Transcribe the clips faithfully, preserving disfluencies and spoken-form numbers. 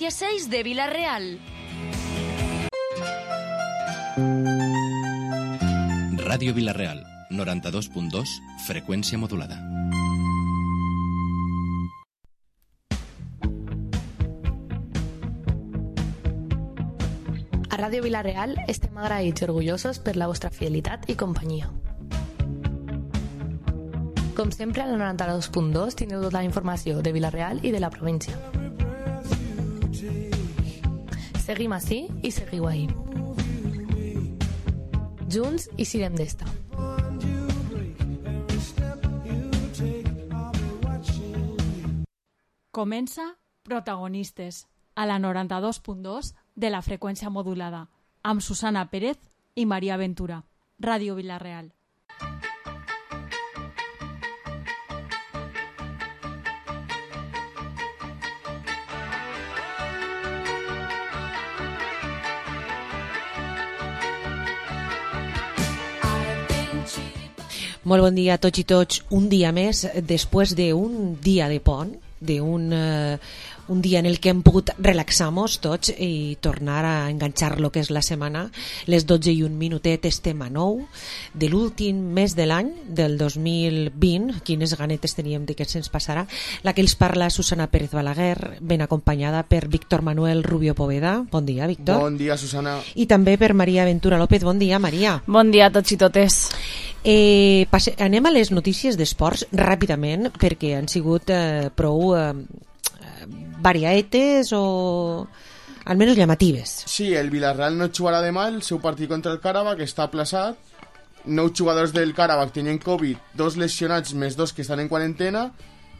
dieciséis de Vila-real. Ràdio Vila-real, noranta-dos punt dos, freqüència modulada. A Ràdio Vila-real estem agraïts i orgullosos per la vostra fidelitat i companyia. Com sempre, al noranta-dos punt dos tindreu tota la informació de Vila-real i de la província. Seguim ací i seguiu ahí. Junts i sirem d'esta. Comença Protagonistes, a la noranta-dos punt dos de la freqüència modulada, amb Susana Pérez i Maria Ventura. Ràdio Vila-real. Molt bon dia a tots i tots. Un dia més, després d'un dia de pont, d'un uh, un dia en el que hem pogut relaxar-nos tots i tornar a enganxar lo que és la setmana. Les dotze i un minutet estem a nou de l'últim mes de l'any, del dos mil vint. Quines ganetes teníem de que se'ns passarà. La que els parla Susana Pérez Balaguer, ben acompanyada per Víctor Manuel Rubio Poveda. Bon dia, Víctor. Bon dia, Susana. I també per Maria Ventura López. Bon dia, Maria. Bon dia a tots i totes. Eh, passe, anem a les notícies d'esports ràpidament, perquè han sigut eh, prou eh, variaetes o almenys llamatives. Sí, el Villarreal no jugarà demà el seu partit contra el Qarabag, està aplaçat. Nou jugadors del Qarabag tenien Covid, dos lesionats més dos que estan en quarantena.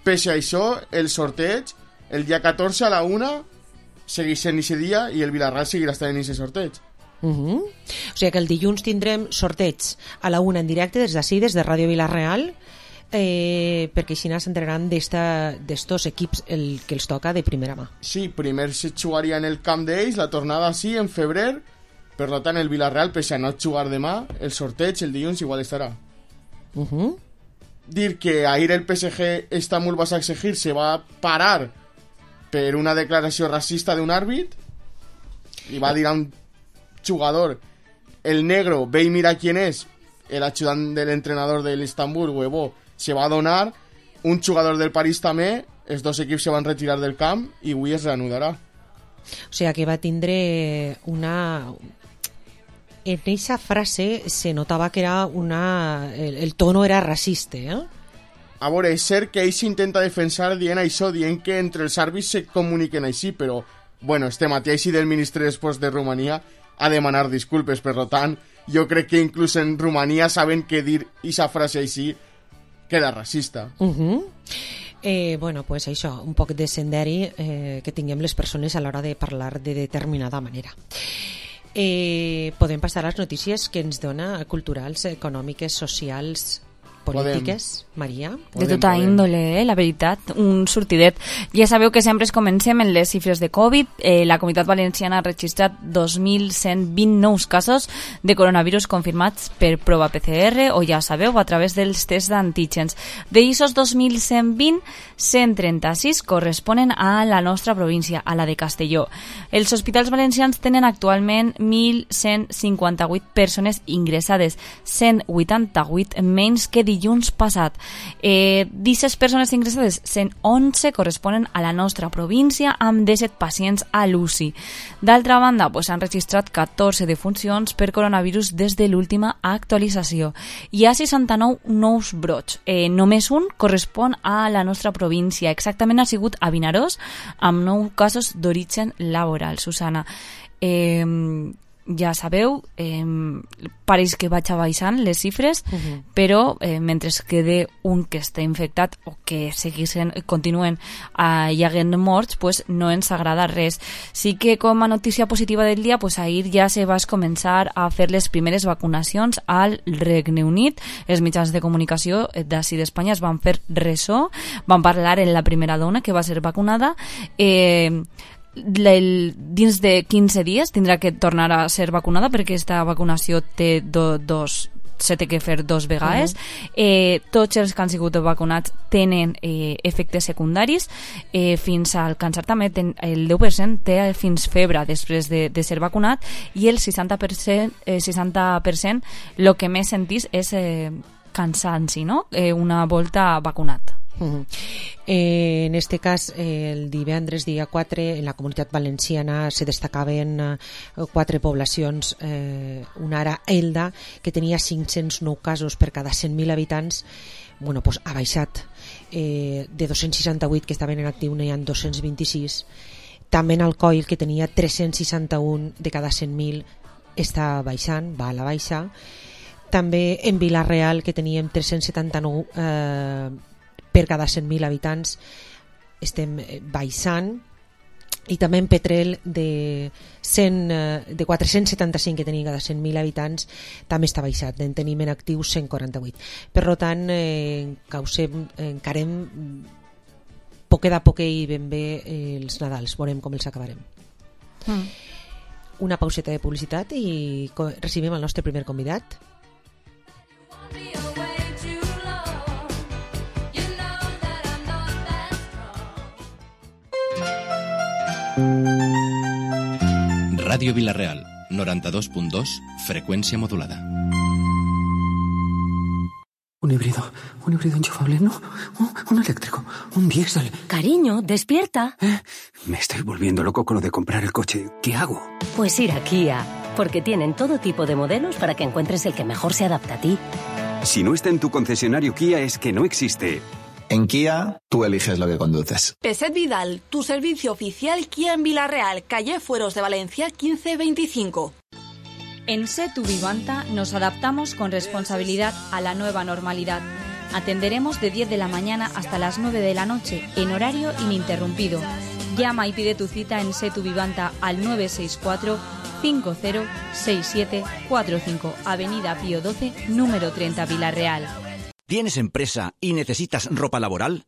Pese a això, el sorteig el dia catorze a la una segueix sent aquest dia i el Villarreal seguirà estant en aquest sorteig. Uh-huh. O sigui que el dilluns tindrem sorteig a la una en directe des d'ací, des de Ràdio Vila-real, eh, perquè així s'entrenaran d'estos equips el que els toca de primera mà. Sí, primer se jugaria en el camp d'ells, la tornada sí, en febrer. Per tant, el Villarreal, pese a no jugar demà, el sorteig el dilluns igual estarà. Uh-huh. Dir que ahir el P S G Istanbul Başakşehir se va parar per una declaració racista d'un àrbit i va dir a un jugador, el negro, ve y mira quién es, el ayudante del entrenador del Istanbul, huevo, se va a donar. Un jugador del París també, els dos equips se van retirar del camp i avui es reanudarà. O sigui que va tindre una... En aquesta frase se notava que era una... el, el tono era racista, eh? A veure, és cert que ell s'intenta defensar dient això, dient que entre els àrbits se comuniquen així, però, bueno, este matí així del ministre d'Esports de Romania a demanar disculpes, per tant, jo crec que inclús en Romania saben que dir aquesta frase així queda racista. Uh-huh. Eh, bueno, pues això, un poc de senderi eh, que tinguem les persones a l'hora de parlar de determinada manera. Eh, podem passar a les notícies que ens dona culturals, econòmiques, socials, polítiques, podem. Maria? De tota podem. índole, eh, la veritat, un sortidet. Ja sabeu que sempre es comencem en les xifres de Covid. Eh, la Comunitat Valenciana ha registrat dos mil cent vint nous casos de coronavirus confirmats per prova P C R, o ja sabeu, a través dels tests d'antígens. D'eixos dos mil cent vint, cent trenta-sis corresponen a la nostra província, a la de Castelló. Els hospitals valencians tenen actualment mil cent cinquanta-vuit persones ingressades, cent vuitanta-vuit menys que dilluns passat. Eh, disset persones ingressades, cent onze corresponen a la nostra província, amb disset pacients a l'U C I. D'altra banda, pues, han registrat catorze defuncions per coronavirus des de l'última actualització. Hi ha seixanta-nou nous brots. Eh, només un correspon a la nostra província. Exactament ha sigut a Vinaròs, amb nou casos d'origen laboral. Susana, eh, ja sabeu, eh, pareix que vaig baixant les xifres, uh-huh. però eh, mentre quede un que està infectat o que segueixen, continuen eh, hi haguent morts, pues no ens agrada res. Sí que com a notícia positiva del dia, pues ahir ja se va començar a fer les primeres vacunacions al Regne Unit. Els mitjans de comunicació d'ací d'Espanya es van fer ressò, van parlar en la primera dona que va ser vacunada. eh, El, dins de quinze dies tindrà que tornar a ser vacunada perquè aquesta vacunació té do, dos se té que fer dos vegades. Uh-huh. eh, tots els que han sigut vacunats tenen eh, efectes secundaris, eh, fins a alcançar també ten, el deu per cent té fins febre després de, de ser vacunat, i el seixanta per cent, eh, seixanta per cent el que més sentís és eh, cansanci, no? Eh, una volta vacunat. Uh-huh. Eh, en este cas, eh, el divendres dia quatre, en la Comunitat Valenciana se destacaven eh, quatre poblacions. Eh, una era Elda, que tenia cinc-cents nou casos per cada cent mil habitants. Bueno, pues ha baixat. Eh, de dos-cents seixanta-vuit que estaven en actiu n'hi ha dos-cents vint-i-sis. També en Alcoil, que tenia tres-cents seixanta-un de cada cent mil, està baixant, va a la baixa. També en Vila-real, que teníem tres-cents setanta-nou eh, per cada cent mil habitants, estem baixant. I també en Petrel, de, cent, de quatre-cents setanta-cinc que tenia cada cent mil habitants, també està baixat, en tenim en actiu cent quaranta-vuit. Per tant, eh, causem, encarem poquet a poquet i ben bé eh, els Nadals, veurem com els acabarem. Mm. Una pauseta de publicitat i recibim el nostre primer convidat. Ràdio Vila-real, noranta-dos punt dos, frecuencia modulada. Un híbrido, un híbrido enchufable, no, un, un eléctrico, un diésel. Cariño, despierta. ¿Eh? Me estoy volviendo loco con lo de comprar el coche. ¿Qué hago? Pues ir a Kia, porque tienen todo tipo de modelos para que encuentres el que mejor se adapta a ti. Si no está en tu concesionario Kia es que no existe. En Kia, tú eliges lo que conduces. Peset Vidal, tu servicio oficial Kia en Vila-real, calle Fueros de Valencia quince veinticinco. En Setu Vivanta nos adaptamos con responsabilidad a la nueva normalidad. Atenderemos de diez de la mañana hasta las nueve de la noche, en horario ininterrumpido. Llama y pide tu cita en Setu Vivanta al nueve seis cuatro, cinco cero seis siete cuatro cinco, Avenida Pío doce, número treinta, Vila-real. ¿Tienes empresa y necesitas ropa laboral?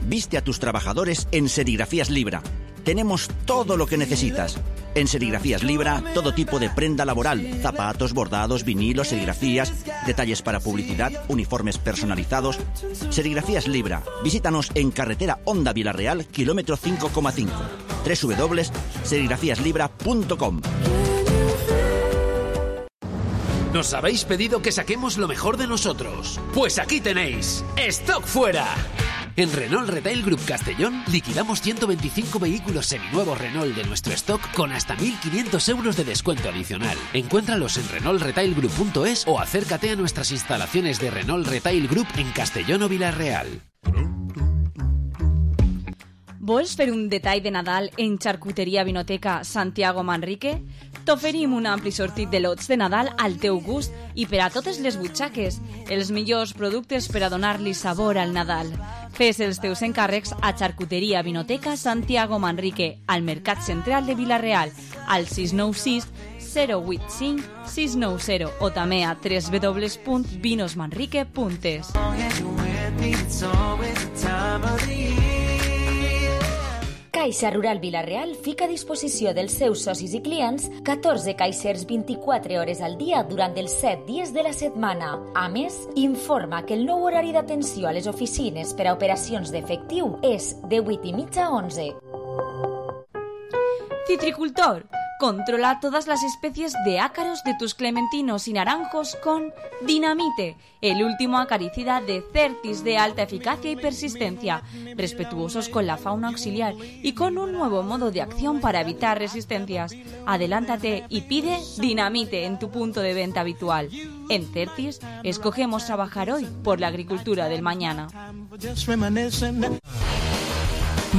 Viste a tus trabajadores en Serigrafías Libra. Tenemos todo lo que necesitas. En Serigrafías Libra, todo tipo de prenda laboral, zapatos, bordados, vinilos, serigrafías, detalles para publicidad, uniformes personalizados. Serigrafías Libra. Visítanos en carretera Honda Vila-real, kilómetro cinco coma cinco. doble u doble u doble u punto serigrafías libra punto com. Nos habéis pedido que saquemos lo mejor de nosotros. Pues aquí tenéis, ¡Stock Fuera! En Renault Retail Group Castellón liquidamos ciento veinticinco vehículos seminuevos Renault de nuestro stock con hasta mil quinientos euros de descuento adicional. Encuéntralos en renault retail group punto es o acércate a nuestras instalaciones de Renault Retail Group en Castellón o Vila-real. Vols fer un detall de Nadal en Charcuteria Vinoteca Santiago Manrique? T'oferim un ampli sortit de lots de Nadal al teu gust i per a totes les butxaques, els millors productes per a donar-li sabor al Nadal. Fes els teus encàrrecs a Charcuteria Vinoteca Santiago Manrique, al Mercat Central de Vila-real, al sis nou sis, zero vuit cinc, sis nou zero o també a doble u doble u doble u punt vinos manrique punt es. Caixa Rural Vila-real fica a disposició dels seus socis i clients catorze caixers vint-i-quatre hores al dia durant els set dies de la setmana. A més, informa que el nou horari d'atenció a les oficines per a operacions d'efectiu és de vuit i mitja a onze. Citricultor, controla todas las especies de ácaros de tus clementinos y naranjos con Dinamite, el último acaricida de Certis de alta eficacia y persistencia, respetuosos con la fauna auxiliar y con un nuevo modo de acción para evitar resistencias. Adelántate y pide Dinamite en tu punto de venta habitual. En Certis, escogemos trabajar hoy por la agricultura del mañana.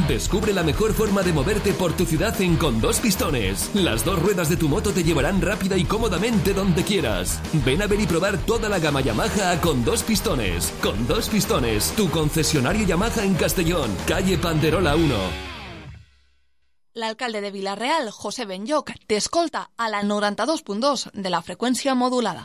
Descubre la mejor forma de moverte por tu ciudad en Con Dos Pistones. Las dos ruedas de tu moto te llevarán rápida y cómodamente donde quieras. Ven a ver y probar toda la gama Yamaha a Con Dos Pistones. Con Dos Pistones, tu concesionario Yamaha en Castellón, calle Panderola uno. L'alcalde de Vila-real, José Benlloc, t'escolta a la noranta-dos punt dos de la freqüència modulada.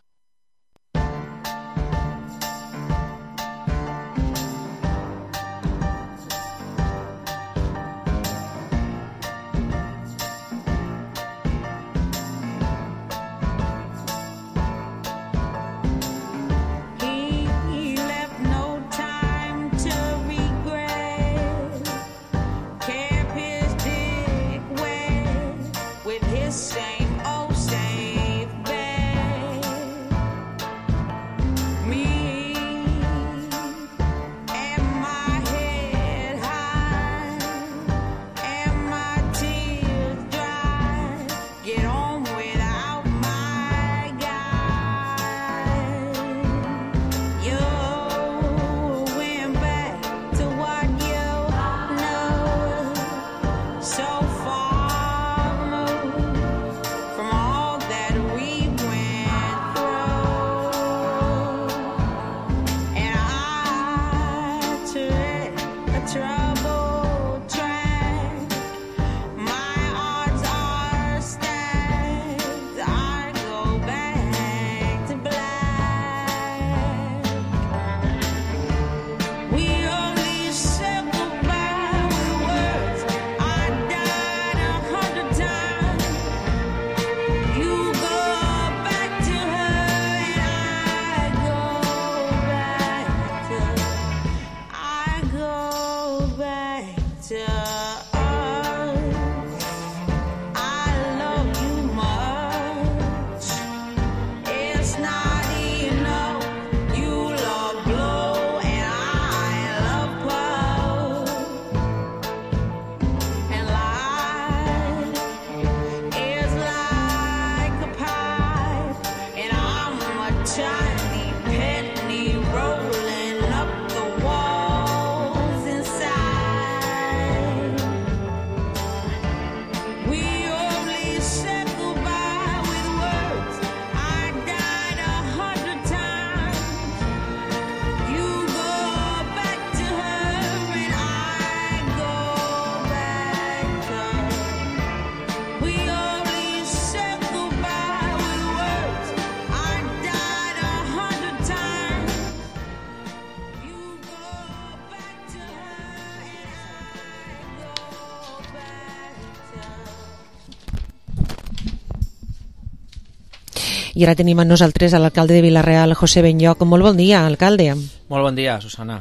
I ara tenim amb nosaltres a l'alcalde de Vila-real, José Benlloch. Molt bon dia, alcalde. Molt bon dia, Susana.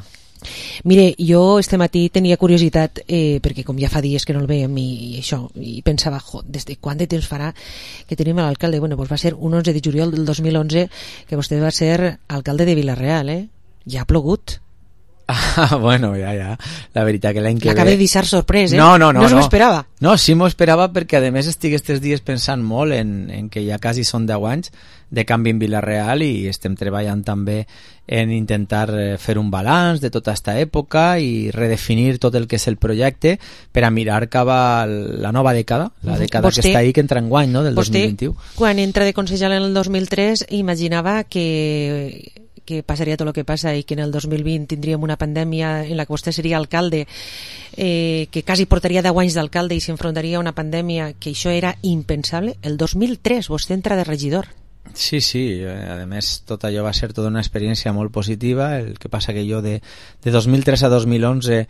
Mire, jo este matí tenia curiositat, eh, perquè com ja fa dies que no el veiem i, i això, i pensava, jo, des de quant de temps farà que tenim l'alcalde? Bueno, doncs va ser un onze de juliol del dos mil onze que vostè va ser alcalde de Vila-real, eh? Ja ha plogut. Ah, bueno, ja, ja. La veritat que l'any que ve... L'acaba de deixar sorprès, eh? No, no, no. No s'ho esperava. No, sí m'ho esperava perquè, a més, estic aquests dies pensant molt en, en que ja quasi són deu anys de canvi en Vila-real i estem treballant també en intentar fer un balanç de tota aquesta època i redefinir tot el que és el projecte per a mirar cap a la nova dècada, la dècada vostè, que està ahí, que entra en guany, no?, del dos mil vint-i-u. Quan entra de consellera en el dos mil tres imaginava que... que passaria tot el que passa i que en el dos mil vint tindríem una pandèmia en la que vostè seria alcalde, eh, que quasi portaria deu anys d'alcalde i s'enfrontaria a una pandèmia, que això era impensable. El dos mil tres vostè entra de regidor. Sí, sí, a més tot allò va ser tota una experiència molt positiva. El que passa que jo de, de dos mil tres a dos mil onze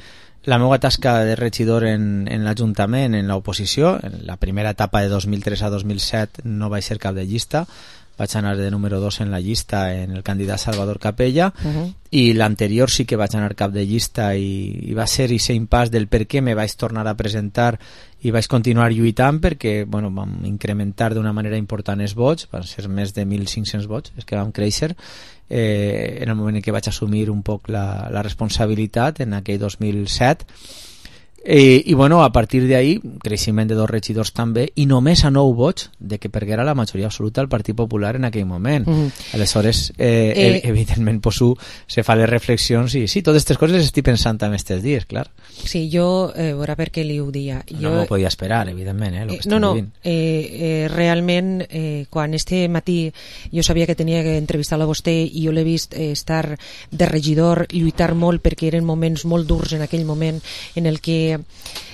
la meva tasca de regidor en, en l'Ajuntament, en l'oposició, en la primera etapa de dos mil tres a dos mil set no vaig ser cap de llista, vaig anar de número dos en la llista en el candidat Salvador Capella, uh-huh. i l'anterior sí que vaig anar cap de llista i, i va ser aquest impàs del per què me vaig tornar a presentar i vaig continuar lluitant perquè bueno, vam incrementar d'una manera important els vots, van ser més de mil cinc-cents vots, és que vam créixer eh, en el moment en què vaig assumir un poc la, la responsabilitat en aquell dos mil set. Eh, i bueno, a partir d'ahí creixement de dos regidors també i només a nou vots de que perguera la majoria absoluta del Partit Popular en aquell moment. Mm. Aleshores eh, eh, evidentment poso, se fa les reflexions i sí, totes aquestes coses les estic pensant també aquests dies, clar. Sí, jo, eh, veurà per què li ho dia jo, no m'ho podia esperar, evidentment, eh, lo que eh, no, no, vivint. eh, eh, realment eh, quan este matí jo sabia que tenia que entrevistar-lo a vostè i jo l'he vist eh, estar de regidor, lluitar molt perquè eren moments molt durs en aquell moment en el que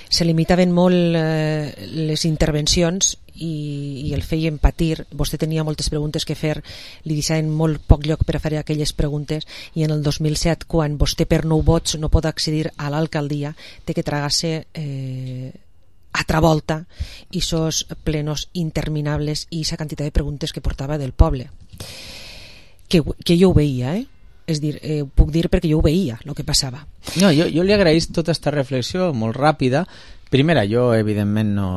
se limitaven molt eh, les intervencions i, i el feien patir. Vostè tenia moltes preguntes que fer, li deixaven molt poc lloc per a fer aquelles preguntes i en el dos mil set, quan vostè per nou vots no pot accedir a l'alcaldia, té que tragar-se eh, altra volta i sos plenos interminables i esa quantitat de preguntes que portava del poble, que, que jo ho veia, eh? És dir, eh, puc dir perquè jo ho veia, el que passava. No, jo, jo li agraïs tota aquesta reflexió molt ràpida. Primera, jo evidentment no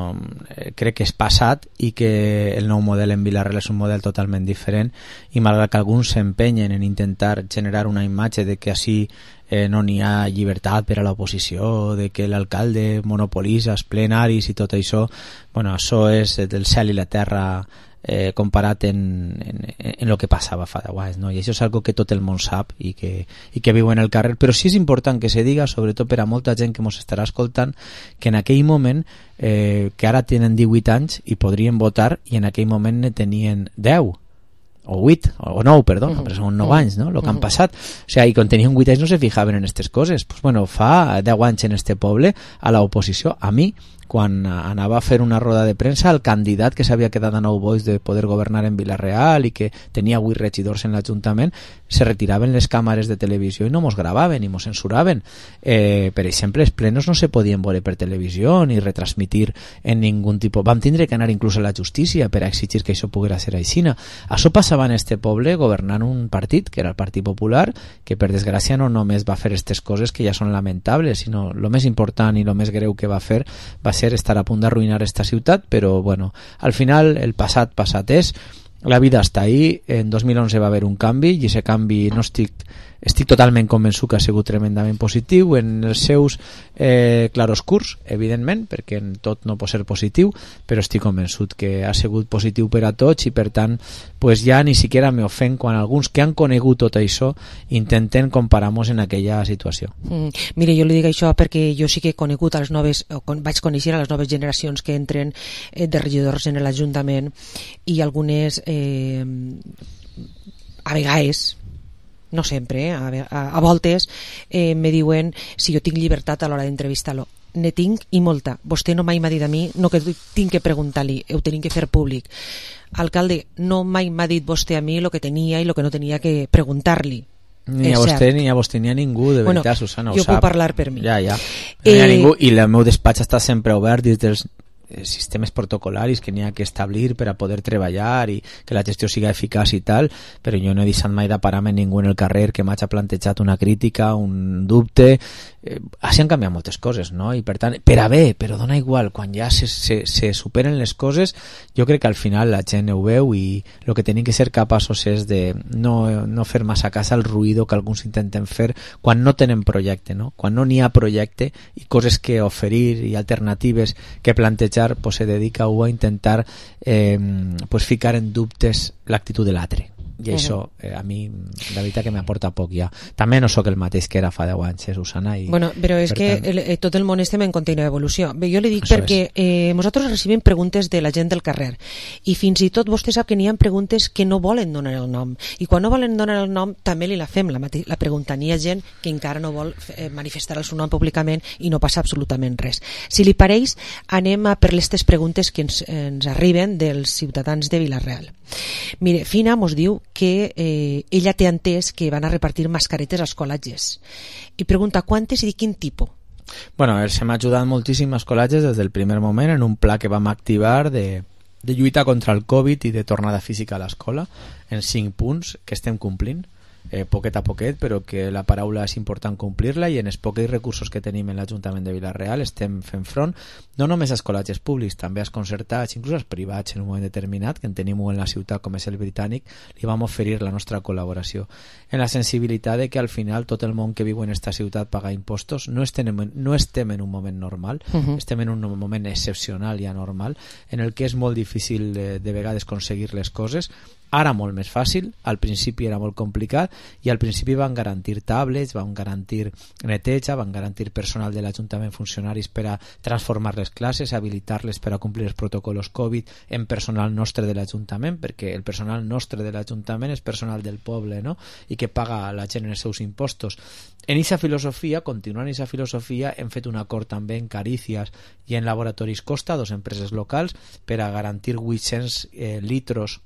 eh, crec que és passat i que el nou model en Vila-real és un model totalment diferent i malgrat que alguns s'empenyen en intentar generar una imatge de que així eh, no n'hi ha llibertat per a l'oposició, de que l'alcalde monopolitza els plenaris i tot això, bueno, això és del cel i la terra eh, comparat en, en, en lo que passava fa deu anys, no? I això és algo que tot el món sap i que, i que viu en el carrer, però sí és important que se diga, sobretot per a molta gent que ens estarà escoltant, que en aquell moment eh, que ara tenen divuit anys i podrien votar i en aquell moment ne tenien deu o vuit, o nou, perdó, uh-huh. però són nou uh-huh. anys, no?, el que han passat. O sigui, i quan tenien vuit anys no se fijaven en aquestes coses. Pues bueno, fa deu anys en este poble, a l'oposició, a mi, quan anava a fer una roda de premsa, el candidat que s'havia quedat a Nou Boix de poder governar en Vila-real i que tenia vuit regidors en l'Ajuntament, se retiraven les càmeres de televisió i no mos gravaven i mos censuraven. Eh, per exemple, els plenos no se podien veure per televisió ni retransmitir en ningun tipus. Vam tindre que anar inclús a la justícia per a exigir que això poguera ser aixina. Això passava en este poble governant un partit, que era el Partit Popular, que per desgràcia no només va fer aquestes coses que ja són lamentables, sinó el més important i el més greu que va fer va ser estar a punt d'arruïnar esta ciutat, però bueno, al final el passat passat és, la vida està ahí. En dos mil onze va haver un canvi i aquest canvi no estic estic totalment convençut que ha sigut tremendament positiu en els seus eh, claroscurs, evidentment, perquè en tot no pot ser positiu, però estic convençut que ha sigut positiu per a tots i per tant pues ja ni siquiera me ofèn quan alguns que han conegut tot això intenten comparar-nos en aquella situació. Mm, mire, jo li dic això perquè jo sí que he conegut a les noves, o con, vaig conèixer a les noves generacions que entren eh, de regidors en l'Ajuntament i algunes eh, a vegades no sempre, eh? a, a, a voltes eh, me diuen si jo tinc llibertat a l'hora d'entrevistar-lo. Ne tinc i molta. Vostè no mai m'ha dit a mi, no que tinc que preguntar-li, ho tenim que fer públic. Alcalde, no mai m'ha dit vostè a mi el que tenia i el que no tenia que preguntar-li. Ni a vostè, ni a vostè, ni a ningú, de bueno, veritat, Susana, ho jo sap. puc parlar per mi. Ja, ja. Eh, ni a ningú, i el meu despatx està sempre obert des dels sistemes protocolaris que n'hi ha que establir per a poder treballar i que la gestió siga eficaç i tal, però jo no he deixat mai de parar-me ningú en el carrer que m'hagi plantejat una crítica, un dubte. Eh, així han canviat moltes coses, no? I per tant, per a bé, però dona igual, quan ja se, se, se superen les coses, jo crec que al final la gent ho veu i el que tenim que ser capaços és de no, no fer massa cas al ruïdo que alguns intenten fer quan no tenen projecte, no? Quan no n'hi ha projecte i coses que oferir i alternatives que plantejar, pues se dedica a intentar eh, pues ficar en dubtes l'actitud de l'altre. I uh-huh. això eh, a mi la veritat que m'aporta poc ja. També no sóc el mateix que era fa deu anys, eh, Susana, i bueno, però és que tant... el, eh, tot el món estem en contínua evolució. Bé, jo li dic això perquè eh, nosaltres recibim preguntes de la gent del carrer i fins i tot vostè sap que n'hi ha preguntes que no volen donar el nom i quan no volen donar el nom també li la fem la, mate- la pregunta. N'hi ha gent que encara no vol eh, manifestar el seu nom públicament i no passa absolutament res. Si li pareix, anem a per les preguntes que ens, ens arriben dels ciutadans de Vila-real. Mire, Fina mos diu que eh, ella té entès que van a repartir mascaretes als col·legis i pregunta quantes i de quin tipus. Bueno, els hem ajudat moltíssim als col·legis des del primer moment en un pla que vam activar de, de lluita contra el Covid i de tornada física a l'escola en cinc punts que estem complint. Eh, poquet a poquet, però que la paraula és important complir-la i en els pocs recursos que tenim en l'Ajuntament de Vila-real estem fent front no només als col·legis públics, també als concertats, inclús als privats en un moment determinat, que en tenim un en la ciutat com és el Britànic, li vam oferir la nostra col·laboració en la sensibilitat de que al final tot el món que viu en esta ciutat paga impostos. No estem, no estem en un moment normal, uh-huh. estem en un moment excepcional i anormal en el que és molt difícil de, de vegades aconseguir les coses. Ara molt més fàcil, al principi era molt complicat i al principi van garantir tablets, van garantir neteja, van garantir personal de l'Ajuntament, funcionaris per a transformar les classes, habilitar-les per a complir els protocols Covid en personal nostre de l'Ajuntament, perquè el personal nostre de l'Ajuntament és personal del poble, no? I que paga la gent en els seus impostos. En aquesta filosofia, continuant aquesta filosofia, hem fet un acord també en Carícies i en Laboratoris Costa, dos empreses locals, per a garantir vuit-cents eh, litros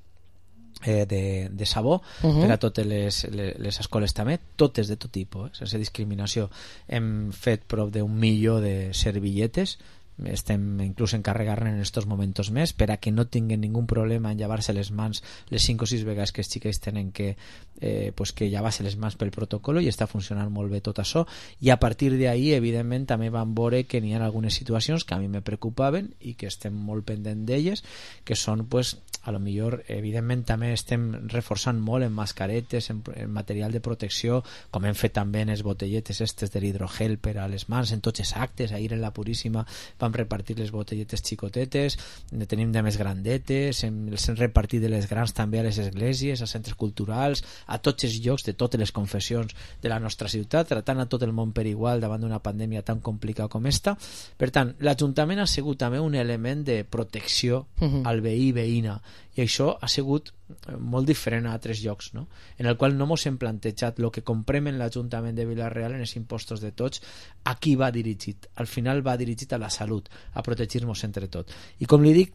Eh, de, de sabó uh-huh. per a totes les, les, les escoles també, totes de tot tipus, eh, sense discriminació. Hem fet prop d'un milió de servilletes, estem inclús encarregar-ne en estos momentos més per a que no tinguin ningú problema en llevar-se les mans les cinc o sis vegades que els xiquets tenen que, eh, pues que llevar-se les mans pel protocolo, i està funcionant molt bé tot això. I a partir d'ahí evidentment també vam veure que n'hi ha algunes situacions que a mi me preocupaven i que estem molt pendent d'elles, que són pues a lo millor, evidentment, també estem reforçant molt en mascaretes, en, en material de protecció, com hem fet també en les botelletes estes de l'hidrogel per a les mans, en tots els actes. Ahir en la Puríssima vam repartir les botelletes xicotetes, ne tenim de més grandetes, hem, els hem repartit de les grans també a les esglésies, a centres culturals, a tots els llocs de totes les confessions de la nostra ciutat, tratant a tot el món per igual davant d'una pandèmia tan complicada com esta. Per tant, l'Ajuntament ha sigut també un element de protecció uh-huh. al veí i veïna, i això ha sigut molt diferent a altres llocs, no? En el qual no mos hem plantejat el que comprem en l'Ajuntament de Vila-real en els impostos de tots, a qui va dirigit. Al final va dirigit a la salut, a protegir-nos entre tot. I com li dic,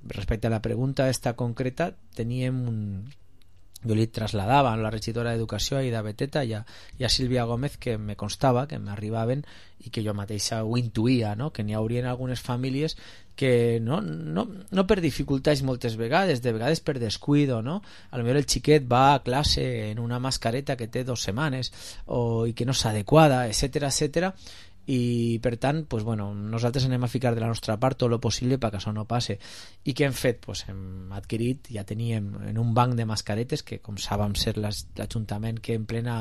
respecte a la pregunta esta concreta, teníem un... jo li trasladava a la regidora d'Educació, a Ida Beteta, i a, i a Sílvia Gómez, que me constava, que m'arribaven i que jo mateixa ho intuïa, no? Que n'hi haurien algunes famílies que no, no, no per dificultats moltes vegades, de vegades per descuido, no? A lo millor el xiquet va a classe en una mascareta que té dos setmanes o, i que no és adequada, etcètera, etcètera, i per tant, pues, bueno, nosaltres anem a ficar de la nostra part tot el possible perquè això no passe. I què hem fet? Pues, hem adquirit, ja teníem en un banc de mascaretes que, com sabem ser l'Ajuntament que en plena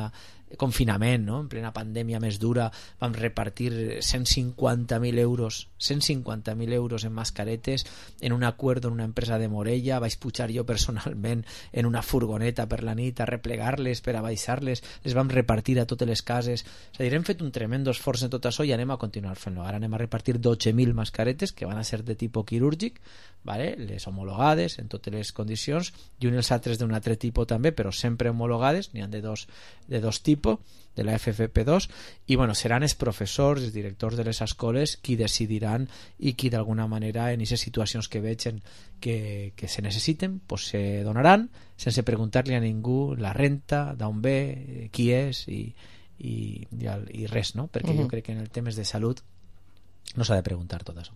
confinament, no? En plena pandèmia més dura, vam repartir cent cinquanta mil euros cent cinquanta mil euros en mascaretes en un acord en una empresa de Morella. Vaig pujar jo personalment en una furgoneta per la nit a replegar-les, per a baixar-les, les vam repartir a totes les cases. És a dir, hem fet un tremendo esforç en tot això i anem a continuar fent-lo. Ara anem a repartir dotze mil mascaretes que van a ser de tipus quirúrgic, vale? Les homologades en totes les condicions, i uns altres d'un altre tipus també, però sempre homologades, n'hi ha de dos, de dos tipus, de la F F P dos, i bueno, seran els professors, els directors de les escoles qui decidiran i qui d'alguna manera en aquestes situacions que vegen que, que se necessiten, pues se donaran sense preguntar-li a ningú la renta, d'on ve, qui és i, i, i, i res, no? Perquè uh-huh. jo crec que en el temes de salut no s'ha de preguntar tot això.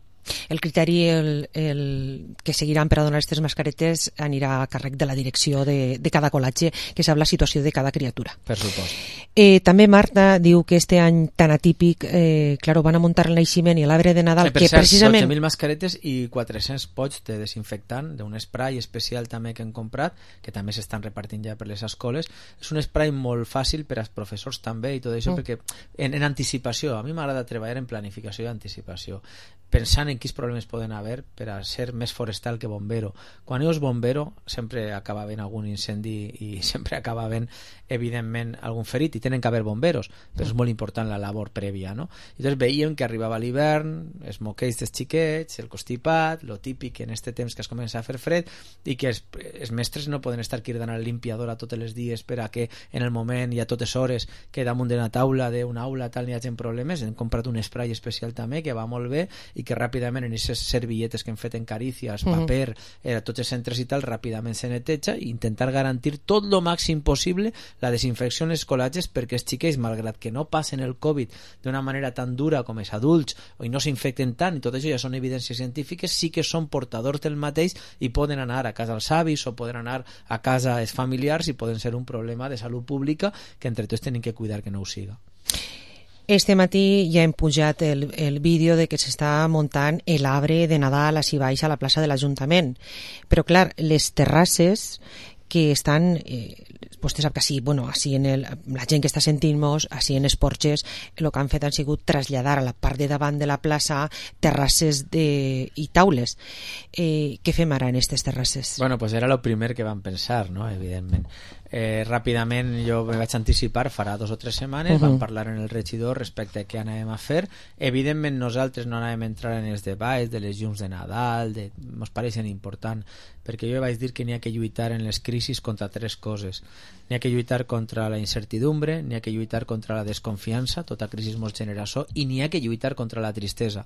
El criteri el, el que seguiran per a donar aquestes mascaretes anirà a càrrec de la direcció de, de cada col·legi, que sap la situació de cada criatura. Per supost. Eh, també Marta diu que este any tan atípic, eh, claro, van a muntar el naixement i l'arbre de Nadal, eh, per que cert, precisament... dotze mil mascaretes i quatre-cents pots de desinfectant, d'un spray especial també que hem comprat, que també s'estan repartint ja per les escoles. És un spray molt fàcil per als professors també i tot això, mm. perquè en, en anticipació, a mi m'agrada treballar en planificació i anticipació, pensant en quins problemes poden haver per a ser més forestal que bombero. Quan jo és bombero sempre acaba havent algun incendi i sempre acaba havent evidentment algun ferit i tenen que haver bomberos, però és molt important la labor prèvia, no? I llavors veiem que arribava l'hivern, els moqueis dels xiquets, el constipat, lo típic en este temps que es comença a fer fred i que els, els mestres no poden estar cridant al limpiador a tots els dies per a que en el moment i a totes hores que damunt d'una taula d'una aula tal n'hi hagi problemes. Hem comprat un spray especial també que va molt bé i que ràpidament en aquestes servilletes que hem fet en carícies, uh-huh. paper, eh, tots els centres i tal, ràpidament se neteja i intentar garantir tot lo màxim possible la desinfecció en els col·legis perquè els xiquets, malgrat que no passen el Covid d'una manera tan dura com els adults i no s'infecten tant, i tot això ja són evidències científiques, sí que són portadors del mateix i poden anar a casa els avis o poden anar a casa els familiars i poden ser un problema de salut pública que entre tots tenim que cuidar que no ho siga. Este matí ja hem pujat el, el vídeo de que s'està muntant l'arbre de Nadal així baix a la plaça de l'Ajuntament. Però, clar, les terrasses que estan, eh, vostè sap que així, bueno, així en el, la gent que està sentint-nos, així en els porxes, el que han fet han sigut traslladar a la part de davant de la plaça terrasses de, i taules. Eh, què fem ara en aquestes terrasses? Bueno, pues era el primer que vam pensar, no? Evidentment. Eh, ràpidament jo me vaig anticipar farà dos o tres setmanes, uh-huh. vam parlar en el regidor respecte a què anàvem a fer. Evidentment nosaltres no anàvem a entrar en els debats de les llums de Nadal, de... mos pareixen important, perquè jo vaig dir que n'hi ha que lluitar en les crisis contra tres coses. N'hi ha que lluitar contra la incertidumbre, n'hi ha que lluitar contra la desconfiança, tota crisi mos genera això, i n'hi ha que lluitar contra la tristesa.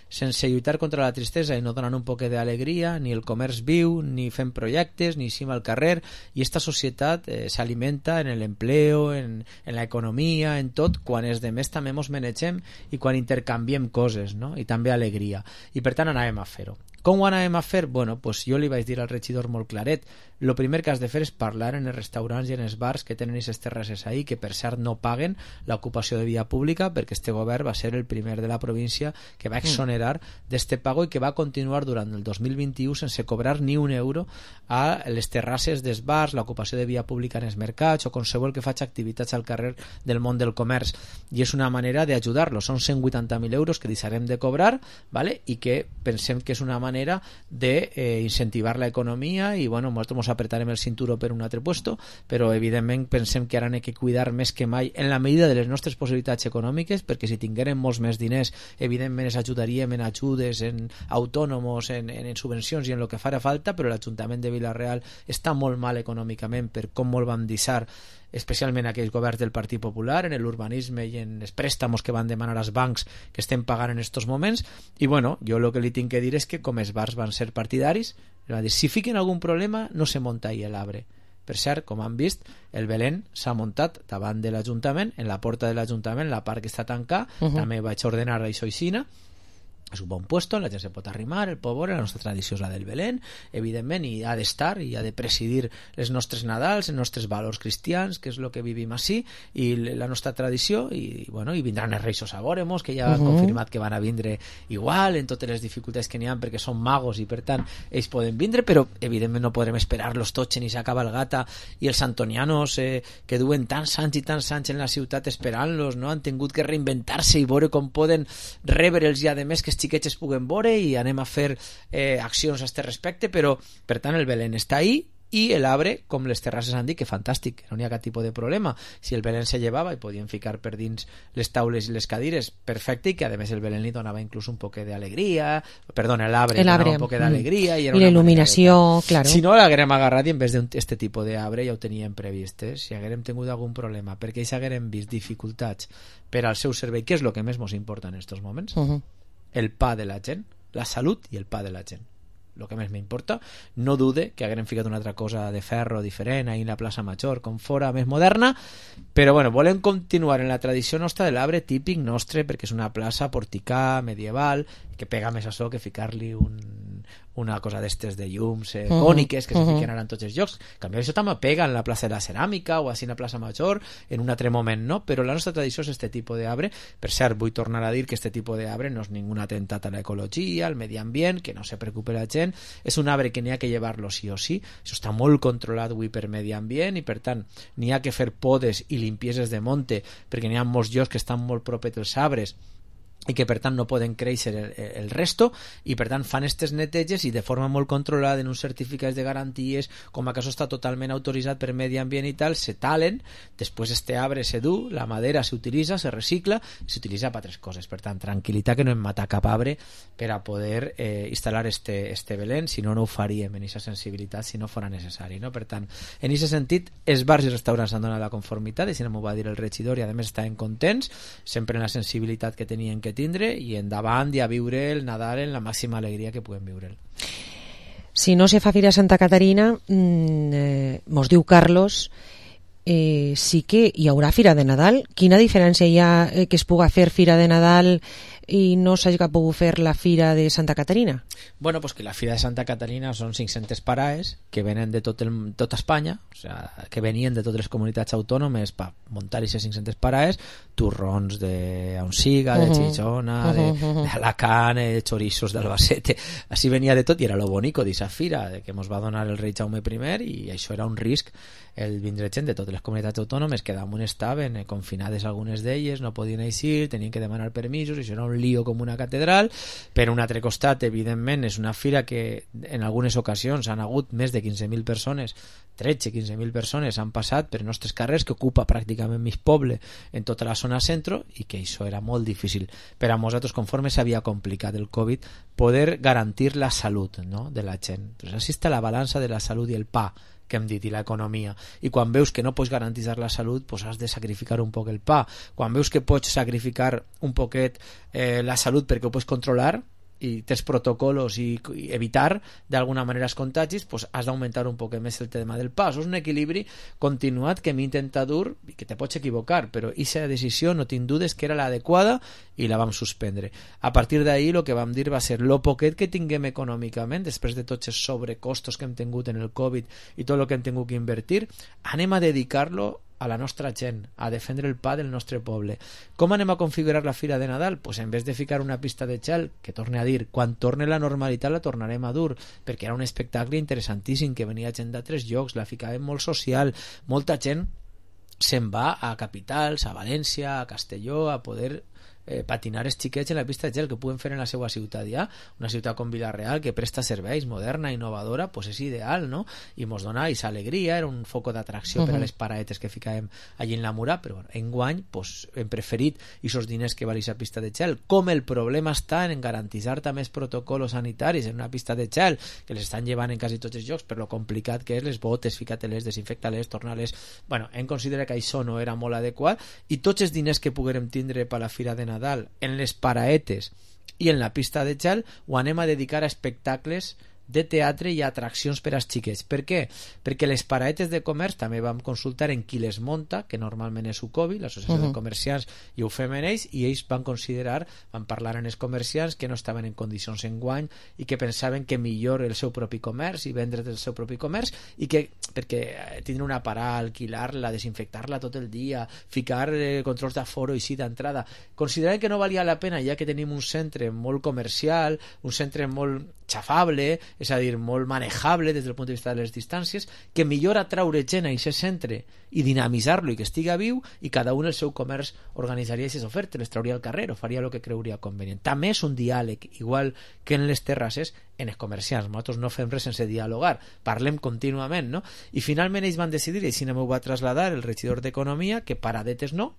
Sense lluitar contra la tristesa i no donant un poc d'alegria, ni el comerç viu, ni fem projectes, ni eixim al carrer, i esta societat eh, s'alimenta en l'empleo, en, en l'economia, en tot, quan els demés també mos manegem i quan intercanviem coses, no? I també alegria. I per tant anàvem a fer-ho. Com ho anem a fer? Bueno, pues jo li vaig dir al regidor molt claret, el primer que has de fer és parlar en els restaurants i en els bars que tenen aquestes terrasses ahí, que per cert no paguen l'ocupació de via pública, perquè este govern va ser el primer de la província que va exonerar d'este pago i que va continuar durant el dos mil vint-i-u sense cobrar ni un euro a les terrasses dels bars, l'ocupació de via pública en els mercats o qualsevol que faci activitats al carrer del món del comerç, i és una manera d'ajudar-los. Són cent vuitanta mil euros que deixarem de cobrar, ¿vale? I que pensem que és una manera d'incentivar la economia i bueno, nosaltres ens apretarem el cinturó per un altre puesto, però evidentment pensem que ara n'hem que cuidar més que mai en la medida de les nostres possibilitats econòmiques, perquè si tinguérem molts més diners evidentment ens ajudaríem en ajudes, en autònomos, en, en, en subvencions i en el que farà falta, però l'Ajuntament de Vila-real està molt mal econòmicament per com molt van deixar especialment aquells governs del Partit Popular en l'urbanisme i en els préstamos que van demanar als bancs que estem pagant en estos moments. I bueno, jo el que li tinc que dir és que com els bars van ser partidaris, va dir, si fiquen algun problema no se monta ahí l'arbre. Per cert, com han vist, el Belén s'ha muntat davant de l'Ajuntament, en la porta de l'Ajuntament, la part que està tancada, uh -huh. també vaig ordenar això aixina. És un bon puesto, la gent se pot arrimar, el pot veure, la nostra tradició és la del Belén, evidentment, i ha d'estar i ha de presidir les nostres Nadals, els nostres valors cristians, que és el que vivim així, i la nostra tradició, i, bueno, i vindran els Reis a veure-mos, que ja han uh -huh. confirmat que van a vindre igual, en totes les dificultats que n'hi ha, perquè són magos i per tant ells poden vindre, però evidentment no podrem esperar-los tots ni s'acaba el gata, i els antonianos eh, que duen tants anys i tants anys en la ciutat esperant-los, no? Han tingut que reinventar-se i veure com poden rebre'ls ja de més que xiquets es puguen veure i anem a fer eh, accions a este respecte, però per tant el Belén està ahí i l'arbre, com les terrasses han dit, que fantàstic, no n'hi ha cap tipus de problema. Si el Belén se llevava i podien ficar per dins les taules i les cadires, perfecte, i que a més el Belén li donava inclús un poc d'alegria, perdona, l'arbre li donava un poc d'alegria, i, i la il·luminació, claro. Si no l'haguérem agarrat i en vez d'aquest tipus d'arbre ja ho teníem previst, eh? Si haguérem tingut algun problema, perquè ells haguérem vist dificultats per al seu servei, que és el que més ens importa en aquests moments, uh -huh. el pa de la gent, la salut i el pa de la gent, el que més m'importa. No dude que haguem ficat una altra cosa de ferro diferent ahí en la plaça Major, com fora més moderna, però bueno, volem continuar en la tradició nostra de l'arbre típic nostre, perquè és una plaça porticà, medieval, que pega més a so que ficar-li un, una cosa d'estes de llums eh, uh-huh. còniques que uh-huh. se fiquen ara en tots els llocs. En canvi, això també pega en la plaça de la Ceràmica o així en la plaça Major en un altre moment, no? Però la nostra tradició és este tipus d'arbre. Per cert, vull tornar a dir que este tipus d'arbre no és ningun atemptat a l'ecologia, al medi ambient, que no se preocupe la gent. És un arbre que n'hi ha que llevar-lo sí o sí. Això està molt controlat avui per medi ambient i per tant n'hi ha que fer podes i limpieses de monte, perquè n'hi ha molts llocs que estan molt propets als arbres i que per tant no poden créixer el, el resto, i per tant fan aquestes neteges i de forma molt controlada en uns certificats de garanties, com a cas està totalment autoritzat per medi ambient i tal, se talen, després este arbre se du, la madera s'utilitza, se recicla i s'utilitza per altres coses. Per tant, tranquil·litat, que no hem matat cap arbre per a poder eh, instal·lar este, este Belén, si no, no ho faríem en aquesta sensibilitat si no fora necessari, no? Per tant, en aquest sentit, els bars i restaurants han donat la conformitat, i si no m'ho va dir el regidor, i a més estaven contents, sempre en la sensibilitat que tenien que tindre, i endavant i a viure el Nadal en la màxima alegria que puguem viure'l. Si no se fa Fira Santa Caterina, mmm, eh, mos diu Carlos, eh, sí que hi haurà Fira de Nadal. Quina diferència hi ha eh, que es puga fer Fira de Nadal i no s'hagi pogut fer la Fira de Santa Caterina? Bueno, pues que la Fira de Santa Caterina són cinc-centes paraes que venen de tot el, tota Espanya, o sea, que venien de totes les comunitats autònomes per muntar aquestes cinc-centes paraes, turrons d'Onsiga, de Xixona, uh -huh. d'Alacant, de chorizos d'Albacete, així venia de tot, i era lo bonico d'aquesta fira, de que ens va donar el rei Jaume primer, i això era un risc, el vindre gent de totes les comunitats autònomes que damunt estaven eh, confinades algunes d'elles, no podien eixir, tenien que demanar permisos, i això era un lío com una catedral. Per un altre costat, evidentment, és una fira que en algunes ocasions han hagut més de quinze mil persones, tretze quinze mil persones han passat per nostres carrers, que ocupa pràcticament mig poble en tota la zona centro, i que això era molt difícil per a nosaltres, conforme s'havia complicat el Covid, poder garantir la salut, no?, de la gent. Pues així està la balança de la salut i el pa, que hem dit, i l'economia. I quan veus que no pots garantir la salut, pues has de sacrificar un poc el pa. Quan veus que pots sacrificar un poquet eh, la salut perquè ho pots controlar, i tens protocolos i, i evitar d'alguna manera els contagis, pues has d'augmentar un poc més el tema del pas. És un equilibri continuat que m'intenta dur i que te pots equivocar, però aquesta decisió no tinc dudes que era l'adequada i la vam suspendre. A partir d'ahir el que vam dir va ser lo poquet que tinguem econòmicament després de tots els sobrecostos que hem tingut en el Covid i tot el que hem tingut que invertir, anem a dedicar-lo a la nostra gent, a defendre el pa del nostre poble. Com anem a configurar la fira de Nadal? Pues en vez de ficar una pista de gel, que torne a dir, quan torne la normalitat la tornarem a dur, perquè era un espectacle interessantíssim, que venia gent d'altres llocs, la ficàvem molt social, molta gent se'n va a capitals, a València, a Castelló, a poder eh, patinar els xiquets en la pista de gel que puguen fer en la seva ciutat ja, una ciutat com Vila-real que presta serveis, moderna, innovadora, pues és ideal, no? I mos dona aquesta alegria, era un foco d'atracció uh-huh. per a les paraetes que ficàvem allí en la mura, però bueno, enguany pues, hem preferit aquests diners que val aquesta pista de gel. Com el problema està en garantitzar també els protocols sanitaris en una pista de gel, que les estan llevant en quasi tots els llocs, per lo complicat que és, les botes, fica-te-les, desinfecta-les, torna-les. Bueno, hem considerat que això no era molt adequat i tots els diners que poguérem tindre per la fira de Nadal en les paraetes i en la pista de gel ho anem a dedicar a espectacles de teatre i atraccions per als xiquets. Per què? Perquè les paraetes de comerç també vam consultar en qui les monta, que normalment és U C O B I, l'Associació uh-huh. de Comerciants, i ho fem en ells, i ells van considerar, van parlar en els comerciants que no estaven en condicions enguany i que pensaven que millor el seu propi comerç i vendre del seu propi comerç, i que perquè tindre una parada, alquilar-la, desinfectar-la tot el dia, ficar eh, controls d'aforo i sí d'entrada, consideraven que no valia la pena, ja que tenim un centre molt comercial, un centre molt xafable, és a dir, molt manejable des del punt de vista de les distàncies, que millor atraure gent a aquest centre i dinamitzar-lo i que estiga viu, i cada un el seu comerç organitzaria aquestes ofertes, les trauria al carrer o faria el que creuria convenient. També és un diàleg, igual que en les terrasses, en els comerciants. Nosaltres no fem res sense dialogar, parlem contínuament, no? I finalment ells van decidir, i així m'ho va traslladar el regidor d'Economia, que paradetes no,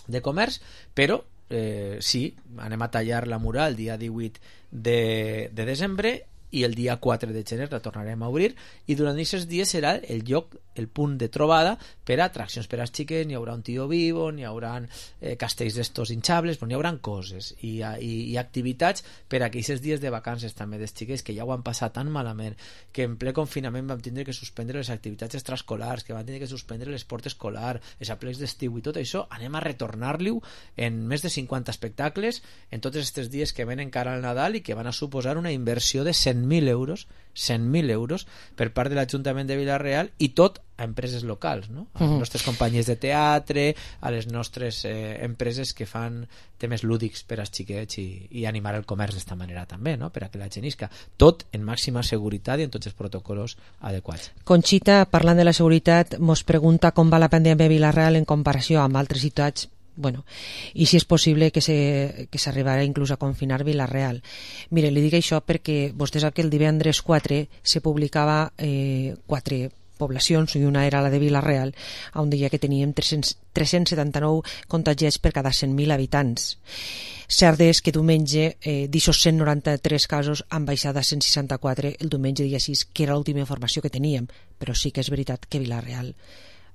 de comerç, però Eh, sí, anem a tallar la mura el dia divuit de, de desembre i el dia quatre de gener la tornarem a obrir, i durant aquests dies serà el lloc, el punt de trobada per a atraccions per als xiquets. N'hi haurà un tio vivo, n'hi haurà eh, castells d'estos hinchables, però n'hi haurà coses i, i, i activitats per a aquests dies de vacances també dels xiquets, que ja ho han passat tan malament que en ple confinament vam tindre que suspendre les activitats extraescolars, que vam tindre que suspendre l'esport escolar, els aplecs d'estiu i tot això. Anem a retornar-li en més de cinquanta espectacles en tots aquests dies que venen cara al Nadal i que van a suposar una inversió de cent mil euros cent mil euros per part de l'Ajuntament de Vila-real, i tot a empreses locals, no? A les uh-huh. nostres companyies de teatre, a les nostres eh, empreses que fan temes lúdics per als xiquets i, i animar el comerç d'esta manera també, no? Per a que la gent isca. Tot en màxima seguretat i en tots els protocols adequats. Conxita, parlant de la seguretat, mos pregunta com va la pandèmia a Vila-real en comparació amb altres ciutats. Bueno, i si és possible que se, que s'arribarà inclús a confinar Vila-real. Mire, li dic això perquè vostè sap que el divendres quatre se publicava eh, quatre poblacions, i una era la de Vila-real, on deia que teníem tres-cents setanta-nou contagiats per cada cent mil habitants. Cert és que diumenge eh, d'aquests cent noranta-tres casos han baixat a cent seixanta-quatre el diumenge dia sis, que era l'última informació que teníem, però sí que és veritat que Vila-real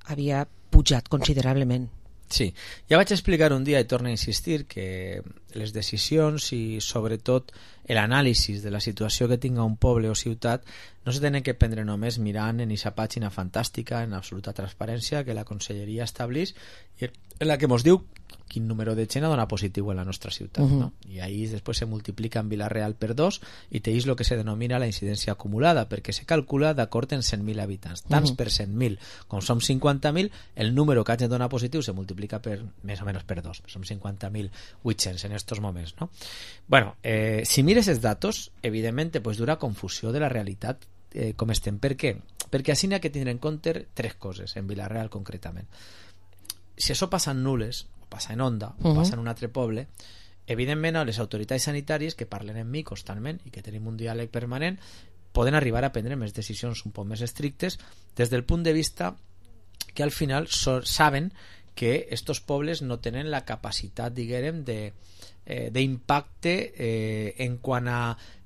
havia pujat considerablement. Sí, ja vaig explicar un dia, i torno a insistir, que les decisions i sobretot l'anàlisi de la situació que tinga un poble o ciutat no se tenen que prendre només mirant en aquesta pàgina fantàstica, en absoluta transparència, que la Conselleria establís, i en la que ens diu quin número de gent ha donat positiu en la nostra ciutat, uh-huh. no? I ahí després se multiplica en Vila-real per dos i tenéis el que se denomina la incidència acumulada, perquè se calcula d'acord en cent mil habitants, tants uh-huh. per cent mil. Com som cinquanta mil, el número que hagin donat positiu se multiplica per més o menys per dos, som cinquanta mil vuit-cents en estos moments, no? Bueno, eh, si mires els datos, evidentment te pues dura confusió de la realitat eh, com estem. Per què? Perquè així n'hi ha que tindre en compte tres coses, en Vila-real concretament. Si això passa en Nules, passa en Onda, o uh-huh. passa en un altre poble, evidentment les autoritats sanitàries que parlen amb mi constantment i que tenim un diàleg permanent poden arribar a prendre més decisions un poc més estrictes des del punt de vista que al final so, saben que estos pobles no tenen la capacitat, diguem, de, eh, d'impacte eh, en quant a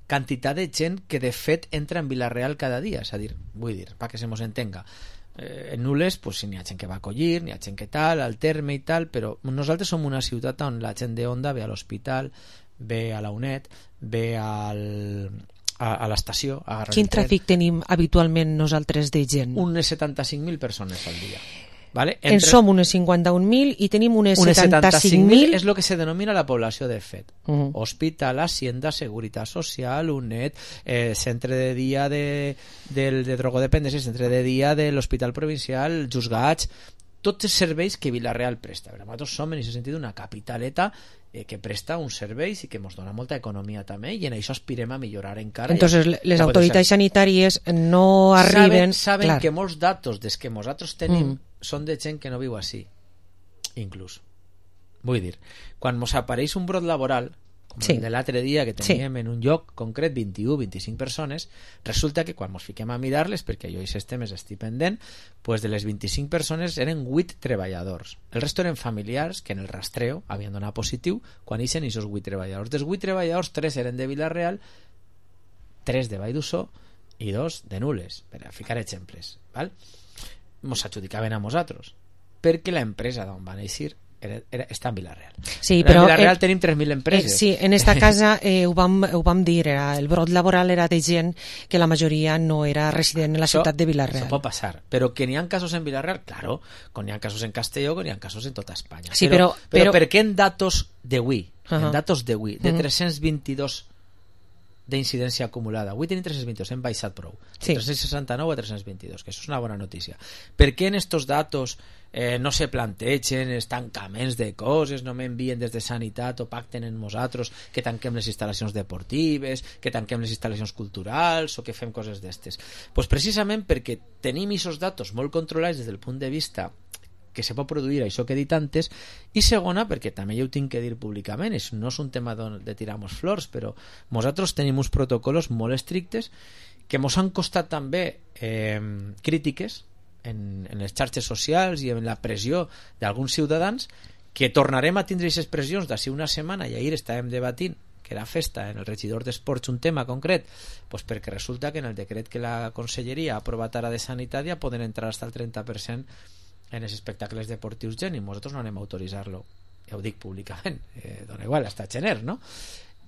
quantitat de gent que de fet entra en Vila-real cada dia, és a dir, vull dir, perquè se mos entenga, Eh, en Nules pues, n'hi ha gent que va acollir, n'hi ha gent que tal, al terme i tal, però nosaltres som una ciutat on la gent de Onda ve a l'hospital, ve a la UNED, ve al, a, a l'estació. Quin tràfic tenim habitualment nosaltres de gent? Unes setanta-cinc mil persones al dia. ¿Vale? En som unes cinquanta-un mil i tenim unes setanta-cinc mil... és el que se denomina la població de fet. Uh -huh. Hospital, Hacienda, Seguridad Social, UNED, eh, centre de dia de, de, de drogodependència, centre de dia de l'Hospital Provincial, Juzgats, tots els serveis que Vila-real presta. Nosaltres som, en aquest sentit, una capitaleta eh, que presta uns serveis i que ens dona molta economia també, i en això aspirem a millorar encara. Entonces, i, les autoritats sanitàries no arriben... Saben, saben clar. que molts datos des que nosaltres tenim mm. són de gent que no viu així, inclús. Vull dir, quan ens apareix un brot laboral, com sí. el de l'altre dia que teníem sí. en un lloc concret vint-i-u vint-i-cinc persones, resulta que quan ens fiquem a mirar-les, perquè jo aquests temes estic pendent, pues de les vint-i-cinc persones eren vuit treballadors. El resto eren familiars que en el rastreo havien donat positiu quan ixen aquests vuit treballadors. Dels vuit treballadors, tres eren de Vila-real, tres de Vall d'Uixó i dos de Nules, per a ficar exemples. Val? Ens adjudicaven a nosaltres, perquè l'empresa d'on van eixir Era, era, està en Vila-real. Sí, en però Vila-real eh, tenim tres mil empreses. Eh, sí, en esta casa eh, ho, vam, ho vam dir, era, el brot laboral era de gent que la majoria no era resident en la això, ciutat de Vila-real. Això pot passar, però que n'hi ha casos en Vila-real, claro, que n'hi ha casos en Castelló, que n'hi ha casos en tota Espanya. Sí, però, però, però, però per què en datos d'avui, uh -huh. en datos d'avui, de uh -huh. tres-cents vint-i-dos d'incidència acumulada, avui tenim tres-cents vint-i-dos, hem baixat prou, sí. tres-cents seixanta-nou a tres-cents vint-i-dos, que això és una bona notícia. Per què en estos datos eh, no se plantegen els tancaments de coses, no m'envien des de Sanitat o pacten en nosaltres que tanquem les instal·lacions deportives, que tanquem les instal·lacions culturals o que fem coses d'estes? Pues precisament perquè tenim aquests datos molt controlats des del punt de vista que se pot produir això que he dit antes, i segona perquè també jo ho tinc que dir públicament, és, no és un tema de tirar-nos flors, però nosaltres tenim uns protocols molt estrictes que ens han costat també eh, crítiques en, en les xarxes socials i en la pressió d'alguns ciutadans, que tornarem a tindre aquestes pressions d'ací una setmana, i ahir estàvem debatint que era festa en el regidor d'Esports un tema concret, pues perquè resulta que en el decret que la Conselleria ha aprovat ara de Sanitat ja poden entrar fins al trenta per cent en els espectacles deportius gent, i nosaltres no anem a autoritzar-lo, ja ho dic públicament, eh, dona igual, hasta gener, no?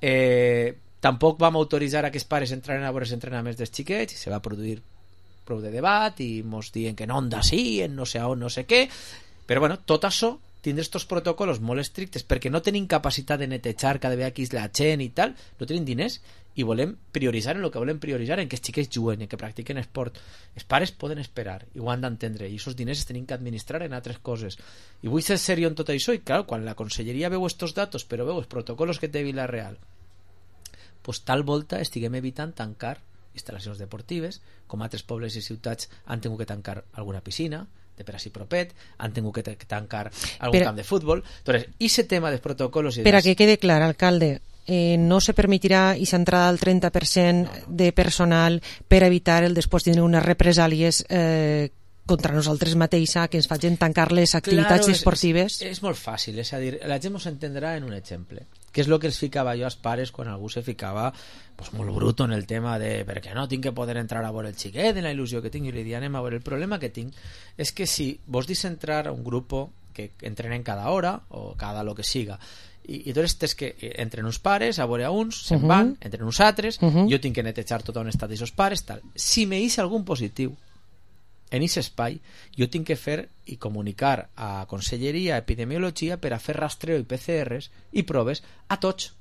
Eh, tampoc vam autoritzar a que els pares entraren a veure els entrenaments dels xiquets, i se va produir prou de debat, i mos diuen que en onda sí, en no sé on, no sé què, però bueno, tot això, tindre estos protocols molt estrictes, perquè no tenim capacitat de netejar cada vegada que és la gent i tal, no tenim diners, i volem prioritzar en el que volem prioritzar, en que els xiquets juguen, en que practiquen esport. Els pares poden esperar i ho han d'entendre, i aquests diners es tenim que administrar en altres coses. I vull ser seriós en tot això, i clar, quan la Conselleria veu estos datos, però veu els protocols que té Vila-real, pues tal volta estiguem evitant tancar instal·lacions deportives, com altres pobles i ciutats han tingut que tancar alguna piscina de per així propet, han tingut que tancar algun per... camp de futbol. Entonces, ese tema dels protocols... Per a que quede clar, alcalde, Eh, no se permitirà aquesta entrada al trenta per cent de personal per evitar el després tindre unes represàlies eh, contra nosaltres mateixa, que ens facin tancar les activitats claro, esportives. És, és molt fàcil, és a dir, la gent ens entendrà en un exemple, que és el que els ficava jo als pares quan algú se ficava pues, molt bruto en el tema de perquè no tinc que poder entrar a veure el xiquet, en la il·lusió que tinc, i li dic, anem a veure. El problema que tinc és que si vos dis entrar a un grup que entrenen cada hora o cada lo que siga, i, i doncs tens que entren uns pares a veure a uns, se'n uh -huh. van, entren uns altres, uh -huh. jo tinc que netejar tot on estan aquests pares, tal. Si me hice algun positiu en aquest espai, jo tinc que fer i comunicar a Conselleria Epidemiologia per a fer rastreo i P C Rs i proves a tots.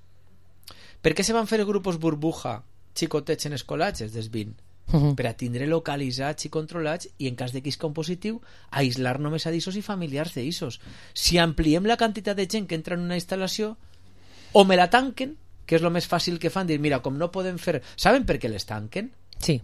Per què se van fer grups burbuja xicotets en escolatges dels vint? Uh -huh. Per a tindre localitzats i controlats, i en cas de que isca un positiu, aïslar només a d'issos i familiars d'issos. Si ampliem la quantitat de gent que entra en una instal·lació, o me la tanquen, que és el més fàcil que fan, dir, mira, com no podem fer... Saben per què les tanquen? Sí.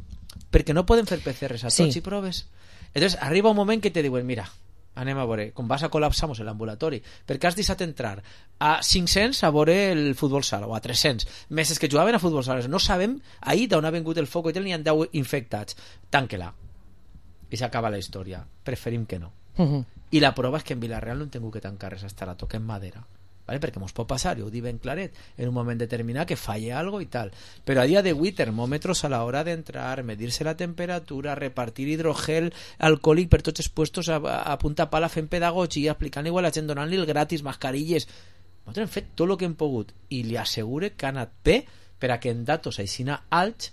Perquè no poden fer P C Rs a tots sí. i proves. Entonces arriba un moment que te diuen, mira, anem a veure, com vas a col·lapsar l'ambulatori, perquè has deixat entrar a cinc-cents a veure el futbol sala, o a tres-cents, més és que jugaven a futbol sala, no sabem ahir d'on ha vingut el foc i tal, n'hi ha deu infectats, tanque-la i s'acaba la història. Preferim que no. Uh -huh. I la prova és que en Vila-real no hem tingut que tancar res, hasta la toquem madera, ¿vale? Perquè mos pot passar, jo ho dic ben claret, en un moment determinat que falle algo i tal, però a dia d'avui termòmetres a l'hora d'entrar, medir-se la temperatura, repartir hidrogel alcohòlic per tots els puestos a, a punta pala, fent pedagogia, explicant igual a la gent, donant-li el gratis, mascarilles. nosaltres hem fet tot el que hem pogut i li assegure que ha anat bé per a que en datos aixina alts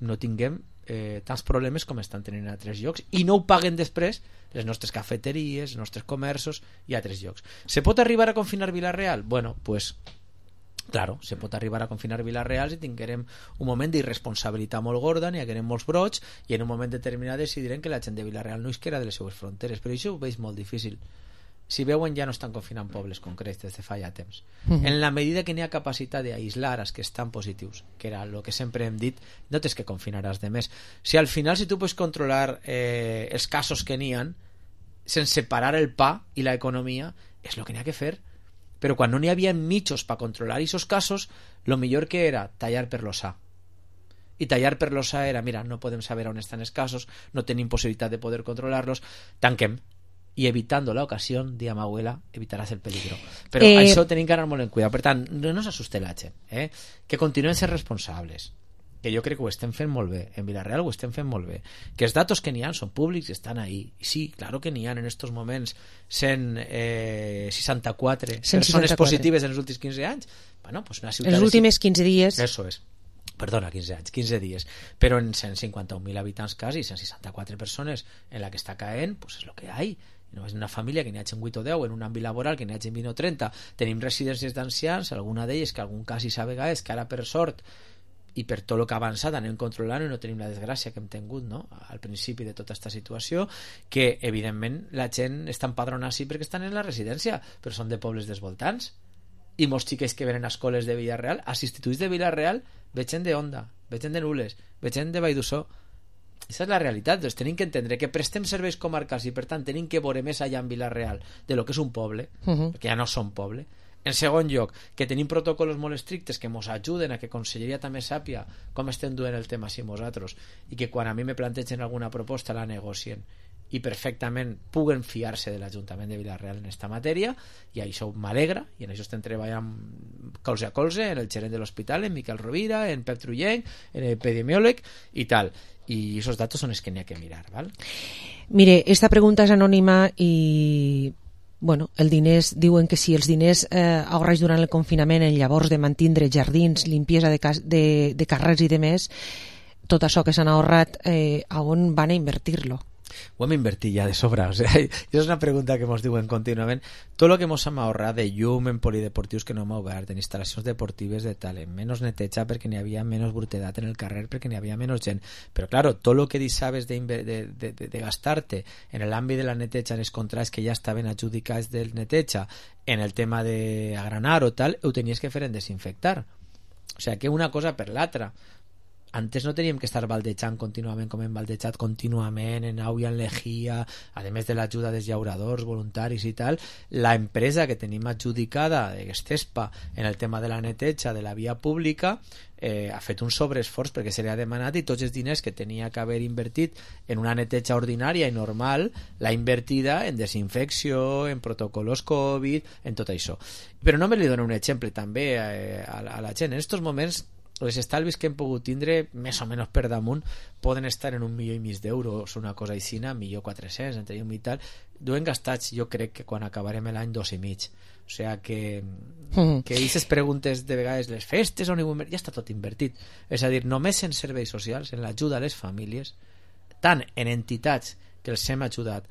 no tinguem eh, tants problemes com estan tenint a altres llocs i no ho paguen després les nostres cafeteries, els nostres comerços i altres llocs. Se pot arribar a confinar Vila-real? Bueno, pues claro, se pot arribar a confinar Vila-real si tinguérem un moment d'irresponsabilitat molt gorda, n'hi haguérem molts brots i en un moment determinat decidirem que la gent de Vila-real no isquera de les seues fronteres, però això ho veig molt difícil. Si veuen, ja no estan confinant pobles concrets des de fa ja temps. Mm-hmm. En la medida que n'hi ha capacitat d'aïslar els que estan positius, que era el que sempre hem dit, no tens que confinaràs de més. Si al final, si tu pots controlar eh, els casos que n'hi ha, sense parar el pa i l'economia, és el que n'hi ha que fer. Però quan no n'hi havia mitjos per controlar aquests casos, lo millor que era tallar per l'ossa. I tallar per l'ossa era, mira, no podem saber on estan els casos, no tenim possibilitat de poder controlar-los, tanquem. I evitando la ocasión, di a mi abuela, evitaràs el peligro. Però eh... això tenim que anar molt en cuidado. Per tant, no nos asuste la gent, eh? Que continuen ser responsables, que jo crec que ho estem fent molt bé, en Vila-real ho estem fent molt bé, que els datos que n'hi ha són públics i estan ahí. I sí, claro que n'hi ha en estos moments cent seixanta-quatre persones positives en els últims quinze anys. Bueno, pues una ciutat... Els últims quinze dies... Eso es. Perdona, quinze anys, quinze dies, però en cent cinquanta mil habitants quasi, cent seixanta-quatre persones en la que està caent, pues és lo que hay. No és una família que n'hi hagi vuit o deu, en un àmbit laboral que n'hi hagi vint o trenta, tenim residències d'ancians, alguna d'elles que algun cas hi sabe és que ara per sort i per tot el que ha avançat anem controlant i no tenim la desgràcia que hem tingut, no? Al principi de tota aquesta situació, que evidentment la gent està empadronada sí perquè estan en la residència, però són de pobles dels voltants i molts xiquets que venen a escoles de Vila-real, als instituts de Vila-real veig gent d'Onda, veig gent de Nules, veig gent de Valldussó. Aquesta és la realitat. Doncs tenim que entendre que prestem serveis comarcals i per tant tenim que veure més allà en Vila-real de lo que és un poble, uh-huh. perquè ja no són poble. En segon lloc, que tenim protocols molt estrictes que ens ajuden a que Conselleria també sàpia com estem duent el tema així nosaltres i que quan a mi me plantegen alguna proposta la negocien i perfectament puguen fiar-se de l'Ajuntament de Vila-real en esta matèria, i això m'alegra, i en això estem treballant colze a colze, en el gerent de l'hospital, en Miquel Rovira, en Pep Trullenc, en l'epidemiòleg i tal. I aquests datos són els que n'hi ha que mirar, val? Mire, esta pregunta és anònima i bueno, el diners, diuen que si els diners eh, ahorrats durant el confinament en llavors de mantindre jardins, limpiesa de, cas, de, de carrers i de més, tot això que s'han ahorrat, eh, a on van a invertir-lo? Ho hem invertit ja de sobra, o sea, és una pregunta que ens diuen contínuament. Tot el que ens hem ahorrat de llum en polideportius que no hem obert, en instal·lacions deportives de tal, en menys neteja perquè n'hi havia menys brutedat en el carrer perquè n'hi havia menys gent, però claro, tot el que deixaves de, de, de, de, de gastar-te en l'àmbit de la neteja, en els contrats que ja estaven adjudicats del neteja, en el tema d'agranar o tal, ho tenies que fer en desinfectar. O sigui que una cosa per l'altra. Antes no teníem que estar baldejant contínuament com hem baldejat contínuament en au i en lejía, a més de l'ajuda dels llauradors voluntaris i tal. La empresa que tenim adjudicada de Gestespa en el tema de la neteja de la via pública eh, ha fet un sobreesforç perquè se li ha demanat i tots els diners que tenia que haver invertit en una neteja ordinària i normal l'ha invertida en desinfecció, en protocols Covid, en tot això. Però no me li dono un exemple també eh, a, a la gent. En aquests moments els estalvis que hem pogut tindre més o menys per damunt poden estar en un milió i mig d'euros, una cosa aixina, milió quatre-cents entre un i tal, duem gastats jo crec que quan acabarem l'any dos i mig, o sigui que mm. que aquestes preguntes de vegades les festes on ja està tot invertit, és a dir, només en serveis socials, en l'ajuda a les famílies, tant en entitats que els hem ajudat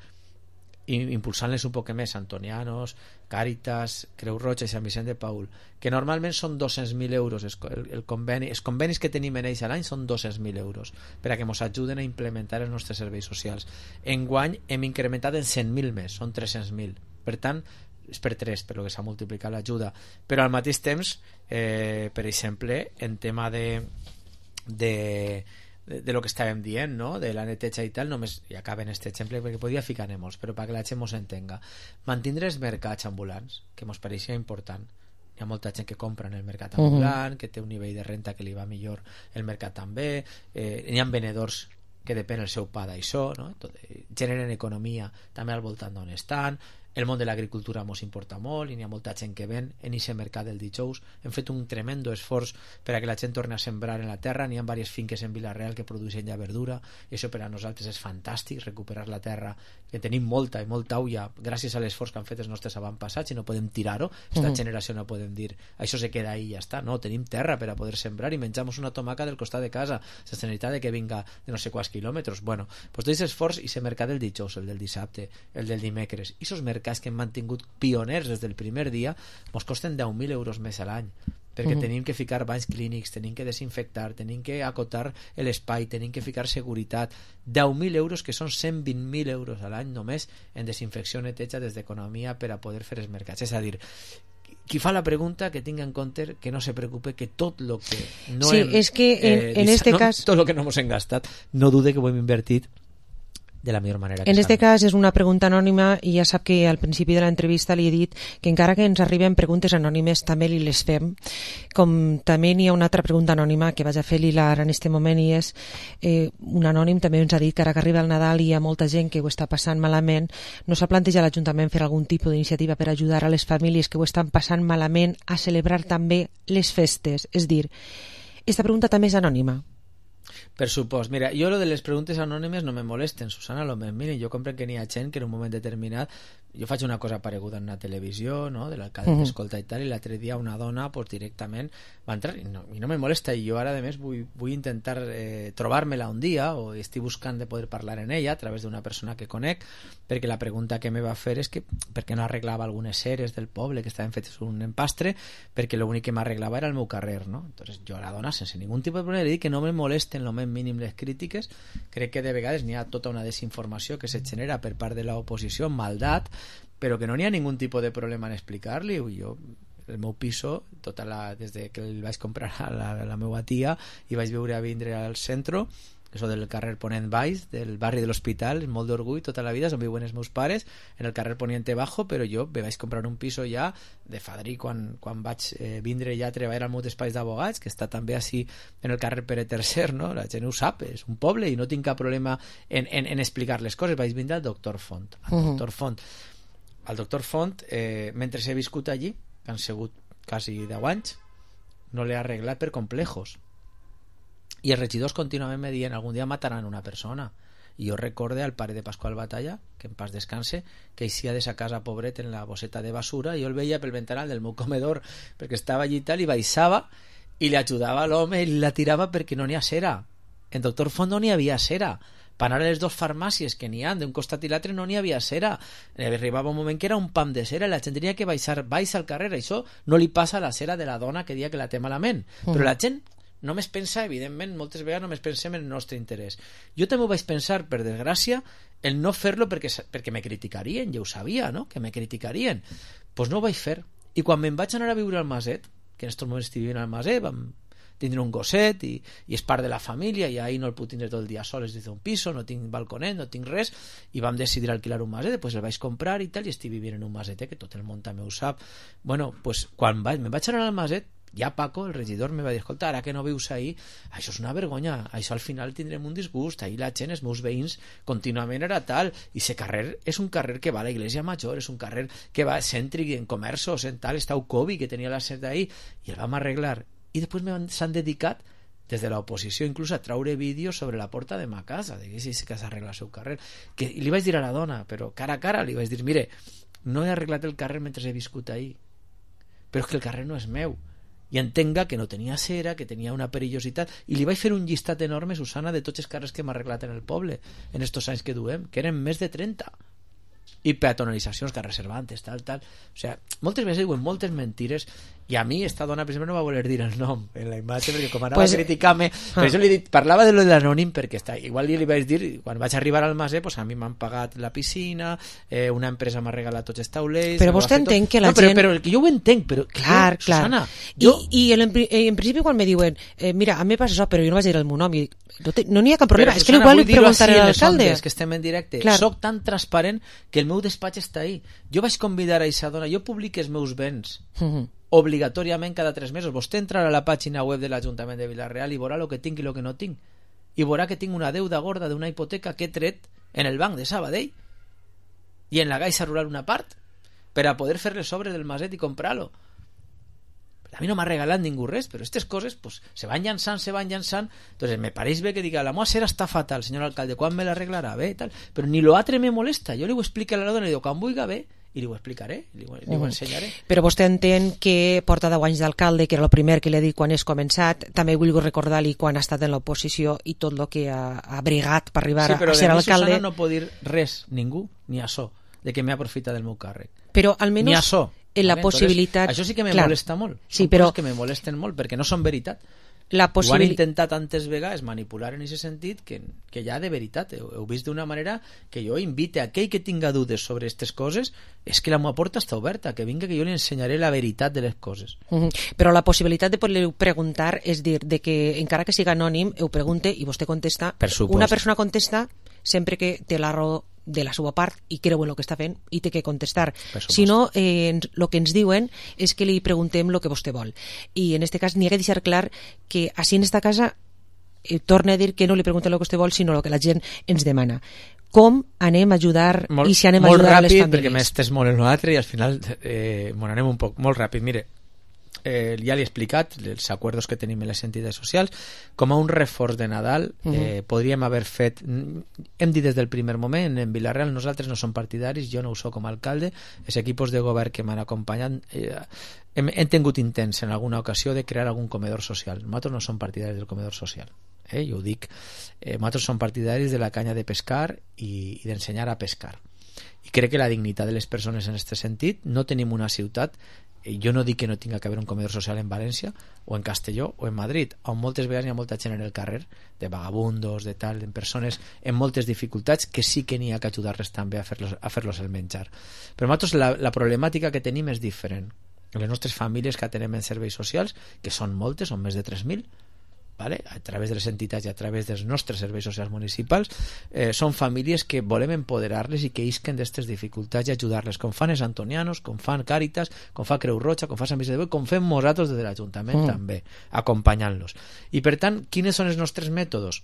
impulsant-les un poc més, Antonianos, Càritas, Creu Roja i Sant Vicent de Paül, que normalment són dos-cents mil euros el, el conveni, els convenis que tenim en ells a l'any són dos-cents mil euros per a que ens ajuden a implementar els nostres serveis socials. Enguany hem incrementat en cent mil més, són tres-cents mil, per tant és per tres per lo que s'ha multiplicat l'ajuda, però al mateix temps eh, per exemple en tema de de de, de lo que estàvem dient, no? De la neteja i tal, només, i acaba en aquest exemple perquè podia ficar-ne molts, però perquè la gent mos entenga, mantindre els mercats ambulants, que mos pareixia important. Hi ha molta gent que compra en el mercat ambulant, uh-huh. que té un nivell de renta que li va millor el mercat també, eh, hi ha venedors que depèn el seu pa d'això, no? Tot, eh, generen economia també al voltant d'on estan, el món de l'agricultura mos importa molt i n'hi ha molta gent que ven en aquest mercat del dijous. Hem fet un tremendo esforç per a que la gent torni a sembrar en la terra. N'hi ha diverses finques en Vila-real que produeixen ja verdura i això per a nosaltres és fantàstic, recuperar la terra, que tenim molta i molta ulla gràcies a l'esforç que han fet els nostres avantpassats i no podem tirar-ho. Esta Mhm. generació no podem dir això se queda ahí i ja està. No, tenim terra per a poder sembrar i menjamos una tomaca del costat de casa sense necessitat de que vinga de no sé quants quilòmetres. Bueno, pues tot aquest esforç i ese mercat del dijous, el del dissabte, el del dimecres i esos mercats que hem mantingut pioners des del primer dia mos costen deu mil euros més a l'any perquè Mhm. tenim que ficar banys clínics, tenim que desinfectar, tenim que acotar l'espai, tenim que ficar seguretat. Deu mil euros que són cent vint mil euros a l'any només en desinfecció, neteja des d'economia per a poder fer els mercats. És a dir, qui fa la pregunta que tinga en compte que no se preocupe que tot lo que no Sí, hem, és que en- eh, en este no, cas- tot lo que no hemos engastat no dude que ho hem invertit de la millor manera que En este sabem. cas és una pregunta anònima i ja sap que al principi de l'entrevista li he dit que encara que ens arriben preguntes anònimes també li les fem, com també n'hi ha una altra pregunta anònima que vaig a fer-li ara en este moment i és eh, un anònim també ens ha dit que ara que arriba el Nadal i hi ha molta gent que ho està passant malament, no s'ha plantejat l'Ajuntament fer algun tipus d'iniciativa per ajudar a les famílies que ho estan passant malament a celebrar també les festes, és dir, esta pregunta també és anònima. Per supost. Mira, jo lo de les preguntes anònimes no me molesten, Susana, lo més miren, jo comprenc que n'hi ha gent que en un moment determinat jo faig una cosa pareguda en una televisió, no?, de l'alcalde Mhm. t'escolta i tal, i l'altre dia una dona pues, directament va entrar i no, i no me molesta, i jo ara a més vull, vull intentar eh, trobar-me-la un dia o estic buscant de poder parlar en ella a través d'una persona que conec, perquè la pregunta que me va fer és que per què no arreglava algunes eres del poble que estaven fetes un empastre, perquè l'únic que m'arreglava era el meu carrer, no? Entonces jo a la dona sense ningún tipus de problema li dic que no me molesten lo més mínim les crítiques. Crec que de vegades n'hi ha tota una desinformació que se genera per part de l'oposició, maldat, però que no n'hi ha ningun tipus de problema en explicar-li. Jo, el meu piso, tota la, des de que el vaig comprar a la, a la meva tia i vaig viure a vindre al centre, que és del carrer Ponent Baix, del barri de l'Hospital, és molt d'orgull tota la vida, on viuen els meus pares, en el carrer Poniente Bajo, però jo me vaig comprar un piso ja de fadrí quan, quan vaig eh, vindre ja a treballar al meu despatx d'abogats, que està també així en el carrer Pere tercer, no? La gent ho sap, és un poble i no tinc cap problema en, en, en explicar les coses. Vaig vindre al doctor Font. Al Mhm. doctor Font. Al doctor Font, eh, mentre he viscut allí, que han sigut quasi deu anys, no l'he arreglat per complejos. I els regidors contínuament me diuen algun dia mataran una persona. I jo recorde al pare de Pasqual Batalla, que en pas descanse, que eixia de sa casa pobret en la bosseta de basura i jo el veia pel ventanal del meu comedor perquè estava allí i tal, i baixava i li ajudava a l'home i la tirava perquè no n'hi ha cera. En doctor Font no n'hi havia cera. Per anar a les dues farmàcies que n'hi ha d'un costat i l'altre no n'hi havia cera. Arribava un moment que era un pam de cera i la gent tenia que baixar baix al carrer. Això no li passa a la cera de la dona que dia que la té malament. Però la gent només pensa, evidentment, moltes vegades només pensem en el nostre interès. Jo també ho vaig pensar, per desgràcia, el no fer-lo perquè, perquè me criticarien, ja ho sabia, no?, que me criticarien. Doncs pues no ho vaig fer. I quan me'n vaig anar a viure al Maset, que en aquests moments estic vivint al Maset, vam tindre un gosset i, i és part de la família i ahir no el puc tindre tot el dia sol, és des d'un piso, no tinc balconet, no tinc res, i vam decidir alquilar un maset, després el vaig comprar i tal, i estic vivint en un maset, que tot el món també ho sap. Bueno, pues, quan vaig, me'n vaig anar al maset, ja Paco, el regidor, me va dir, escolta, ara que no vius ahir, això és una vergonya, això al final tindrem un disgust, ahir la gent, els meus veïns, contínuament era tal, i ese carrer és un carrer que va a la Iglesia Major, és un carrer que va cèntric en comerços, en tal, està Ucovi, que tenia la set d'ahir, i el vam arreglar. I després s'han dedicat des de l'oposició inclús a traure vídeos sobre la porta de ma casa, de que sí que s'arregla el seu carrer, que li vaig dir a la dona, però cara a cara li vaig dir, mire, no he arreglat el carrer mentre he viscut ahir, però és que el carrer no és meu, i entenga que no tenia cera, que tenia una perillositat, i li vaig fer un llistat enorme, Susana, de tots els carrers que hem arreglat en el poble en estos anys que duem, que eren més de trenta, i peatonalitzacions, carrers Cervantes, tal, tal. O sigui, moltes vegades diuen moltes mentires, i a mi esta dona, per exemple, no va voler dir el nom en la imatge, perquè com anava pues, a criticar-me, ah. per això li dit, parlava de lo de l'anònim, perquè està, igual li vaig dir, quan vaig arribar al Maset, pues a mi m'han pagat la piscina, eh, una empresa m'ha regalat tots els taulers... Però vostè entén que la no, però, gent... Però, però jo ho entenc, però... Clar, jo, clar. Susana, jo... I, i en, en principi quan me diuen, eh, mira, a mi passa això, però jo no vaig dir el meu nom, i no, te, no n'hi ha cap problema, però, és Susana, que igual li preguntaré a l'alcalde. Que estem en directe, clar. Soc tan transparent que el meu despatx està ahí. Jo vaig convidar a aquesta dona, jo publico els meus béns, uh-huh. obligatoriament cada tres mesos. Vostè entrarà a la pàgina web de l'Ajuntament de Vila-real i veurà el que tinc i el que no tinc, i veurà que tinc una deuda gorda d'una hipoteca que he tret en el banc de Sabadell i en la Caixa Rural una part, per a poder fer les obres del maset i comprar-lo. A mi no m'ha regalat ningú res, però aquestes coses pues, se van llançant, se van llançant. Entonces me pareix bé que diga, la meva cera està fatal, senyor alcalde, quan me l'arreglarà? Bé, tal. Però ni lo altre me molesta. Jo li ho explico a la dona, li dic, quan vulgui bé, i li ho explicaré, li ho, li ho ensenyaré. Però vostè entén que porta deu anys d'alcalde, que era el primer que li ha dit quan és començat, també vull recordar-li quan ha estat en l'oposició i tot el que ha, ha bregat per arribar sí, a ser alcalde. Sí, però de mi, Susana, no pot dir res, ningú, ni a so, de que m'he aprofitat del meu càrrec. Però almenys... Ni a so. En la possibilitat... Això sí que me clar, molesta molt. Sí, Són però... coses que me molesten molt, perquè no són veritat. La possibil... Ho han intentat tantes vegades manipular en aquest sentit que, que ja de veritat heu, heu vist d'una manera que jo invite a aquell que tinga dubtes sobre aquestes coses, és que la meva porta està oberta, que vinga que jo li ensenyaré la veritat de les coses. Uh -huh. Però la possibilitat de poder preguntar, és dir, de que encara que siga anònim, ho pregunte i vostè contesta. Una persona contesta sempre que té la raó de la seva part i creu en el que està fent i té que contestar. Si no, eh, el que ens diuen és que li preguntem el que vostè vol. I en aquest cas n'hi ha que deixar clar que així en esta casa eh, torna a dir que no li preguntem el que vostè vol, sinó el que la gent ens demana. Com anem a ajudar molt, i si anem a ajudar ràpid, a les famílies? Molt ràpid, perquè m'estès molt en l'altre i al final eh, m'ho anem un poc, molt ràpid. Mire, Eh, ja li he explicat els acords que tenim en les entitats socials. Com a un reforç de Nadal eh, uh-huh. podríem haver fet, hem dit des del primer moment, en Vila-real nosaltres no som partidaris, jo no ho soc com a alcalde, els equipos de govern que m'han acompanyat eh, hem, hem tingut intents en alguna ocasió de crear algun comedor social. Nosaltres no som partidaris del comedor social, eh, jo ho dic, eh, nosaltres som partidaris de la canya de pescar i, i d'ensenyar a pescar, i crec que la dignitat de les persones en aquest sentit, no tenim una ciutat, jo no dic que no tinga que haver un comedor social en València o en Castelló o en Madrid, on moltes vegades hi ha molta gent en el carrer, de vagabundos, de tal, en persones en moltes dificultats que sí que n'hi ha que ajudar-les també a fer-los a fer-los el menjar. Però nosaltres la, la problemàtica que tenim és diferent. Les nostres famílies que atenem en serveis socials, que són moltes, són més de tres mil, ¿vale? A través de les entitats i a través dels nostres serveis socials municipals, eh, són famílies que volem empoderar-les i que isquen d'aquestes dificultats i ajudar-les, com fan els antonianos, com fan Càritas, com fa Creu Roja, com fa Sant Vicent de Boi, com fem nosaltres des de l'Ajuntament mm. també, acompanyant-los. I per tant, quins són els nostres mètodes?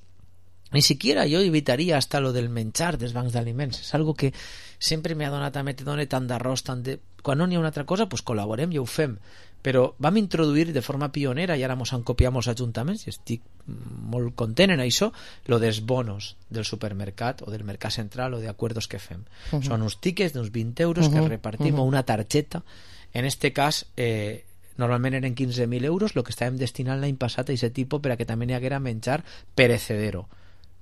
Ni siquiera jo evitaria hasta lo del menjar dels bancs d'aliments. És algo que sempre m'ha donat a mi, te dona tant d'arròs, tant de... Quan no n'hi ha una altra cosa, pues col·laborem i ho fem. Però vam introduir de forma pionera, i ara mos han copiat molts ajuntaments, i estic molt content en això, lo dels bonos del supermercat o del mercat central o d'acords que fem. Uh -huh. Són uns tickets d'uns vint euros uh -huh. que repartim, uh -huh. o una targeta. En este cas, eh, normalment eren quinze mil euros, el que estàvem destinant l'any passat a aquest tipus per a que també n'hi haguera menjar perecedero,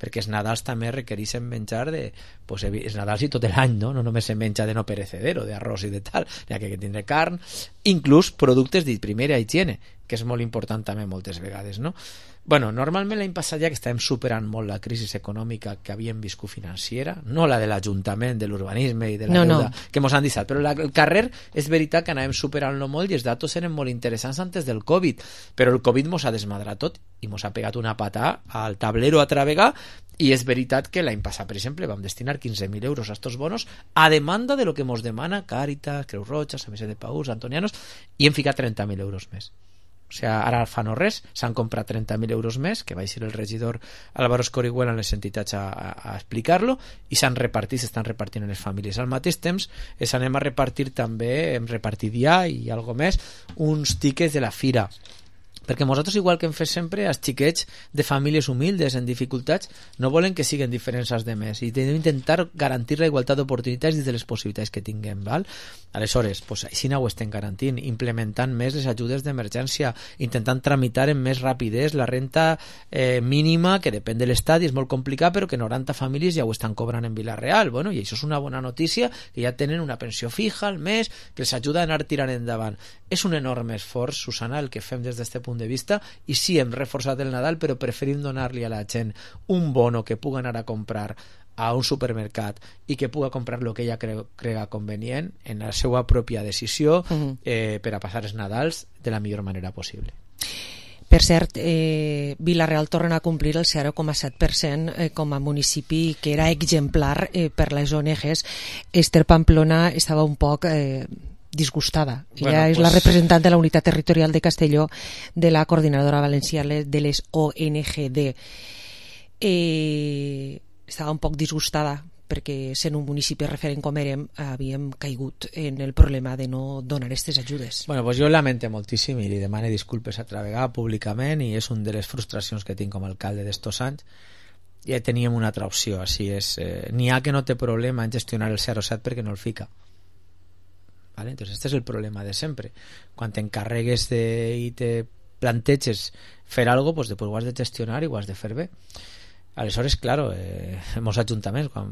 perquè els Nadals també requereixen menjar de, pues, els Nadals i tot l'any, no? No només se menja de no perecedero, d'arròs i de tal, hi ha que tindre carn, inclús productes de primera higiene, que és molt important també moltes vegades, no? Bueno, normalment l'any passat ja que estàvem superant molt la crisi econòmica que havíem viscut financiera, no la de l'Ajuntament, de l'urbanisme i de la no, deuda no. que mos han deixat, però la, el carrer és veritat que anàvem superant-lo molt i els datos eren molt interessants antes del Covid, però el Covid mos ha desmadrat tot i mos ha pegat una patà al tablero altra vegada, i és veritat que l'any passat, per exemple, vam destinar quinze mil euros a estos bonos a demanda de lo que mos demana Càritas, Creu Roja, Sant Vicent de Paús, Antonianos, i hem ficat trenta mil euros més. O sigui, ara fa no res, s'han comprat trenta mil euros més, que va ser el regidor Álvaro Escorihuela en les entitats a, a, a explicar-lo, i s'han repartit, s'estan repartint en les famílies. Al mateix temps, s'anem a repartir també, hem repartit ja i algo més, uns tickets de la fira, perquè nosaltres, igual que hem fet sempre, els xiquets de famílies humildes en dificultats no volen que siguin diferents als demés, i hem d'intentar garantir la igualtat d'oportunitats dins de les possibilitats que tinguem, val? Aleshores, pues, així no ho estem garantint, implementant més les ajudes d'emergència, intentant tramitar amb més rapidesa la renta eh, mínima, que depèn de l'estat i és molt complicat, però que noranta famílies ja ho estan cobrant en Vila-real, bueno, i això és una bona notícia, que ja tenen una pensió fija al mes, que els ajuda a anar tirant endavant. És un enorme esforç, Susana, el que fem des d'aquest punt de vista, i sí, hem reforçat el Nadal, però preferim donar-li a la gent un bono que pugui anar a comprar a un supermercat i que puga comprar el que ella cre crega convenient en la seva pròpia decisió, uh-huh. eh, per a passar els Nadals de la millor manera possible. Per cert, eh, Vila-real torna a complir el zero coma set per cent eh, com a municipi que era exemplar eh, per les O N Ges. Ester Pamplona estava un poc... Eh, disgustada. Ella bueno, és pues... la representant de la unitat territorial de Castelló de la coordinadora valenciana de les O N G D. Eh, estava un poc disgustada perquè sent un municipi referent com érem havíem caigut en el problema de no donar aquestes ajudes. Bueno, pues jo lamento moltíssim i li demano disculpes altra vegada públicament, i és una de les frustracions que tinc com a alcalde d'estos anys. Ja teníem una altra opció, així és, eh, n'hi ha que no té problema en gestionar el zero set perquè no el fica, ¿vale? Entonces este es el problema de sempre. Quan t'encarregues de, i te planteges fer algo, pues després ho has de gestionar i ho has de fer bé. Aleshores, claro, eh, molts ajuntaments, quan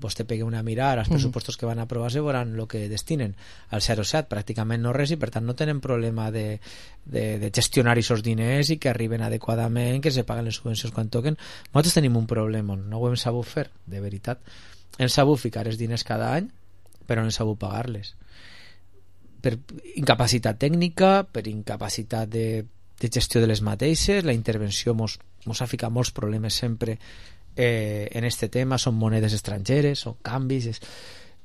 vostè pegui una mirada als pressupostos que van a aprovar-se, veuran el que destinen al zero set, pràcticament no res, i per tant no tenen problema de, de, de gestionar aquests diners i que arriben adequadament, que se paguen les subvencions quan toquen. Nosaltres tenim un problema, no ho hem sabut fer, de veritat. Hem sabut ficar els diners cada any, però no hem sabut pagar-les. Per incapacitat tècnica, per incapacitat de, de gestió de les mateixes, la intervenció mos ens ha ficat molts problemes sempre eh, en este tema, són monedes estrangeres, són canvis, és,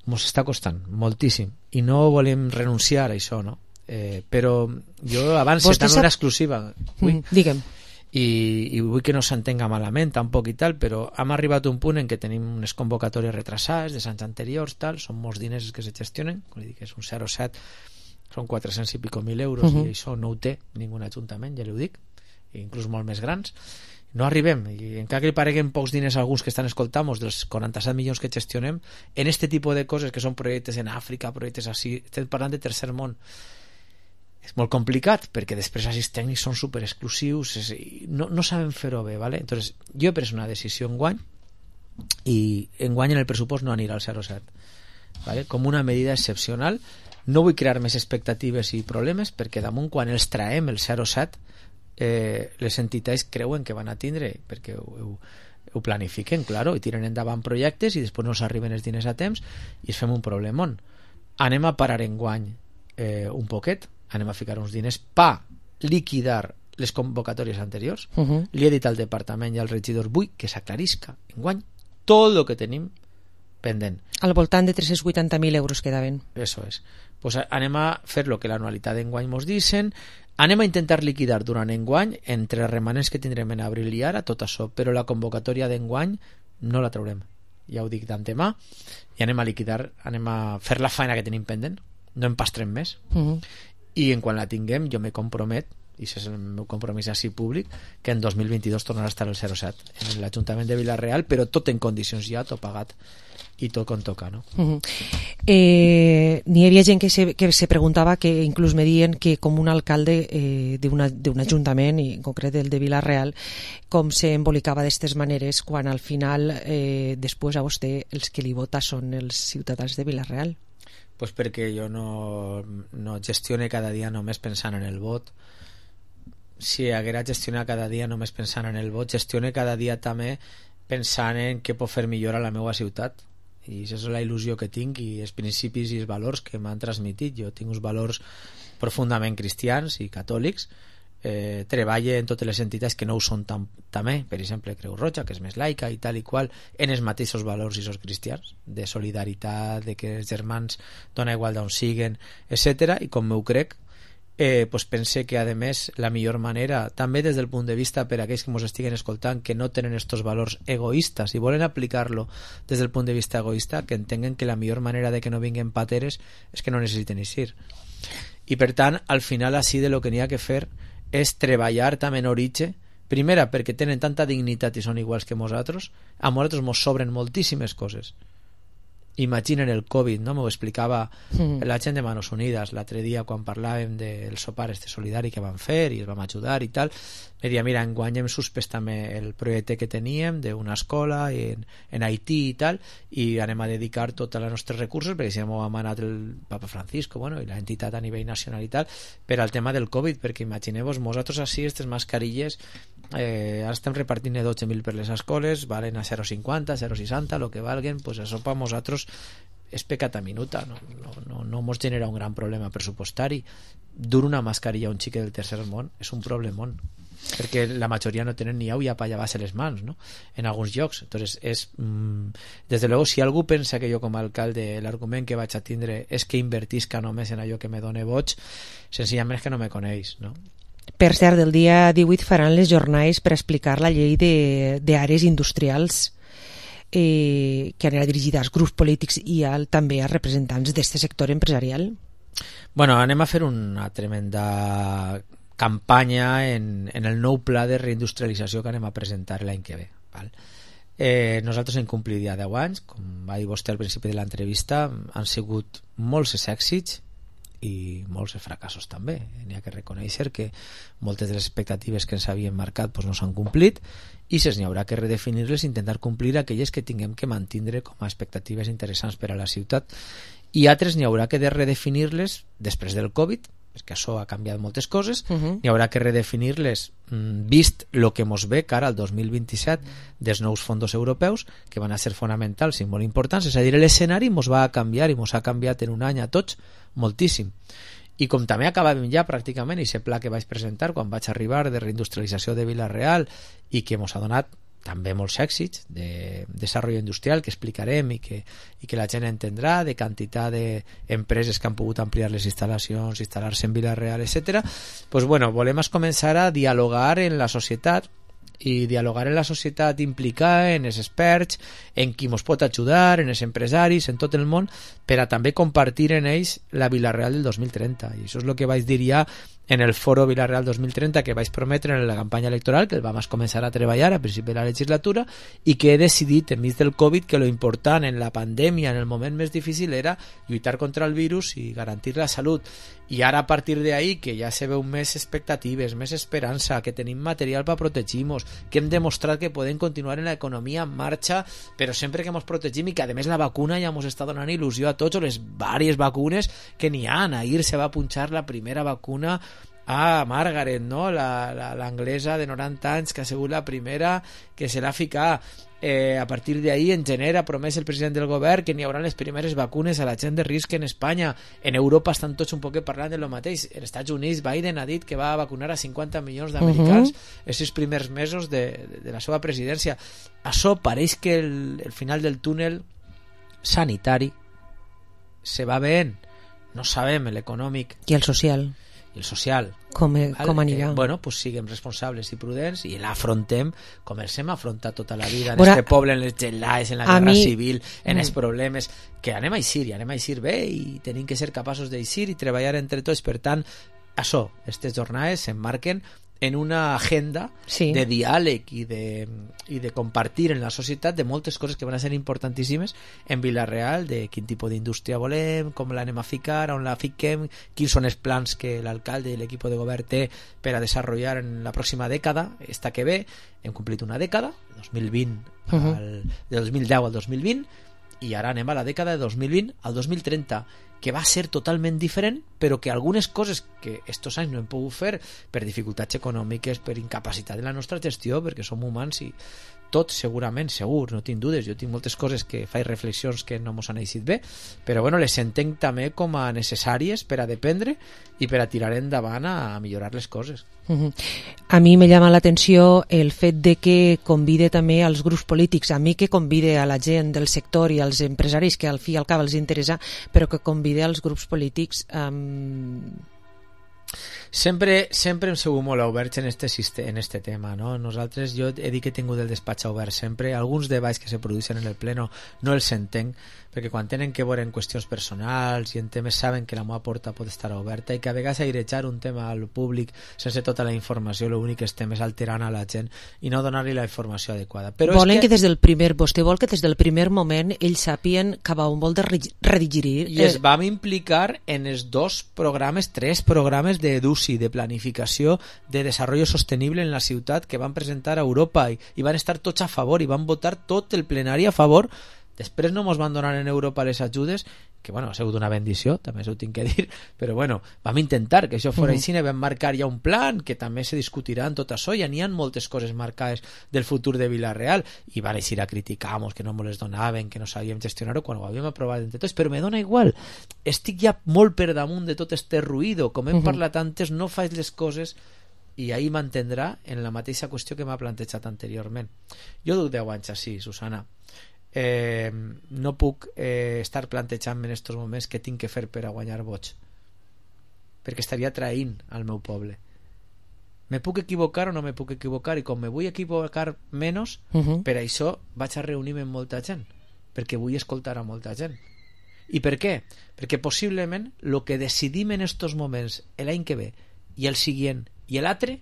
ens està costant moltíssim i no volem renunciar a això, no? Eh, però jo abans estava sap... una exclusiva vull, mm, digue'm i, i vull que no s'entenga malament tampoc i tal, però hem arribat a un punt en què tenim unes convocatòries retrasades de anys anteriors, tal, són molts diners que se gestionen, com dic, és un zero set, són quatre-cents i pico mil euros, uh-huh. i això no ho té ningú ajuntament, ja li ho dic, inclús molt més grans. No arribem, i encara que li pareguen pocs diners a alguns que estan escoltant dels quaranta-set milions que gestionem en este tipus de coses que són projectes en Àfrica, projectes així, estem parlant de tercer món, és molt complicat perquè després els tècnics són super exclusius, és, no, no saben fer-ho bé, ¿vale? Entonces jo he pres una decisió enguany i enguany en el pressupost no anirà al zero set, ¿vale? Com una medida excepcional. No vull crear més expectatives i problemes perquè damunt quan els traem el zero set eh, les entitats creuen que van a tindre perquè ho, ho, ho planifiquen, claro, i tiren endavant projectes i després no s'arriben els diners a temps i es fem un problemón. Anem a parar enguany eh, un poquet, anem a ficar uns diners pa liquidar les convocatòries anteriors. Uh-huh. Li he dit al departament i al regidor vull que s'aclarisca enguany tot el que tenim pendent. Al voltant de tres-cents vuitanta mil euros quedaven. Eso es. Pues anem a fer lo que l'anualitat d'enguany mos dicen, anem a intentar liquidar durant enguany entre els remanents que tindrem en abril i ara tot això, però la convocatòria d'enguany no la traurem, ja ho dic d'antemà, i anem a liquidar, anem a fer la feina que tenim pendent, no en pastrem més. Uh-huh. I en quan la tinguem jo me compromet, i això és el meu compromís així públic, que en dos mil vint-i-dos tornarà a estar el zero set en l'Ajuntament de Vila-real, però tot en condicions ja, tot pagat i tot com toca, no? Uh-huh. eh, n'hi havia gent que se, que se preguntava, que inclús me diuen que com un alcalde eh, d'un ajuntament, i en concret el de Vila-real, com se embolicava d'estes maneres quan al final eh, després a vostè els que li vota són els ciutadans de Vila-real. Pues perquè jo no, no gestione cada dia només pensant en el vot. Si haguera gestionat cada dia només pensant en el vot, gestione cada dia també pensant en què pot fer millor a la meva ciutat, i això és la il·lusió que tinc i els principis i els valors que m'han transmitit. Jo tinc uns valors profundament cristians i catòlics, eh, treballe en totes les entitats que no ho són tam, també, per exemple Creu Roja, que és més laica i tal i qual, en els mateixos valors i els cristians, de solidaritat, de que els germans dona igual d'on siguen, etcètera. I com m'ho crec, Eh, pues pense que a més la millor manera, també des del punt de vista per a aquells que ens estiguen escoltant que no tenen estos valors egoistes i volen aplicar-lo des del punt de vista egoista, que entenguen que la millor manera de que no vinguin pateres és que no necessiten eixir. I per tant, al final així de lo que n'hi ha que fer és treballar també en origen, primera perquè tenen tanta dignitat i són iguals que nosaltres, a nosaltres ens sobren moltíssimes coses. Imaginen el Covid, no? M'ho explicava mm. la gent de Manos Unidas l'altre dia quan parlàvem del sopar este solidari que van fer i els vam ajudar i tal. Me deia, mira, enguany hem suspès també el projecte que teníem d'una escola en, en Haití i tal, i anem a dedicar tots els nostres recursos, perquè si no ho ha manat el Papa Francisco, bueno, i l'entitat a nivell nacional i tal, per al tema del Covid, perquè imagineu-vos, nosaltres així, aquestes mascarilles, eh, ara estem repartint dotze mil per les escoles, valen a zero coma cinquanta, zero coma seixanta, el que valguen, pues això per nosaltres és pecata minuta, no, no, no, no mos genera un gran problema pressupostari. Dur una mascarilla a un xique del tercer món és un problemón, perquè la majoria no tenen ni au i apa llevar-se les mans, no? En alguns llocs. Entonces és, mm, des de luego, si algú pensa que jo com a alcalde l'argument que vaig a tindre és que invertisca només en allò que me done boig, senzillament és que no me coneix, no? Per cert, el dia divuit faran les jornades per explicar la llei d'àrees industrials. eh, que anirà dirigida als grups polítics i al, també als representants d'aquest sector empresarial. Bueno, anem a fer una tremenda campanya en, en el nou pla de reindustrialització que anem a presentar l'any que ve. Val? Eh, nosaltres hem complit ja deu anys, com va dir vostè al principi de l'entrevista, han sigut molts èxits i molts fracassos també. N'hi ha que reconèixer que moltes de les expectatives que ens havien marcat doncs no s'han complit i se'ns n'hi haurà que redefinir-les i intentar complir aquelles que tinguem que mantindre com a expectatives interessants per a la ciutat, i altres n'hi haurà que de redefinir-les després del Covid, perquè això ha canviat moltes coses. Uh-huh. N'hi haurà que redefinir-les mm, vist el que mos ve cara al dos mil vint-i-set dels nous fons europeus, que van a ser fonamentals i molt importants. És a dir, l'escenari mos va a canviar i mos ha canviat en un any a tots moltíssim. I com també acabàvem ja pràcticament aquest pla que vaig presentar quan vaig arribar de reindustrialització de Vila-real i que mos ha donat també molts èxits de desenvolupament industrial que explicarem i que, i que la gent entendrà, de quantitat d'empreses que han pogut ampliar les instal·lacions, instal·lar-se en Vila-real, etcètera. Pues bueno, volem començar a dialogar en la societat, i dialogar en la societat implicar en els experts, en qui ens pot ajudar, en els empresaris, en tot el món, per a també compartir en ells la Vila-real del dos mil trenta. I això és el que vaig dir ja en el foro Vila-real dos mil trenta que vaig prometre en la campanya electoral, que el vam començar a treballar a principi de la legislatura, i que he decidit enmig del Covid que lo important en la pandèmia, en el moment més difícil, era lluitar contra el virus i garantir la salut. I ara, a partir d'ahí, que ja se veu més expectatives, més esperança, que tenim material per protegir-nos, que hem demostrat que podem continuar en l'economia en marxa, però sempre que ens protegim, i que a més la vacuna ja ens està donant il·lusió a tots, o les diverses vacunes que n'hi ha. Ahir se va punxar la primera vacuna a Margaret, no? l'anglesa de noranta anys, que ha sigut la primera que se l'ha ficat. Eh, a partir d'ahí, en gener, ha promès el president del govern que n'hi haurà les primeres vacunes a la gent de risc en Espanya. En Europa estan tots un poc parlant de lo mateix. En els Estats Units, Biden ha dit que va vacunar a cinquanta milions d'americans uh-huh. els sis primers mesos de, de, de la seva presidència. Això pareix que el, el final del túnel sanitari se va veient. No sabem l'econòmic. I el social. I el social. Com, com anirà? Eh, bueno, pues siguem responsables i prudents i l'afrontem com els hem afrontat tota la vida en bueno, este poble, en les gelades, en la guerra mi... civil, en mm. els problemes, que anem a eixir i anem a eixir bé i tenim que ser capaços d'eixir i treballar entre tots. Per tant, això, aquestes jornades s'emmarquen en una agenda sí. de diàleg i de, i de compartir en la societat de moltes coses que van a ser importantíssimes en Vila-real, de quin tipus d'indústria volem, com l'anem a ficar, on la fiquem, quins són els plans que l'alcalde i l'equip de govern té per a desenvolupar en la pròxima dècada, esta que ve. Hem complit una dècada, dos mil vint uh-huh. al, de dos mil deu al dos mil vint, i ara anem a la dècada de dos mil vint al dos mil trenta, que va ser totalment diferent, però que algunes coses que estos anys no hem pogut fer per dificultats econòmiques, per incapacitat de la nostra gestió, perquè som humans i tot segurament, segur, no tinc dudes, jo tinc moltes coses que faig reflexions que no mos han eixit bé, però bueno, les entenc també com a necessàries per a dependre i per a tirar endavant a millorar les coses. Uh-huh. A mi me llama l'atenció el fet de que convide també als grups polítics, a mi que convide a la gent del sector i als empresaris que al fi i al cap els interessa, però que convide als grups polítics um... Sempre, sempre hem sigut molt oberts en este, en este tema, no? Nosaltres, jo he dit que he tingut el despatx obert sempre. Alguns debats que se produeixen en el pleno no els entenc, perquè quan tenen que veure en qüestions personals i en temes saben que la meva porta pot estar oberta i que a vegades airejar un tema al públic sense tota la informació, l'únic que estem és alterant a la gent i no donar-li la informació adequada. Però Volen és que... que des del primer, vostè vol que des del primer moment ells sàpien cap a on vol de redigirir. I es vam implicar en els dos programes, tres programes de D U C I, de planificació de desenvolupament sostenible en la ciutat, que van presentar a Europa i, i van estar tots a favor i van votar tot el plenari a favor. Després no ens van donar en Europa les ajudes, que bueno, ha sigut una bendició, també s'ho tinc que dir, però bueno, vam intentar que això fora així, uh-huh. vam marcar ja un plan que també se discutirà en tot això, ja n'hi ha moltes coses marcades del futur de Vila-real, i van eixir a criticar-nos que no ens les donaven, que no sabíem gestionar-ho quan ho havíem aprovat entre tots, però me dona igual, estic ja molt per damunt de tot este ruïdo, com hem uh-huh. parlat antes, no faig les coses i ahí mantindrà en la mateixa qüestió que m'ha plantejat anteriorment. Jo duc deu anys així, Susana. Eh, no puc eh, estar plantejant en estos moments què tinc que fer per a guanyar vots, perquè estaria traint al meu poble. me puc equivocar o no me puc equivocar, i com me vull equivocar menys, Uh -huh. per això vaig a reunir-me amb molta gent, perquè vull escoltar a molta gent. I per què? Perquè possiblement el que decidim en estos moments l'any que ve i el següent i l'altre,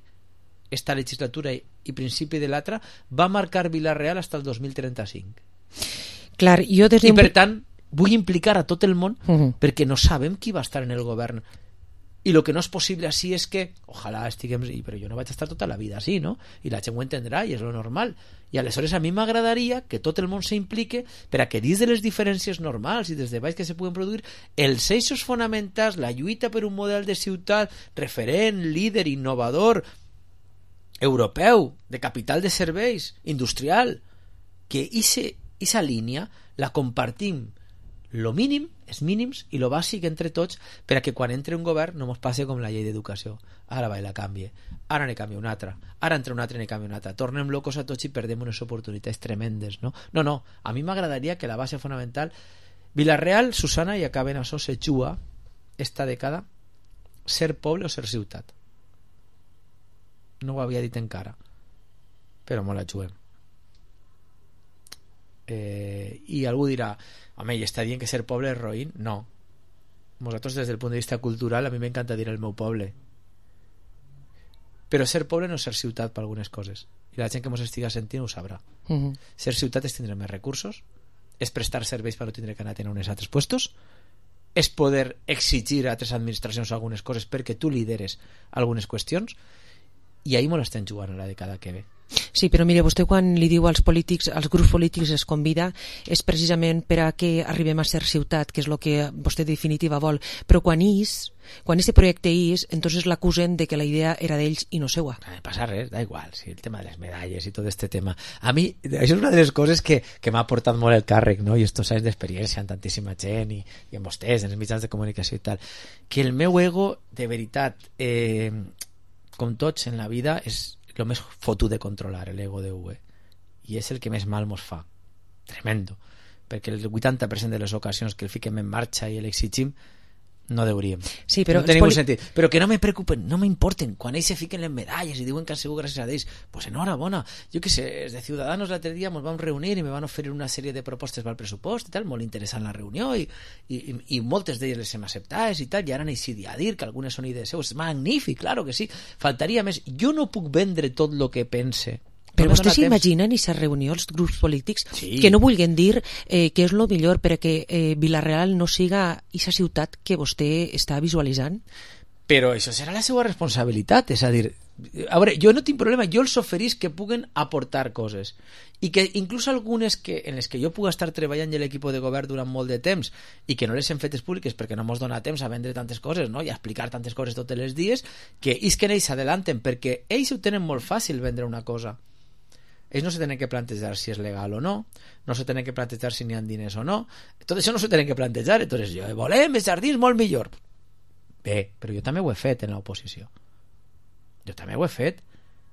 esta legislatura i principi de l'altra, va marcar Vila-real fins al dos mil trenta-cinc. Clar, jo des I per tant vull implicar a tot el món, Uh -huh. perquè no sabem qui va estar en el govern. I el que no és possible així és que, ojalà estiguem, però jo no vaig estar tota la vida així, no? I la gent ho entendrà i és lo normal. I aleshores a mi m'agradaria que tot el món s'implique per a que dins de les diferències normals i des de baix que se puguen produir, els eixos fonamentals, la lluita per un model de ciutat referent, líder, innovador, europeu, de capital de serveis, industrial, que aquesta línia la compartim lo mínim, els mínims i lo bàsic entre tots, per a que quan entre un govern no mos passi com la llei d'educació. Ara va i la canvie, ara ne canvia una altra, ara entre una altra i ne canvia una altra, tornem locos a tots i perdem unes oportunitats tremendes, no? No, no, a mi m'agradaria que la base fonamental, Vila-real, Susana, i acaben això, se juga esta dècada ser poble o ser ciutat. No ho havia dit encara, però me la juguem. Eh, i algú dirà, home, i està dient que ser poble és roïn? No. Nosaltres, des del punt de vista cultural, a mi m'encanta dir el meu poble. Però ser poble no és ser ciutat per algunes coses. I la gent que mos estiga sentint ho sabrà. Uh -huh. Ser ciutat és tindre més recursos, és prestar serveis per no tindre que anar a tenir uns altres puestos, és poder exigir a altres administracions algunes coses perquè tu lideres algunes qüestions, i ahir me l'estem jugant a la dècada que ve. Sí, però mire, vostè quan li diu als polítics, als grups polítics es convida, és precisament per a que arribem a ser ciutat, que és el que vostè de definitiva vol, però quan és, quan aquest projecte és, entonces l'acusen de que la idea era d'ells i no seua. No passa res, da igual, sí, el tema de les medalles i tot este tema. A mi, això és una de les coses que, que m'ha aportat molt el càrrec, no? I estos anys d'experiència amb tantíssima gent i, i amb vostès, en els mitjans de comunicació i tal, que el meu ego, de veritat, eh, com tots en la vida, és el més fotut de controlar, l'ego de U E, i és el que més mal mos fa, tremendo, perquè el vuitanta per cent de les ocasions que el fiquem en marxa i l'exigim no deuríem, sí, però no tenim poli... un sentit, però que no me preocupen, no m'importen, quan ells se fiquen les medalles i diuen que han sigut gràcies a ells, pues enhorabona, jo que sé, els de Ciudadanos l'altre dia ens vam reunir i me van oferir una sèrie de propostes pel pressupost i tal, molt interessant la reunió i, i, i moltes d'elles les hem acceptades i tal, i ara n'hi a dir que algunes són idees seus, és magnífic, claro que sí, faltaria més, jo no puc vendre tot el que pense. Però vostè s'imagina en aquesta reunió els grups polítics sí. que no vulguin dir eh, que és el millor perquè eh, Vila-real no siga aquesta ciutat que vostè està visualitzant? Però això serà la seva responsabilitat, és a dir, a veure, jo no tinc problema, jo els oferís que puguen aportar coses i que inclús algunes que, en les que jo puc estar treballant i l'equip de govern durant molt de temps i que no les hem fetes públiques perquè no mos dona temps a vendre tantes coses, no? I a explicar tantes coses tots els dies, que és que ells s'adelanten perquè ells ho tenen molt fàcil vendre una cosa. Ells no se tenen que plantejar si és legal o no, no se tenen que plantejar si n'hi ha diners o no, tot això no se tenen que plantejar. Entonces jo, volem els jardins molt millor. Bé, però jo també ho he fet en l'oposició. Jo també ho he fet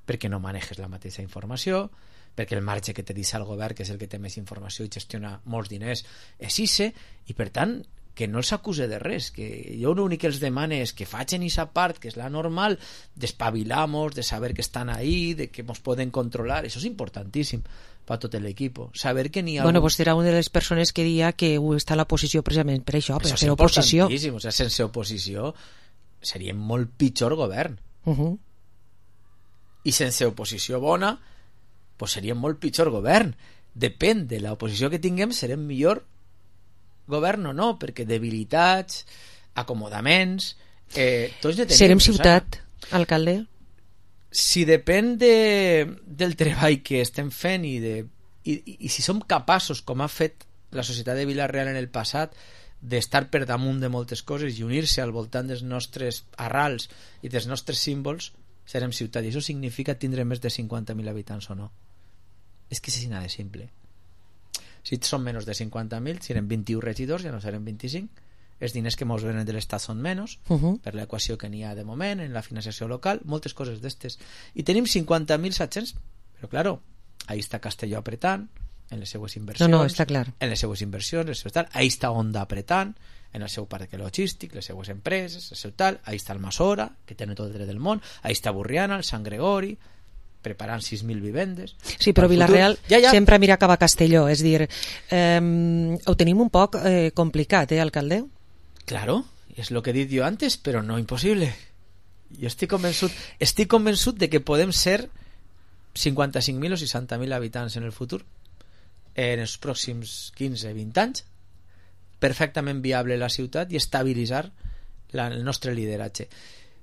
perquè no maneges la mateixa informació, perquè el marge que te deixa el govern, que és el que té més informació i gestiona molts diners, és ixe, i per tant que no els acuse de res, que jo l'únic que els demane és que facin aquesta part, que és la normal, d'espavilar-nos, de saber que estan ahí, de que ens poden controlar, això és importantíssim per tot l'equip, saber que n'hi ha... Bueno, un... pues era una de les persones que deia que està a l'oposició precisament per això, per això fer oposició. O sigui, sense oposició seria molt pitjor govern. Uh -huh. I sense oposició bona, pues seria molt pitjor govern. Depèn de l'oposició que tinguem, serem millor govern o no, perquè debilitats, acomodaments... Eh, tots ne tenim, serem ciutat, alcalde? Si depèn de, del treball que estem fent i, de, i, i, i si som capaços, com ha fet la societat de Vila-real en el passat, d'estar per damunt de moltes coses i unir-se al voltant dels nostres arrals i dels nostres símbols, serem ciutat. I això significa tindre més de cinquanta mil habitants o no. És que és així de simple. Si són menys de cinquanta mil, si eren vint-i-u regidors, ja no seran vint-i-cinc. Els diners que mos venen de l'Estat són menys, uh -huh. per l'equació que n'hi ha de moment, en la financiació local, moltes coses d'estes. I tenim cinquanta mil set-cents, però claro, ahí està Castelló apretant, en les seues inversions, no, no, està clar. en les seues inversions, les seues tal, ahí està Honda apretant, en el seu parc logístic, les seues empreses, el seu tal, ahí està el Masora, que té tot el dret del món, ahí està Burriana, el Sant Gregori, preparant sis mil vivendes. Sí, però Vila-real ja, ja. sempre mira cap a Castelló, és dir, eh, ho tenim un poc eh, complicat, eh, alcalde? Claro, és el que he dit jo antes, però no impossible. Jo estic convençut, estic convençut de que podem ser cinquanta-cinc mil o seixanta mil habitants en el futur, en els pròxims quinze a vint anys, perfectament viable la ciutat i estabilitzar la, el nostre lideratge.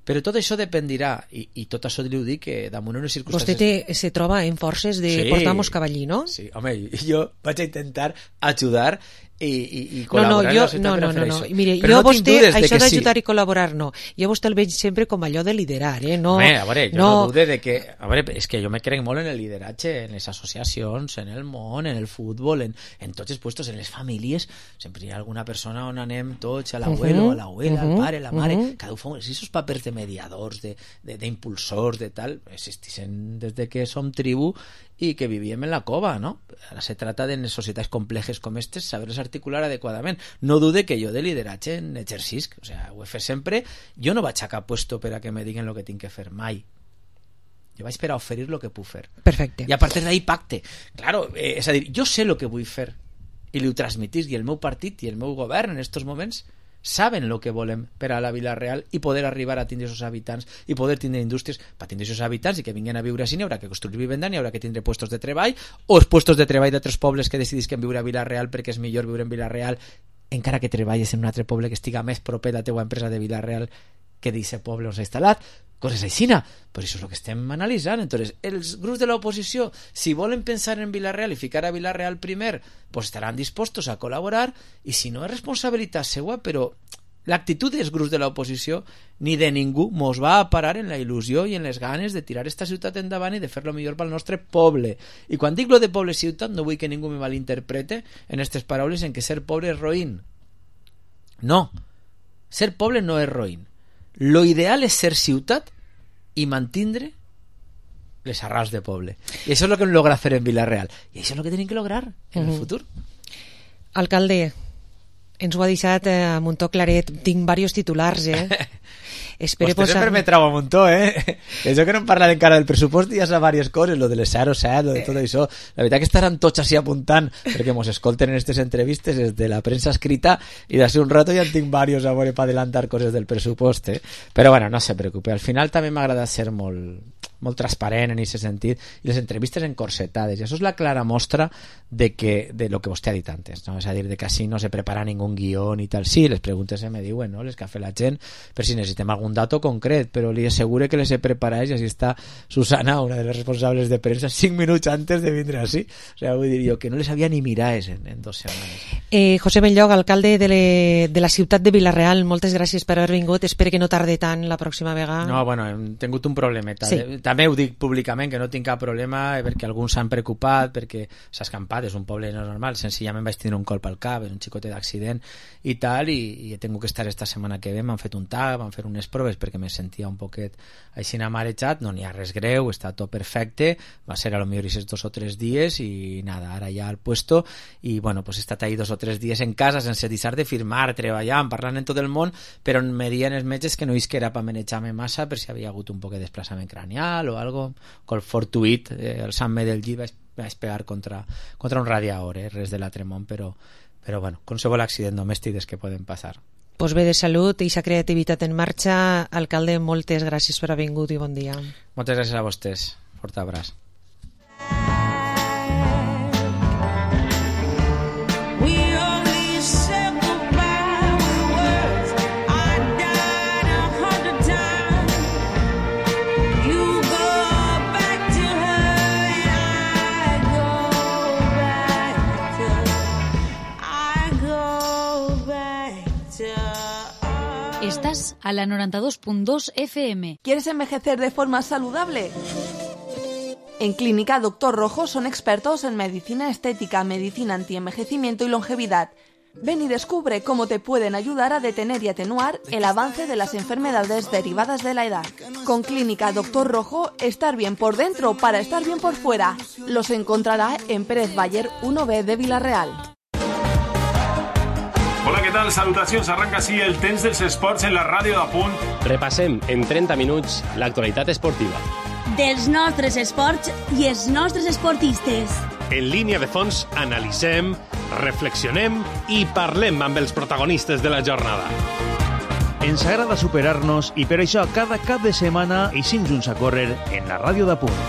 Però tot això dependirà, i, i tot això li ho dic, que damunt unes circumstàncies... Vostè té, se troba en forces de sí, portar-nos cavallí, no? Sí, home, jo vaig a intentar ajudar i, i, i col·laborar no, no, jo, en la ciutat no, per no, a fer no, això. no. Mire, però jo no vostè, això d'ajudar sí. i col·laborar, no. Jo vostè el veig sempre com allò de liderar, eh? No, home, a veure, jo no... no dude de que... A veure, és que jo me crec molt en el lideratge, en les associacions, en el món, en el futbol, en, en tots els puestos, en les famílies. Sempre hi ha alguna persona on anem tots, a l'abuelo, uh -huh, a l'abuela, uh -huh, al pare, la mare, uh -huh. cada un fa... Si esos papers de mediadors, d'impulsors, de, de, de tal, existissin des de que som tribu i que vivíem en la cova, ¿no? Ara se trata de en societats complejes com aquestes saber-les articular adequadament. No dude que jo de lideratge en exercisc, o sea, ho he fet sempre. Jo no vaig a cap puesto per a que me diguen el que tinc que fer, mai. Jo vaig per a oferir el que puc fer. Perfecte. I a partir d'ahí pacte. Claro, eh, és a dir, jo sé el que vull fer i li ho transmitís, i el meu partit i el meu govern en estos moments saben el que volem per a la Vila-real i poder arribar a tindre aquests habitants i poder tindre indústries per tindre aquests habitants i que vinguin a viure així. N'hi haurà que construir vivenda, n'hi haurà que tindre puestos de treball, o els puestos de treball d'altres pobles que decidisquen viure a Vila-real perquè és millor viure en Vila-real encara que treballes en un altre poble que estiga més proper a la teua empresa de Vila-real que d'aquest poble on s'ha instal·lat, coses aixina. Però això és el que estem analitzant. Entonces, els grups de l'oposició, si volen pensar en Vila-real i ficar a Vila-real primer, pues estaran dispostos a col·laborar, i si no és responsabilitat seua, però l'actitud dels grups de l'oposició ni de ningú mos va a parar en la il·lusió i en les ganes de tirar esta ciutat endavant i de fer-lo millor pel nostre poble. I quan dic lo de poble-ciutat no vull que ningú me malinterprete en aquestes paraules en que ser pobre és roïn. No, ser poble no és roïn. Lo ideal és ser ciutat i mantindre les arrels de poble. I això és el que hem lograt fer en Vila-real. I això és el que tenim que lograr en uh-huh. el futur. Alcalde, ens ho ha deixat eh, amb un to claret. Tinc diversos titulars, eh? Espero Vostè posar... sempre me trau amb un to, eh? Això que no hem parlat encara del pressupost i ja sa diverses coses, lo de les zero set, lo de tot això. La veritat que estaran tots així apuntant, perquè mos escolten en aquestes entrevistes des de la premsa escrita i d'ací un rato ja en tinc diversos a veure per adelantar coses del pressupost, eh? Però bueno, no se preocupe. Al final també m'ha agradat ser molt, molt transparent en aquest sentit i les entrevistes encorsetades. I això és la clara mostra de, que, de lo que vostè ha dit antes, no? És a dir, de que així no se prepara ningú guió ni tal. Sí, les preguntes se me diuen, no? Les que ha fet la gent, per si necessitem algun dato concret, però li asseguro que les he preparat i així està Susana, una de les responsables de premsa, cinc minuts antes de vindre així. O sea, vull dir jo que no les havia ni mirades en, en dos setmanes. Eh, José Benlloc, alcalde de, le, de la ciutat de Vila-real, moltes gràcies per haver vingut. Espero que no tarde tant la pròxima vegada. No, bueno, hem tingut un problemeta. Sí. També ho dic públicament, que no tinc cap problema, perquè alguns s'han preocupat, perquè s'ha escampat, és un poble normal, senzillament vaig tenir un colp al cap, un xicotet d'accident i tal, i, i he tingut que estar esta setmana que ve, m'han fet un tag, m'han fet unes proves perquè me sentia un poquet així marejat, no n'hi ha res greu, està tot perfecte, va ser a lo millor aquests dos o tres dies i nada, ara ja al puesto, i bueno, pues he estat ahí dos o tres dies en casa sense deixar de firmar, treballant, parlant en tot el món, però me dien els metges que no és que era per manejar-me massa, per si havia hagut un poc de desplaçament cranial o algo, col fortuït, eh, el Sant del llit vaig, vaig pegar contra, contra un radiador, eh, res de l'altre món, però, però bueno, qualsevol accident domèstic que poden passar. Pues bé de salut i sa creativitat en marxa. Alcalde, moltes gràcies per haver vingut i bon dia. Moltes gràcies a vostès. Fort abraç. Estás a la noventa y dos punto dos F M. ¿Quieres envejecer de forma saludable? En Clínica Doctor Rojo son expertos en medicina estética, medicina antienvejecimiento y longevidad. Ven y descubre cómo te pueden ayudar a detener y atenuar el avance de las enfermedades derivadas de la edad. Con Clínica Doctor Rojo, estar bien por dentro para estar bien por fuera. Los encontrará en Pérez Baller uno B de Vila-real. Hola, què tal? Salutacions. Arranca així el temps dels esports en la ràdio de Punt. Repassem en trenta minuts l'actualitat esportiva. Dels nostres esports i els nostres esportistes. En línia de fons analitzem, reflexionem i parlem amb els protagonistes de la jornada. Ens agrada superar-nos i per això cada cap de setmana eixim junts a córrer en la ràdio de Punt.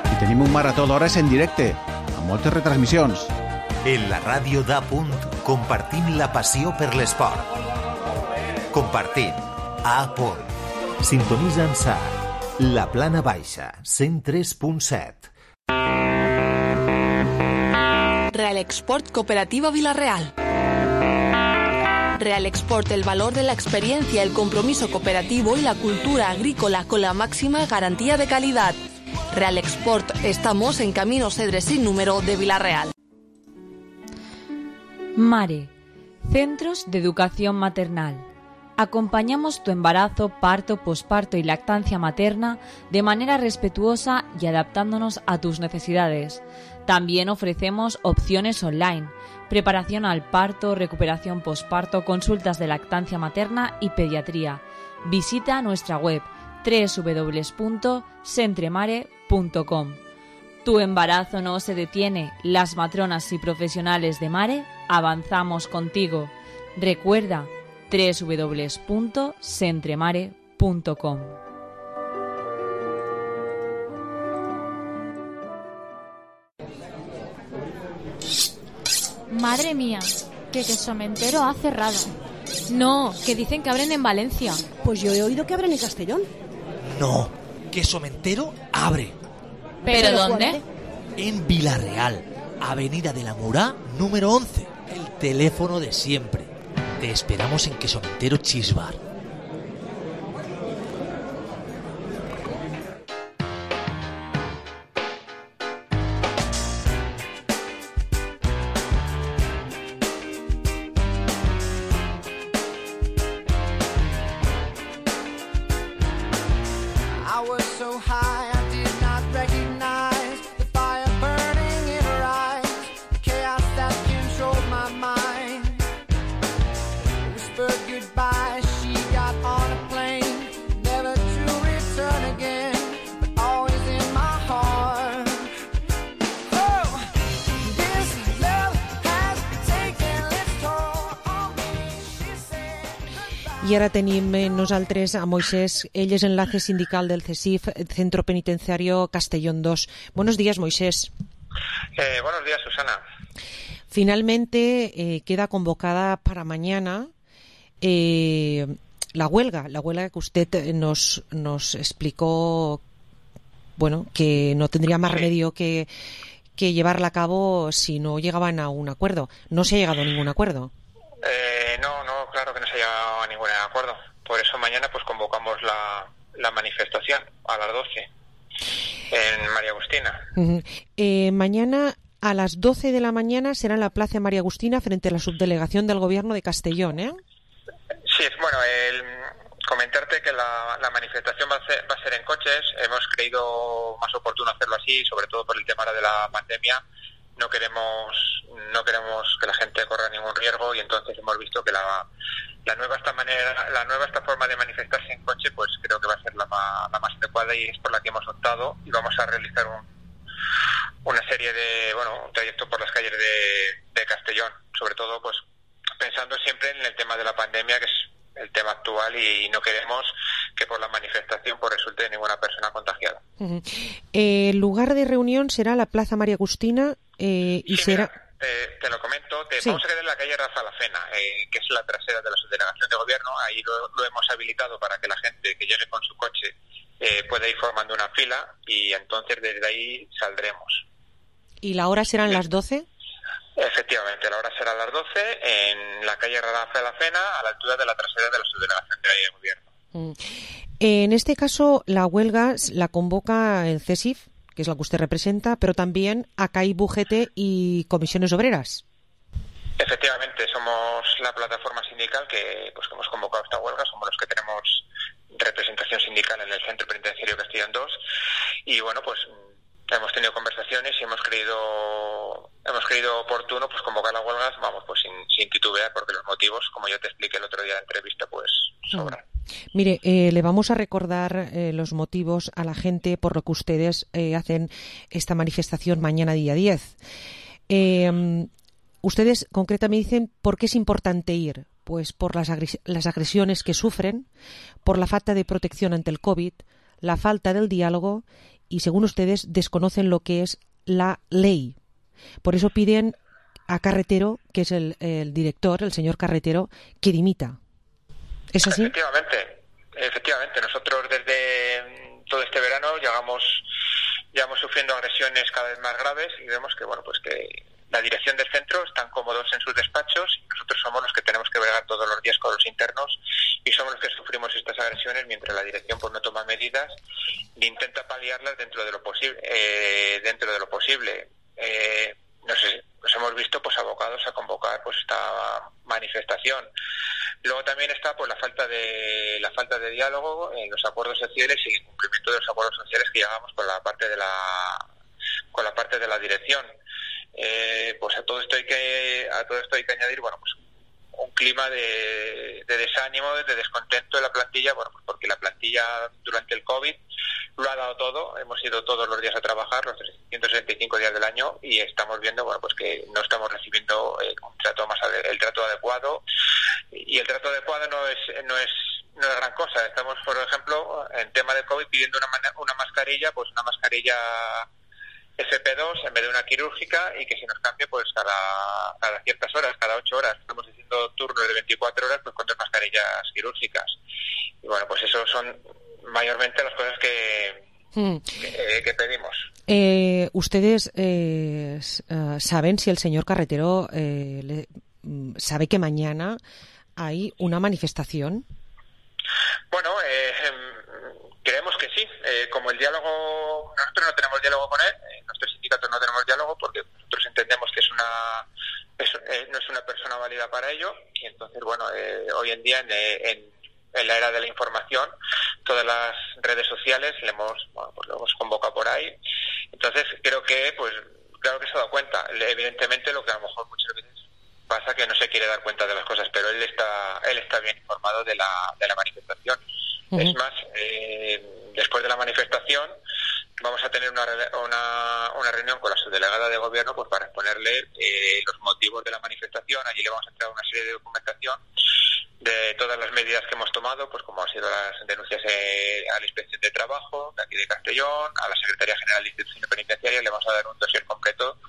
I tenim un marató d'hores en directe, amb moltes retransmissions. En la ràdio de Punt compartim la passió per l'esport. Compartim a Punt. Sintonitza'ns a La Plana Baixa, cent tres punt set. Real Export Cooperativa Vila-real. Real Export, el valor de la experiencia, el compromiso cooperativo y la cultura agrícola con la máxima garantía de calidad. Real Export, estamos en Camino Cedres sin número de Vila-real. Mare, Centros de Educación Maternal. Acompañamos tu embarazo, parto, posparto y lactancia materna de manera respetuosa y adaptándonos a tus necesidades. También ofrecemos opciones online, preparación al parto, recuperación posparto, consultas de lactancia materna y pediatría. Visita nuestra web doble u doble u doble u punto centremare punto com. Tu embarazo no se detiene. Las matronas y profesionales de Mare avanzamos contigo. Recuerda doble u doble u doble u punto centremare punto com. Madre mía, que Quesomentero ha cerrado. No, que dicen que abren en Valencia. Pues yo he oído que abren en Castellón. No, Quesomentero abre. ¿Pero, ¿Pero dónde? En Vila-real, Avenida de la Murá, número once. El teléfono de siempre. Te esperamos en Quesomentero Cheese Bar. I ara tenim nosaltres a Moisés, ell és enlace sindical del CESIF, Centro Penitenciario Castellón dos. Buenos días, Moisés. Eh, buenos días, Susana. Finalmente eh, queda convocada para mañana eh, la huelga, la huelga que usted nos, nos explicó, bueno, que no tendría más sí. remedio que, que llevarla a cabo si no llegaban a un acuerdo. No se ha llegado a ningún acuerdo. Eh, no, no, claro que no se ha llegado a ningún acuerdo. Por eso mañana pues convocamos la, la manifestación a las doce en María Agustina. Uh-huh. Eh, mañana a las doce de la mañana será en la Plaza María Agustina frente a la subdelegación del Gobierno de Castellón, ¿eh? Sí, bueno, el, comentarte que la, la manifestación va a, ser, va a ser en coches. Hemos creído más oportuno hacerlo así, sobre todo por el tema de la pandemia. No queremos no queremos que la gente corra ningún riesgo y entonces hemos visto que la, la nueva esta manera la nueva esta forma de manifestarse en coche pues creo que va a ser la más, la más adecuada y es por la que hemos optado y vamos a realizar un, una serie de bueno un trayecto por las calles de, de Castellón, sobre todo pues pensando siempre en el tema de la pandemia, que es el tema actual, y no queremos que por la manifestación pues resulte ninguna persona contagiada. Uh-huh. Eh, el lugar de reunión será la Plaza María Agustina eh, y sí, será... Mira, te, te lo comento, te sí. vamos a quedar en la calle Rafa Lafena, eh, que es la trasera de la subdelegación de gobierno. Ahí lo, lo hemos habilitado para que la gente que llegue con su coche eh, pueda ir formando una fila y entonces desde ahí saldremos. ¿Y la hora serán sí. las doce? Efectivamente, la hora será a las doce en la calle Rafa Lafena, a la altura de la trasera de la subdelegación de gobierno. Mm. En este caso, la huelga la convoca el CESIF, que es la que usted representa, pero también a C A I, B U G T y Comisiones Obreras. Efectivamente, somos la plataforma sindical que, pues, que hemos convocado esta huelga, somos los que tenemos representación sindical en el Centro Penitenciario Castellón dos y bueno, pues hemos tenido conversaciones y hemos creído hemos creído oportuno pues convocar las huelgas, vamos, pues sin, sin titubear, porque los motivos, como yo te expliqué el otro día en la entrevista, pues sobran. Mire, eh, le vamos a recordar eh, los motivos a la gente por lo que ustedes eh, hacen esta manifestación mañana día diez. Eh, ustedes concretamente dicen por qué es importante ir. Pues por las, agres- las agresiones que sufren, por la falta de protección ante el COVID, la falta del diálogo y, según ustedes, desconocen lo que es la ley. Por eso piden a Carretero, que es el, el director, el señor Carretero, que dimita. ¿Es así? Efectivamente, efectivamente. Nosotros desde todo este verano llevamos, llevamos sufriendo agresiones cada vez más graves y vemos que, bueno, pues que la dirección del centro están cómodos en sus despachos y nosotros somos los que tenemos que bregar todos los días con los internos y somos los que sufrimos estas agresiones mientras la dirección pues no toma medidas ni intenta paliarlas dentro de lo posible. Eh, dentro de lo posible. Eh, no sé, nos hemos visto pues abocados a convocar pues esta manifestación. Luego también está pues la falta de la falta de diálogo en los acuerdos sociales y el cumplimiento de los acuerdos sociales que llegamos con la parte de la con la parte de la dirección. Eh, pues a todo esto hay que a todo esto hay que añadir bueno pues un clima de, de desánimo, de descontento de la plantilla, bueno pues porque la plantilla durante el COVID lo ha dado todo, hemos ido todos los días a trabajar los trescientos sesenta y cinco días del año y estamos viendo bueno pues que no estamos recibiendo eh, un trato más ade- el trato adecuado y el trato adecuado no es no es no es gran cosa. Estamos, por ejemplo, en tema de COVID pidiendo una man- una mascarilla, pues una mascarilla F P dos en vez de una quirúrgica y que se nos cambie pues cada, cada ciertas horas, cada ocho horas. Estamos haciendo turnos de veinticuatro horas pues con dos mascarillas quirúrgicas. Y bueno, pues eso son mayormente las cosas que, hmm. que, que pedimos. Eh, ¿Ustedes eh, uh, saben si el señor Carretero eh, le, sabe que mañana hay una manifestación? Bueno, eh, creemos que sí. Eh, como el diálogo, nosotros no tenemos diálogo con él, eh, nuestros sindicatos no tenemos diálogo porque nosotros entendemos que es una es, eh, no es una persona válida para ello y entonces, bueno, eh, hoy en día en, en, en la era de la información, todas las redes sociales le hemos, bueno, pues lo hemos convocado por ahí. Entonces creo que, pues, claro que se ha dado cuenta. Evidentemente lo que a lo mejor muchas veces pasa que no se quiere dar cuenta de las cosas, pero él está él está bien informado de la de la manifestación. Uh-huh. Es más, eh, después de la manifestación vamos a tener una, una una reunión con la subdelegada de gobierno pues para exponerle eh, los motivos de la manifestación. Allí le vamos a entregar una serie de documentación de todas las medidas que hemos tomado, pues como han sido las denuncias eh, a la Inspección de Trabajo de aquí de Castellón, a la Secretaría General de Instituciones Penitenciarias. Le vamos a dar un dossier completo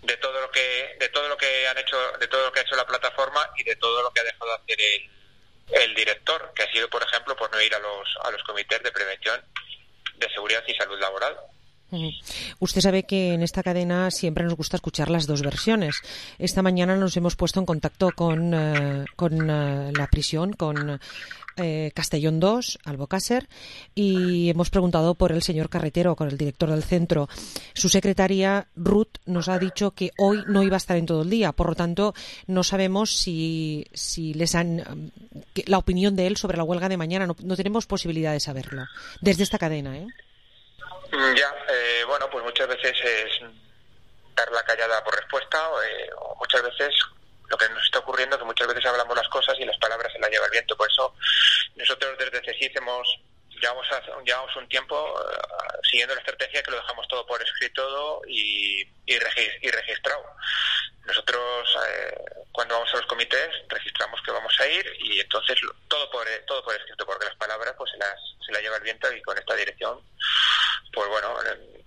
de todo lo que de todo lo que han hecho de todo lo que ha hecho la plataforma y de todo lo que ha dejado de hacer el el director, que ha sido, por ejemplo, pues no ir a los a los comités de prevención de seguridad y salud laboral. Uh-huh. Usted sabe que en esta cadena siempre nos gusta escuchar las dos versiones. Esta mañana nos hemos puesto en contacto con, uh, con uh, la prisión, con eh, Castellón dos, Albocácer, y hemos preguntado por el señor Carretero, con el director del centro. Su secretaria, Ruth, nos ha dicho que hoy no iba a estar en todo el día, por lo tanto, no sabemos si, si les han... la opinión de él sobre la huelga de mañana, no, no tenemos posibilidad de saberlo, desde esta cadena, ¿eh? Ya, eh, bueno, pues muchas veces es dar la callada por respuesta, eh, o muchas veces lo que nos está ocurriendo es que muchas veces hablamos las cosas y las palabras se las lleva el viento. Por eso nosotros desde CECIF hemos llevamos, a, llevamos un tiempo uh, siguiendo la estrategia que lo dejamos todo por escrito y, y, regis, y registrado. Nosotros eh, cuando vamos a los comités registramos que vamos a ir y entonces todo por todo por escrito, porque las palabras pues se las se las lleva el viento y con esta dirección pues bueno,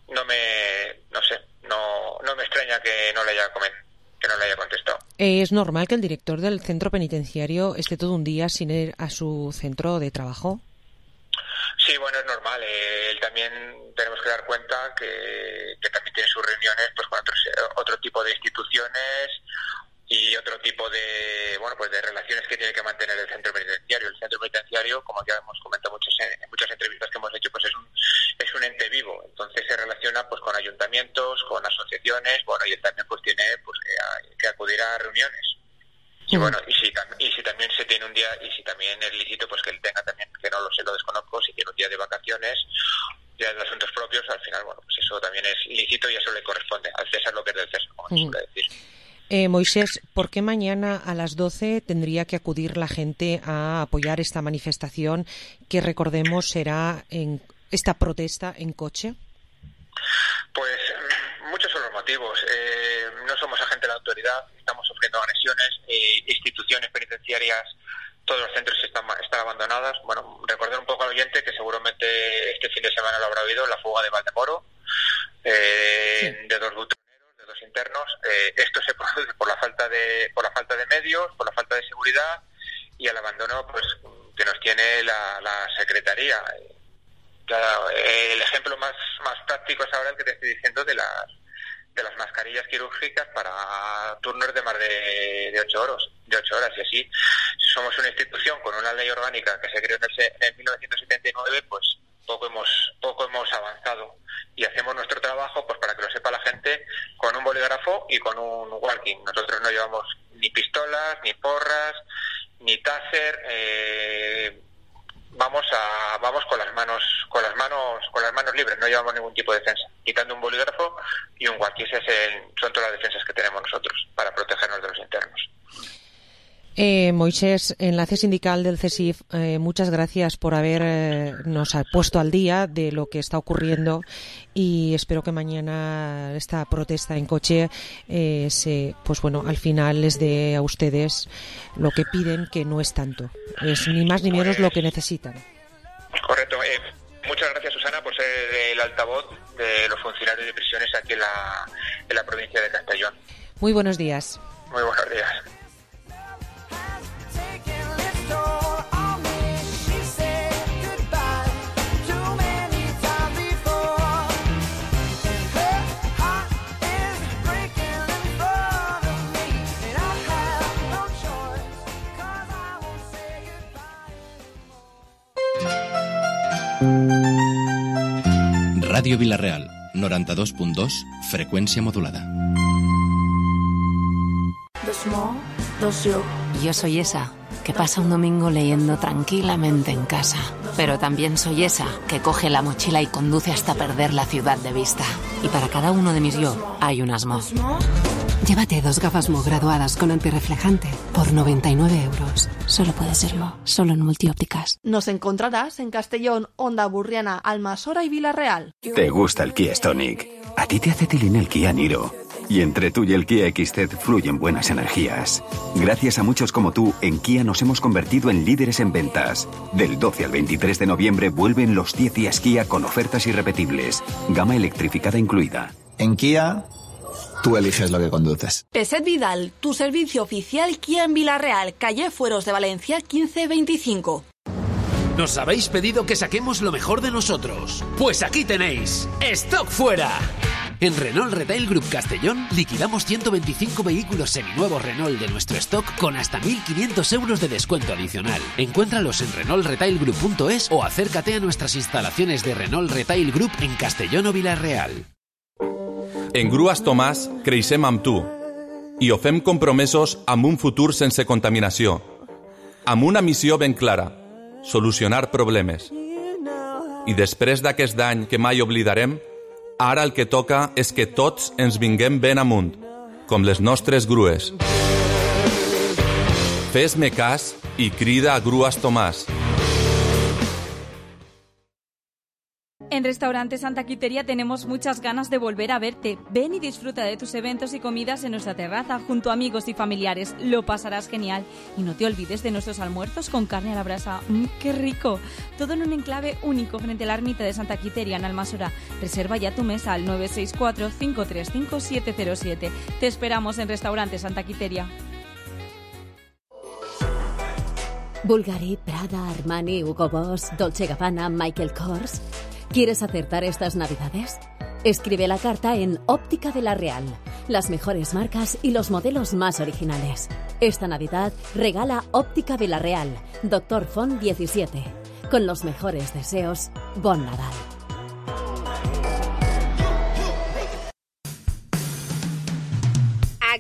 no me no sé, no no me extraña que no le haya comentado. que no le haya contestado. ¿Es normal que el director del centro penitenciario esté todo un día sin ir a su centro de trabajo? Sí, bueno, es normal. Eh, él también tenemos que dar cuenta que, que también tiene sus reuniones pues con otros, otro tipo de instituciones y otro tipo de bueno pues de relaciones que tiene que mantener el centro penitenciario. El centro penitenciario, como ya hemos comentado muchas en muchas entrevistas que hemos hecho, pues es un es un ente vivo. Entonces se relaciona pues con ayuntamientos, con asociaciones, bueno, y él también pues tiene pues que, que acudir a reuniones. Y bueno, y si, y si también se tiene un día, y si también es lícito, pues que él tenga también, que no lo sé, lo desconozco, si tiene un día de vacaciones, día de asuntos propios, al final, bueno, pues eso también es lícito y eso le corresponde al César lo que es del César, como se suele decir. Eh, Moisés, ¿por qué mañana a las doce tendría que acudir la gente a apoyar esta manifestación que, recordemos, será en esta protesta en coche? Pues muchos son los motivos. Eh, no somos agentes de la autoridad, estamos sufriendo agresiones, eh, instituciones penitenciarias, todos los centros están, están abandonados. Bueno, recordar un poco al oyente que seguramente este fin de semana lo habrá oído, la fuga de Valdemoro, eh, sí. de dos butroneros, de dos internos. Eh, esto se produce por la falta de por la falta de medios, por la falta de seguridad y el abandono pues que nos tiene la, la Secretaría. Claro, el ejemplo más, más práctico es ahora el que te estoy diciendo de las de las mascarillas quirúrgicas para turnos de más de, de ocho horas, de ocho horas y así. Somos una institución con una ley orgánica que se creó en, el, en mil novecientos setenta y nueve, pues poco hemos poco hemos avanzado y hacemos nuestro trabajo, pues para que lo sepa la gente, con un bolígrafo y con un walking. Nosotros no llevamos ni pistolas, ni porras, ni taser. Eh, vamos a vamos con las manos con las manos con las manos libres, no llevamos ningún tipo de defensa, quitando un bolígrafo y un walkie. Ese es el, son todas las defensas que tenemos nosotros para protegernos de los internos. Eh, Moisés, enlace sindical del CESIF, eh, muchas gracias por habernos eh, puesto al día de lo que está ocurriendo y espero que mañana esta protesta en coche eh, se, pues bueno, al final les dé a ustedes lo que piden, que no es tanto, es ni más ni menos lo que necesitan. Correcto. Eh, muchas gracias, Susana, por ser el altavoz de los funcionarios de prisiones aquí en la, en la provincia de Castellón. Muy buenos días. Muy buenos días. Ràdio Vila-real, noranta-dos punt dos, frecuencia modulada. Dos mo, dos yo. Yo soy esa que pasa un domingo leyendo tranquilamente en casa. Pero también soy esa que coge la mochila y conduce hasta perder la ciudad de vista. Y para cada uno de mis yo hay unas mo. Llévate dos gafas Mo graduadas con antirreflejante por noventa y nueve euros. Solo puede ser Mo, solo en Multiópticas. Nos encontrarás en Castellón, Onda Burriana, Almasora y Vila-real. ¿Te gusta el Kia Stonic? A ti te hace tilín el Kia Niro. Y entre tú y el Kia X Z fluyen buenas energías. Gracias a muchos como tú, en Kia nos hemos convertido en líderes en ventas. Del doce al veintitrés de noviembre vuelven los diez días Kia con ofertas irrepetibles. Gama electrificada incluida. En Kia, tú eliges lo que conduces. Peset Vidal, tu servicio oficial Kia en Vila-real, calle Fueros de Valencia quince veinticinco. ¿Nos habéis pedido que saquemos lo mejor de nosotros? Pues aquí tenéis ¡Stock Fuera! En Renault Retail Group Castellón liquidamos ciento veinticinco vehículos seminuevos Renault de nuestro stock con hasta mil quinientos euros de descuento adicional. Encuéntralos en renault retail group punto es o acércate a nuestras instalaciones de Renault Retail Group en Castellón o Vila-real. En Grues Tomàs creixem amb tu i ho fem compromesos amb un futur sense contaminació, amb una missió ben clara, solucionar problemes. I després d'aquest any que mai oblidarem, ara el que toca és que tots ens vinguem ben amunt, com les nostres grues. Fes-me cas i crida a Grues Tomàs. En Restaurante Santa Quiteria tenemos muchas ganas de volver a verte. Ven y disfruta de tus eventos y comidas en nuestra terraza junto a amigos y familiares. Lo pasarás genial. Y no te olvides de nuestros almuerzos con carne a la brasa. ¡Mmm, qué rico! Todo en un enclave único frente a la ermita de Santa Quiteria en Almasora. Reserva ya tu mesa al nueve seis cuatro, cinco tres cinco, siete cero siete. Te esperamos en Restaurante Santa Quiteria. Bulgari, Prada, Armani, Hugo Boss, Dolce Gabbana, Michael Kors. ¿Quieres acertar estas navidades? Escribe la carta en Óptica de la Real. Las mejores marcas y los modelos más originales. Esta Navidad regala Óptica de la Real, Doctor Font diecisiete. Con los mejores deseos, Bon Nadal.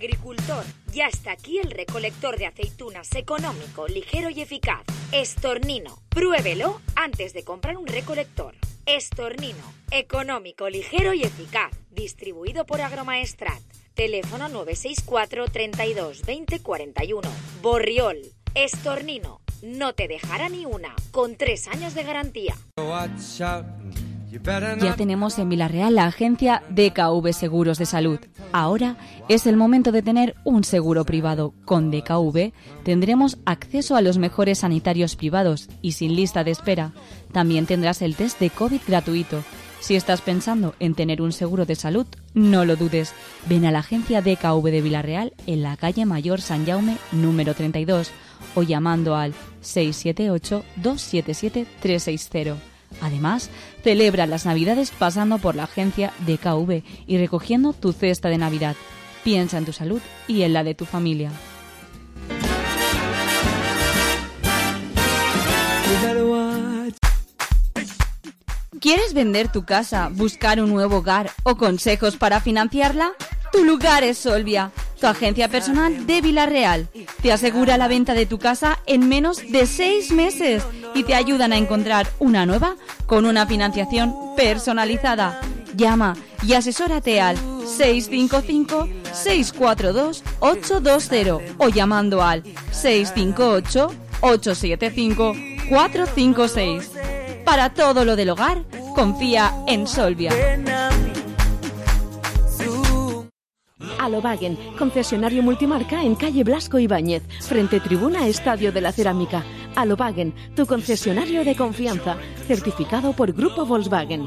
agricultor, ya está aquí el recolector de aceitunas económico, ligero y eficaz. Estornino. Pruébelo antes de comprar un recolector. Estornino. Económico, ligero y eficaz. Distribuido por Agromaestrat. Teléfono nueve seis cuatro, treinta y dos, veinte, cuarenta y uno. Borriol. Estornino. No te dejará ni una. Con tres años de garantía. Ya tenemos en Villarreal la agencia D K V Seguros de Salud. Ahora es el momento de tener un seguro privado. Con D K V tendremos acceso a los mejores sanitarios privados y sin lista de espera. También tendrás el test de COVID gratuito. Si estás pensando en tener un seguro de salud, no lo dudes. Ven a la agencia D K V de Villarreal en la calle Mayor San Jaume número treinta y dos o llamando al seis siete ocho, dos siete siete, tres seis cero. Además, celebra las Navidades pasando por la agencia D K V y recogiendo tu cesta de Navidad. Piensa en tu salud y en la de tu familia. ¿Quieres vender tu casa, buscar un nuevo hogar o consejos para financiarla? Tu lugar es Solvia, tu agencia personal de Villarreal. Te asegura la venta de tu casa en menos de seis meses y te ayudan a encontrar una nueva con una financiación personalizada. Llama y asesórate al seis cinco cinco, seis cuatro dos, ocho dos cero o llamando al seis cinco ocho, ocho siete cinco, cuatro cinco seis. Para todo lo del hogar, confía en Solvia. Alobagen, concesionario multimarca en calle Blasco Ibáñez, frente tribuna Estadio de la Cerámica. Alobagen, tu concesionario de confianza, certificado por Grupo Volkswagen.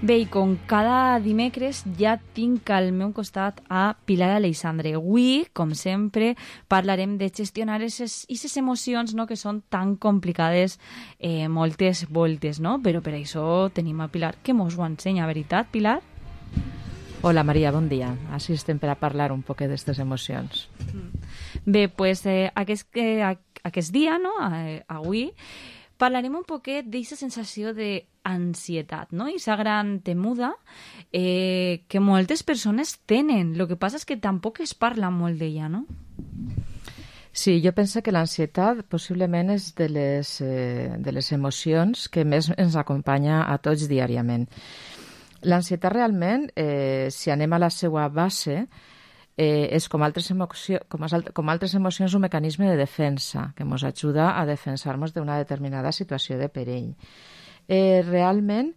Bé, i com cada dimecres ja tinc al meu costat a Pilar Aleixandre. Avui, com sempre, parlarem de gestionar aquestes emocions, no?, que són tan complicades eh, moltes voltes, no? Però per això tenim a Pilar, que mos ho ensenya, veritat, Pilar? Hola, Maria, bon dia. Així estem per a parlar un poc d'aquestes emocions. Bé, doncs pues, eh, aquest, eh, aquest dia, no?, eh, avui, parlarem un poquet d'aquesta sensació d'ansietat, no? Aquesta gran temuda eh, que moltes persones tenen. El que passa és que tampoc es parla molt d'ella, no? Sí, jo penso que l'ansietat possiblement és de les, eh, de les emocions que més ens acompanya a tots diàriament. L'ansietat realment, eh, si anem a la seva base, Eh, és com altres, emoció, com, com altres emocions un mecanisme de defensa que ens ajuda a defensar-nos d'una determinada situació de perill. Eh, realment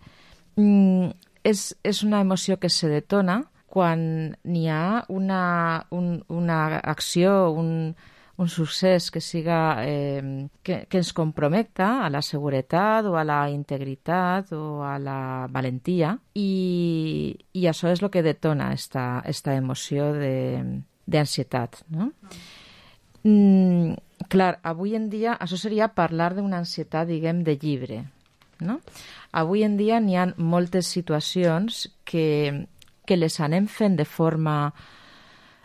mm, és, és una emoció que se detona quan n'hi ha una, un, una acció, un, un succés que siga eh, que, que ens comprometa a la seguretat o a la integritat o a la valentia i, i això és el que detona esta, esta emoció d'ansietat, no? Mm, clar, avui en dia això seria parlar d'una ansietat, diguem, de llibre, no? Avui en dia n'hi ha moltes situacions que, que les anem fent de forma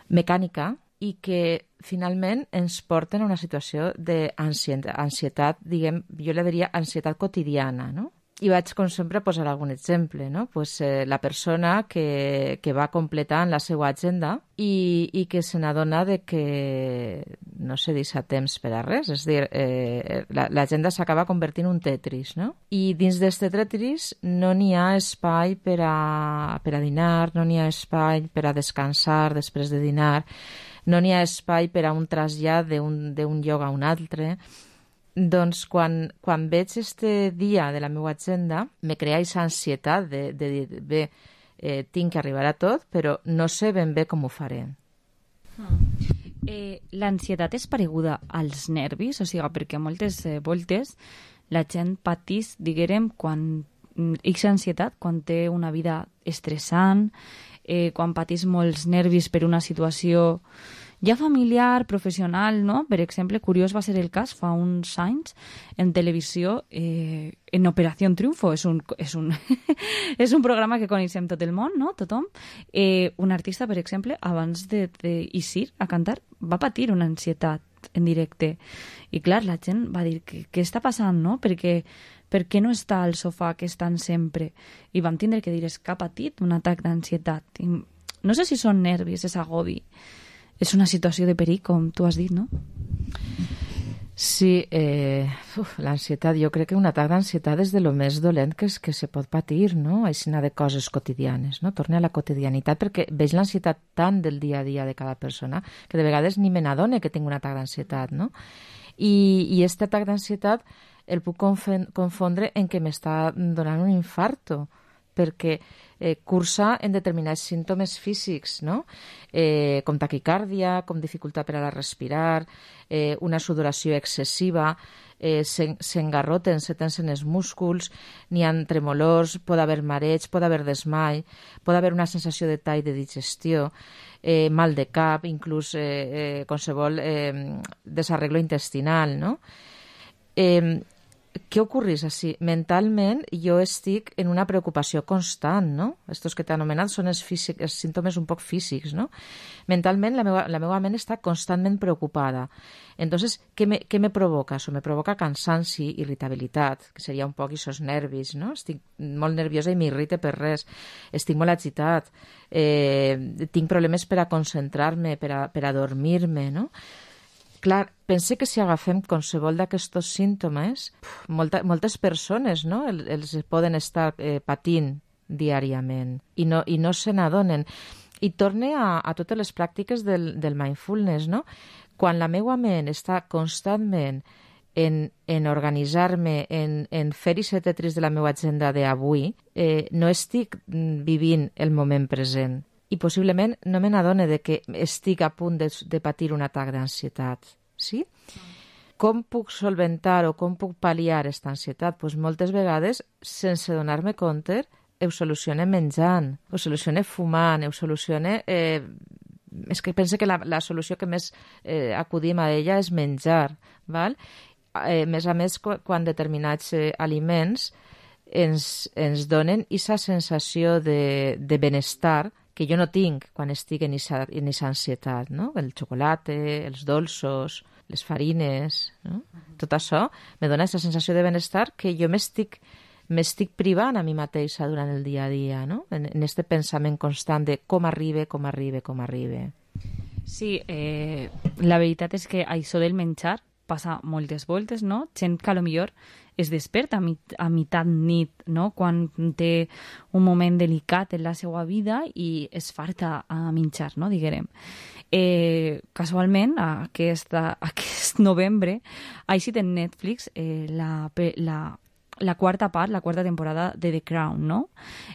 mecànica i que finalment ens porten a una situació d'ansietat, diguem, jo le diria ansietat quotidiana, no? I vaig, com sempre, posar algun exemple, no? Pues, eh, la persona que, que va completant la seva agenda i, i que se n'adona de que no se deixa temps per a res, és a dir, eh, l'agenda s'acaba convertint en un Tetris, no? I dins d'este Tetris no n'hi ha espai per a, per a dinar, no n'hi ha espai per a descansar després de dinar, no n'hi ha espai per a un trasllat d'un lloc a un altre. Doncs quan, quan veig este dia de la meva agenda me crea aquesta ansietat de, de dir, bé, eh, tinc que arribar a tot, però no sé ben bé com ho faré. Eh, L'ansietat és pareguda als nervis, o sigui, perquè moltes eh, voltes la gent patís, diguem, quan X ansietat, quan té una vida estressant, eh, quan patís molts nervis per una situació ja familiar, professional, no? Per exemple, curiós va ser el cas fa uns anys en televisió, eh, en Operació Triunfo, és un, és un, és un programa que coneixem tot el món, no? Tothom. Eh, un artista, per exemple, abans d'eixir a cantar, va patir una ansietat en directe. I clar, la gent va dir, què, què està passant, no? Perquè per què no està al sofà que estan sempre? I vam tindre que dir, és que ha patit un atac d'ansietat. I no sé si són nervis, és agobi. És una situació de perill, com tu has dit, no? Sí, eh, l'ansietat, jo crec que un atac d'ansietat és de lo més dolent que, és, que se pot patir, no? Aixina de coses quotidianes, no? Torne a la quotidianitat, perquè veig l'ansietat tant del dia a dia de cada persona que de vegades ni me n'adone que tinc un atac d'ansietat, no? I, i aquest atac d'ansietat el puc confondre en què m'està donant un infarto, perquè eh, cursa en determinats símptomes físics, no? Eh, com taquicàrdia, com dificultat per a la respirar, eh, una sudoració excessiva, eh, s'engarroten, se tensen els músculs, n'hi ha tremolors, pot haver mareig, pot haver desmai, pot haver una sensació de tall de digestió, eh, mal de cap, inclús eh, eh, qualsevol eh, desarreglo intestinal, no? Eh, Què ocorreix així? Mentalment jo estic en una preocupació constant, no? Estos que t'he anomenat són els, físic, els símptomes un poc físics, no? Mentalment la meva, la meva ment està constantment preocupada. Entonces, què me, què me provoca? Això me provoca cansanci, irritabilitat, que seria un poc aquests nervis, no? Estic molt nerviosa i m'irrite per res. Estic molt agitat. Eh, tinc problemes per a concentrar-me, per a, per a dormir-me, no? Clar, pense que si agafem qualsevol d'aquests símptomes, molta, moltes persones, no? El, els poden estar eh, patint diàriament i no, i no se n'adonen. I torne a, a totes les pràctiques del, del mindfulness, no? Quan la meva ment està constantment en, en organitzar-me, en, en fer aquest tetris de la meva agenda d'avui, eh, no estic vivint el moment present. I possiblement no me n'adone de que estic a punt de, de patir un atac d'ansietat. Sí? Com puc solventar o com puc pal·liar aquesta ansietat? Pues moltes vegades, sense donar-me compte, ho solucione menjant, ho solucione fumant, ho solucione... Eh, és que pense que la, la solució que més eh, acudim a ella és menjar. Val? Eh, més a més, quan determinats eh, aliments ens, ens donen aquesta sensació de, de benestar que jo no tinc quan estic en aquesta ansietat, no? El xocolata, els dolços, les farines, no? Tot això me dona aquesta sensació de benestar que jo m'estic m'estic privant a mi mateixa durant el dia a dia, no? En aquest pensament constant de com arribe, com arribe, com arribe. Sí, eh, la veritat és que això del menjar passa moltes voltes, no? Gent que potser es desperta a, mit a meitat nit, no? Quan té un moment delicat en la seva vida i es farta a menjar, no? Diguem. Eh, casualment, aquesta, aquest novembre, ha eixit en Netflix eh, la, la, la quarta part, la quarta temporada de The Crown, no?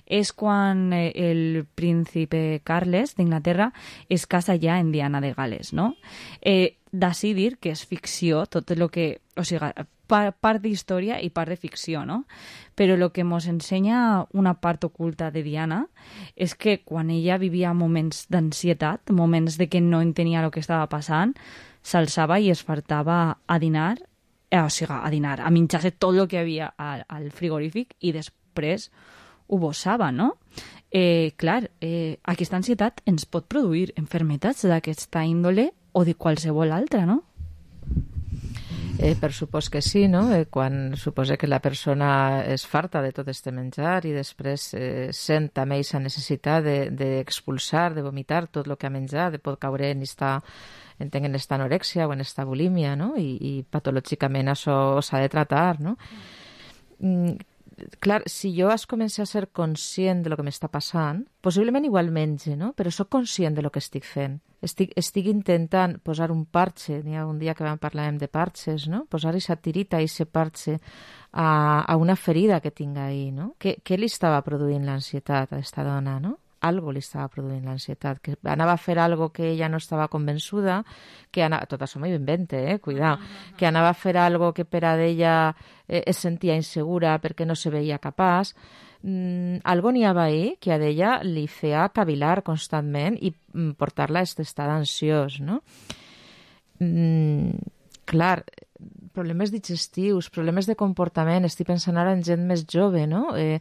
És quan eh, el príncipe Carles d'Inglaterra es casa ja en Diana de Gales, no? Eh, d'ací dir que és ficció, tot el que... O sigui, part, part d'història i part de ficció, no? Però el que ens ensenya una part oculta de Diana és que quan ella vivia moments d'ansietat, moments de que no entenia el que estava passant, s'alçava i es fartava a dinar, eh, o sigui, a dinar, a menjar-se tot el que hi havia al, al frigorífic i després ho bossava, no? Eh, clar, eh, aquesta ansietat ens pot produir enfermetats d'aquesta índole o de qualsevol altra, no? Eh, per supòs que sí, no? Eh, quan suposa que la persona es farta de tot este menjar i després eh, sent també aquesta necessitat d'expulsar, de, de vomitar tot el que ha menjat, de pot caure en esta, entenc, en esta anorèxia o en esta bulímia, no? I, i patològicament això s'ha de tratar, no? Mm. Clar, si jo es comença a ser conscient de lo que m'està passant, possiblement igual menge, no? Però soc conscient de lo que estic fent. Estic, estic intentant posar un parche, n'hi ha un dia que vam parlar de parches, no? Posar aquesta tirita, aquest parche a, a una ferida que tinc ahí, no? Què, què li estava produint l'ansietat a aquesta dona, no? algo li estava produint l'ansietat, que anava a fer algo que ella no estava convençuda, que anava, tot això m'ho invente, eh, cuidao, que anava a fer algo que per a ella eh, es sentia insegura perquè no se veia capaç. Mm, algo n'hi havia ahí que a ella li feia cavilar constantment i mm, portar-la a aquest estat ansiós, no? Mm, clar, problemes digestius, problemes de comportament, estic pensant ara en gent més jove, no? Eh,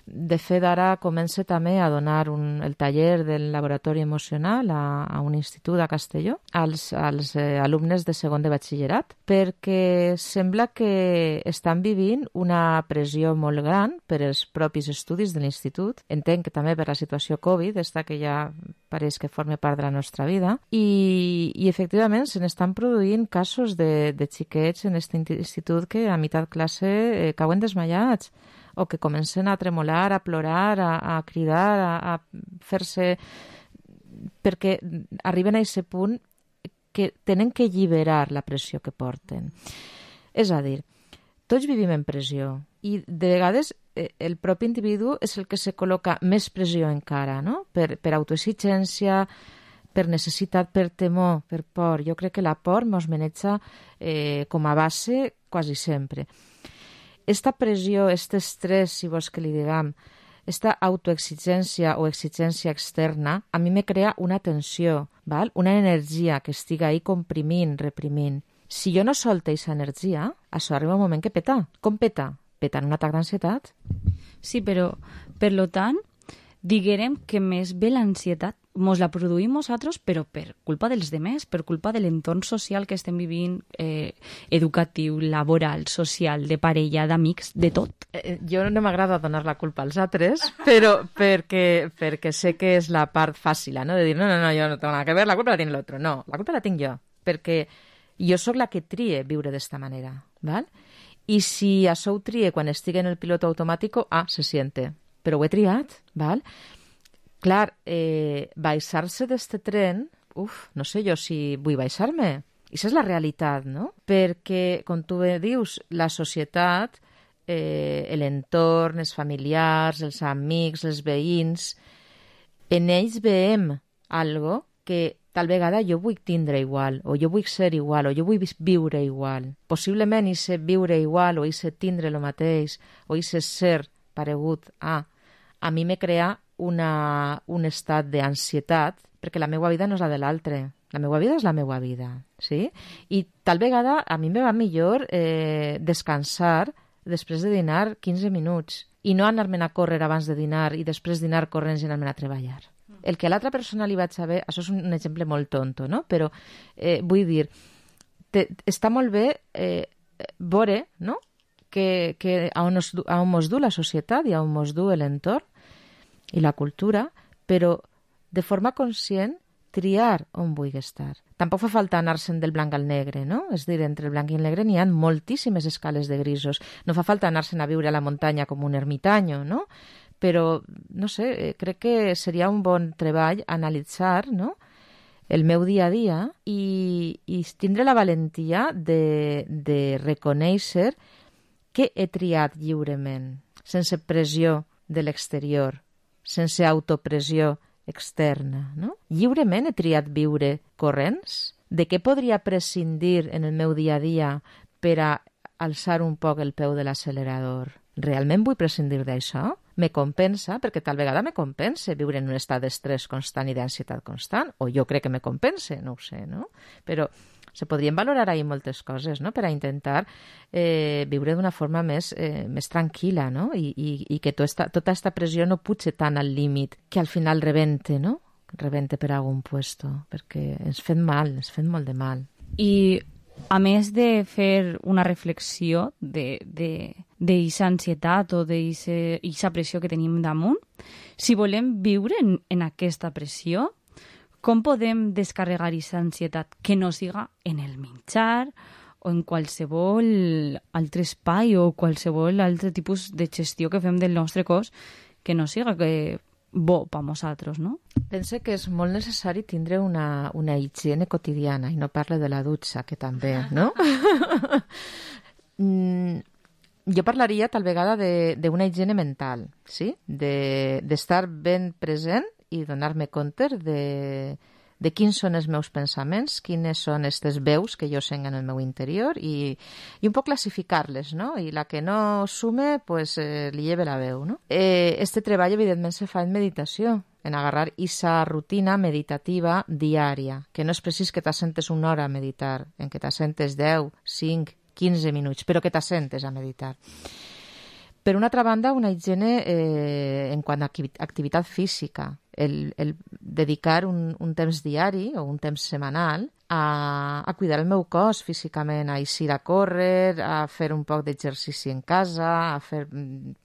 de fet, ara comença també a donar un, el taller del laboratori emocional a, a un institut a Castelló als, als eh, alumnes de segon de batxillerat, perquè sembla que estan vivint una pressió molt gran per els propis estudis de l'institut. Entenc que també per la situació Covid, esta que ja pareix que forma part de la nostra vida, i, i efectivament se n'estan produint casos de, de xiquets en aquest institut que a meitat classe eh, cauen desmaiats o que comencen a tremolar, a plorar, a, a cridar, a, a fer-se... perquè arriben a aquest punt que tenen que alliberar la pressió que porten. És a dir, tots vivim en pressió i de vegades eh, el propi individu és el que se col·loca més pressió encara, no? Per, per autoexigència, per necessitat, per temor, per por. Jo crec que la por mos maneja eh, com a base quasi sempre. Esta pressió, este estrès, si vols que li diguem, esta autoexigència o exigència externa, a mi me crea una tensió, val? Una energia que estiga ahí comprimint, reprimint. Si jo no solte aquesta energia, això arriba un moment que peta. Com peta? Peta en un atac d'ansietat. Sí, però, per lo tant, diguem que més bé l'ansietat mos la produïm nosaltres, però per culpa dels demés, per culpa de l'entorn social que estem vivint, eh, educatiu, laboral, social, de parella, d'amics, de tot. Eh, jo no m'agrada donar la culpa als altres, però perquè, perquè sé que és la part fàcil, no? De dir, no, no, no, jo no tengo nada que ver, la culpa la tiene l'altre. No, la culpa la tinc jo, perquè jo sóc la que trie viure d'esta manera, val? I si això ho trie quan estigui en el pilot automàtic, ah, se siente, però ho he triat, val? Clar, eh, baixar-se d'este tren, uf, no sé jo si vull baixar-me. I això és la realitat, no? Perquè, com tu bé dius, la societat, eh, l'entorn, els familiars, els amics, els veïns, en ells veiem algo que tal vegada jo vull tindre igual, o jo vull ser igual, o jo vull viure igual. Possiblement i ser viure igual, o i ser tindre el mateix, o i ser ser paregut a... A mi me crea una, un estat d'ansietat, perquè la meva vida no és la de l'altre. La meva vida és la meva vida, sí? I tal vegada a mi me va millor eh, descansar després de dinar quinze minuts i no anar-me'n a córrer abans de dinar i després dinar corrents i anar-me'n a treballar. El que a l'altra persona li vaig saber, això és un exemple molt tonto, no? Però eh, vull dir, te, està molt bé eh, veure, no?, que, que a, on es, a on mos du la societat i a on mos du l'entorn i la cultura, però de forma conscient triar on vull estar. Tampoc fa falta anar-se'n del blanc al negre, no? És dir, entre el blanc i el negre n'hi ha moltíssimes escales de grisos. No fa falta anar-se'n a viure a la muntanya com un ermitanyo, no? Però, no sé, crec que seria un bon treball analitzar, no?, el meu dia a dia i, i tindre la valentia de, de reconèixer que he triat lliurement, sense pressió de l'exterior, sense autopressió externa, no? Lliurement he triat viure corrents? De què podria prescindir en el meu dia a dia per a alçar un poc el peu de l'accelerador? Realment vull prescindir d'això? Me compensa? Perquè tal vegada me compensa viure en un estat d'estrès constant i d'ansietat constant, o jo crec que me compensa, no ho sé, no? Però se podrien valorar ahí moltes coses, no?, per a intentar eh, viure d'una forma més, eh, més tranquil·la, no?, i, i, i que tota aquesta pressió no puja tant al límit que al final rebente, no?, rebente per algun puesto, perquè ens fem mal, ens fem molt de mal. I a més de fer una reflexió d'aquesta ansietat o d'aquesta pressió que tenim damunt, si volem viure en, en aquesta pressió, com podem descarregar aquesta ansietat que no siga en el menjar o en qualsevol altre espai o qualsevol altre tipus de gestió que fem del nostre cos que no siga que bo per nosaltres, no? Pense que és molt necessari tindre una, una higiene quotidiana, i no parle de la dutxa, que també, no? mm, jo parlaria tal vegada d'una higiene mental, sí? D'estar de, ben present i donar-me compte de, de quins són els meus pensaments, quines són aquestes veus que jo sent en el meu interior i, i un poc classificar-les, no? I la que no sume, pues, eh, li lleve la veu, no? Eh, este treball, evidentment, se fa en meditació, en agarrar esa rutina meditativa diària, que no és precís que t'assentes una hora a meditar, en que t'assentes deu, cinc, quinze minuts, però que t'assentes a meditar. Per una altra banda, una higiene eh, en quant a activitat física, el, el dedicar un, un temps diari o un temps setmanal a, a cuidar el meu cos físicament, a eixir a córrer, a fer un poc d'exercici en casa, a fer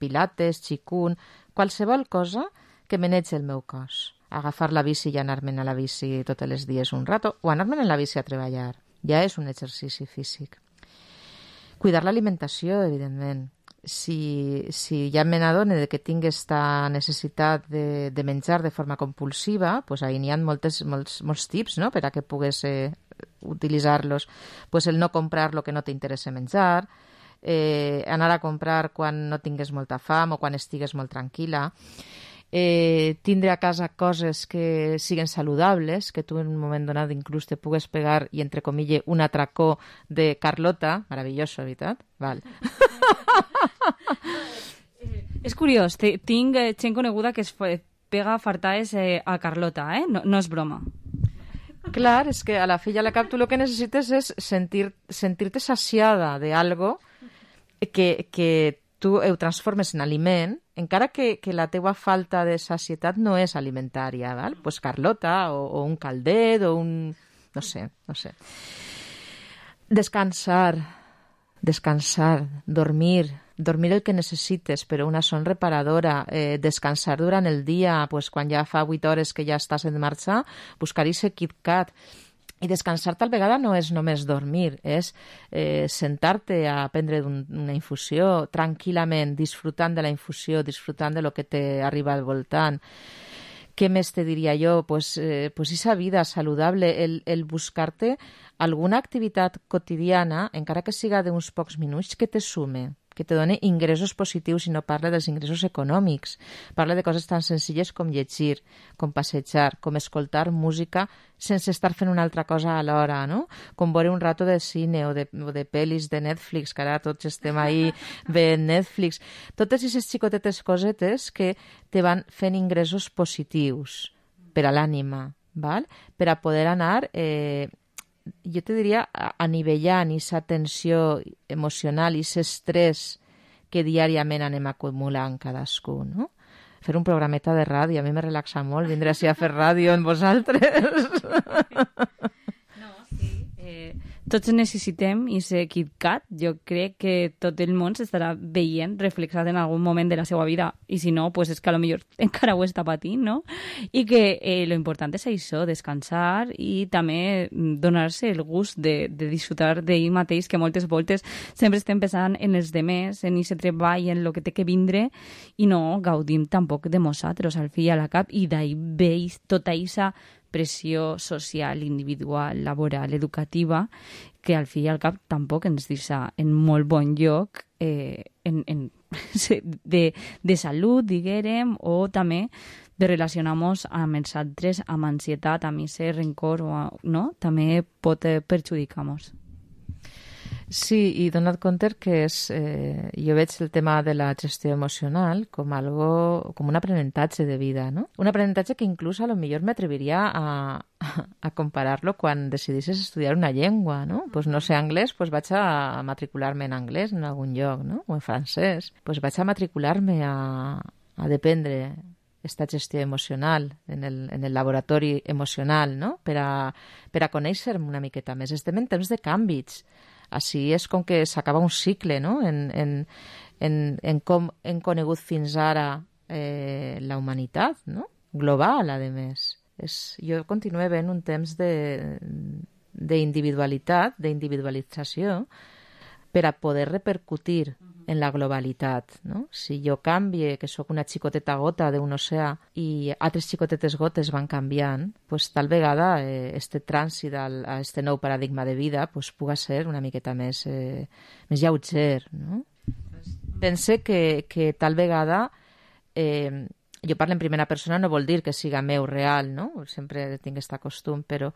pilates, qigong, qualsevol cosa que manegi el meu cos. Agafar la bici i anar-me'n a la bici tots els dies un rato, o anar-me'n en la bici a treballar. Ja és un exercici físic. Cuidar l'alimentació, evidentment. Si, si ja me n'adone que tinc aquesta necessitat de, de menjar de forma compulsiva, pues ahí n'hi ha moltes, molts, molts tips, no?, per a que pugues eh, utilitzar-los. Pues el no comprar lo que no t'interessa menjar, eh, anar a comprar quan no tingues molta fam o quan estigues molt tranquil·la, eh, tindre a casa coses que siguen saludables, que tu en un moment donat inclús te pugues pegar i, entre comilles, un atracó de Carlota, maravilloso, veritat? Val. És curiós, tinc gent coneguda que es pega fartades eh, a Carlota, eh? No, no és broma. Clar, és que a la fi i a la cap tu el que necessites és sentir, sentir-te saciada d'algo que, que tu ho transformes en aliment, encara que, que la teua falta de sacietat no és alimentària, val? Pues Carlota o, o un caldet o un... no sé, no sé. Descansar, descansar, dormir, dormir el que necessites, però una son reparadora, eh, descansar durant el dia, pues, quan ja fa vuit hores que ja estàs en marxa, buscar ese KitKat. I descansar tal vegada no és només dormir, és eh, sentar-te a prendre un, una infusió tranquil·lament, disfrutant de la infusió, disfrutant de lo que t'arriba al voltant. Què més te diria jo? Pues, eh, pues esa vida saludable, el, el buscar-te alguna activitat quotidiana, encara que siga d'uns pocs minuts, que te sume, que te doni ingressos positius i no parla dels ingressos econòmics. Parla de coses tan senzilles com llegir, com passejar, com escoltar música sense estar fent una altra cosa alhora, no? Com veure un rato de cine o de, o de pel·lis de Netflix, que ara tots estem ahí veient Netflix. Totes aquestes xicotetes cosetes que te van fent ingressos positius per a l'ànima, val? Per a poder anar... Eh, jo te diria, anivellant aquesta tensió emocional i aquest estrès que diàriament anem acumulant cadascú, no? Fer un programeta de ràdio, a mi me relaxa molt vindre així a fer ràdio amb vosaltres. No, sí. Eh, tots necessitem i ser KitKat. Jo crec que tot el món s'estarà veient reflexat en algun moment de la seva vida, i si no, pues és que a lo millor encara ho està patint, no? I que eh, lo important és això, descansar i també donar-se el gust de, de disfrutar d'ell mateix, que moltes voltes sempre estem pensant en els demés, en aquest treball, en el que té que vindre, i no gaudim tampoc de nosaltres al fi i a la cap, i d'ahir veus tota aquesta pressió social, individual, laboral, educativa, que al fi i al cap tampoc ens deixa en molt bon lloc eh, en, en, de, de salut, diguérem, o també de relacionar-nos amb els altres, amb ansietat, amb aquest rencor, o, no? També pot eh, perjudicar-nos. Sí, i donat compte que és, eh, jo veig el tema de la gestió emocional com algo, com un aprenentatge de vida, no? Un aprenentatge que inclús a lo millor m'atreviria a, a comparar-lo quan decidisses estudiar una llengua, no? Pues no sé anglès, pues vaig a matricular-me en anglès en algun lloc, no? O en francès. Pues vaig a matricular-me a, a dependre esta gestió emocional en el, en el laboratori emocional, no? Per a, per a conèixer-me una miqueta més. Estem en temps de canvis. Així és com que s'acaba un cicle, no? En, en, en, en com hem conegut fins ara eh, la humanitat, no? Global, a més. És, jo continuo veient un temps d'individualitat, d'individualització, per a poder repercutir en la globalitat, no? Si jo canvie, que sóc una xicoteta gota d'un oceà i altres xicotetes gotes van canviant, pues, tal vegada eh, este trànsit al, a este nou paradigma de vida pues, puga ser una miqueta més, eh, més lleuger, no? Pense que, que tal vegada eh, jo parlo en primera persona, no vol dir que siga meu real, no? Sempre tinc aquest costum, però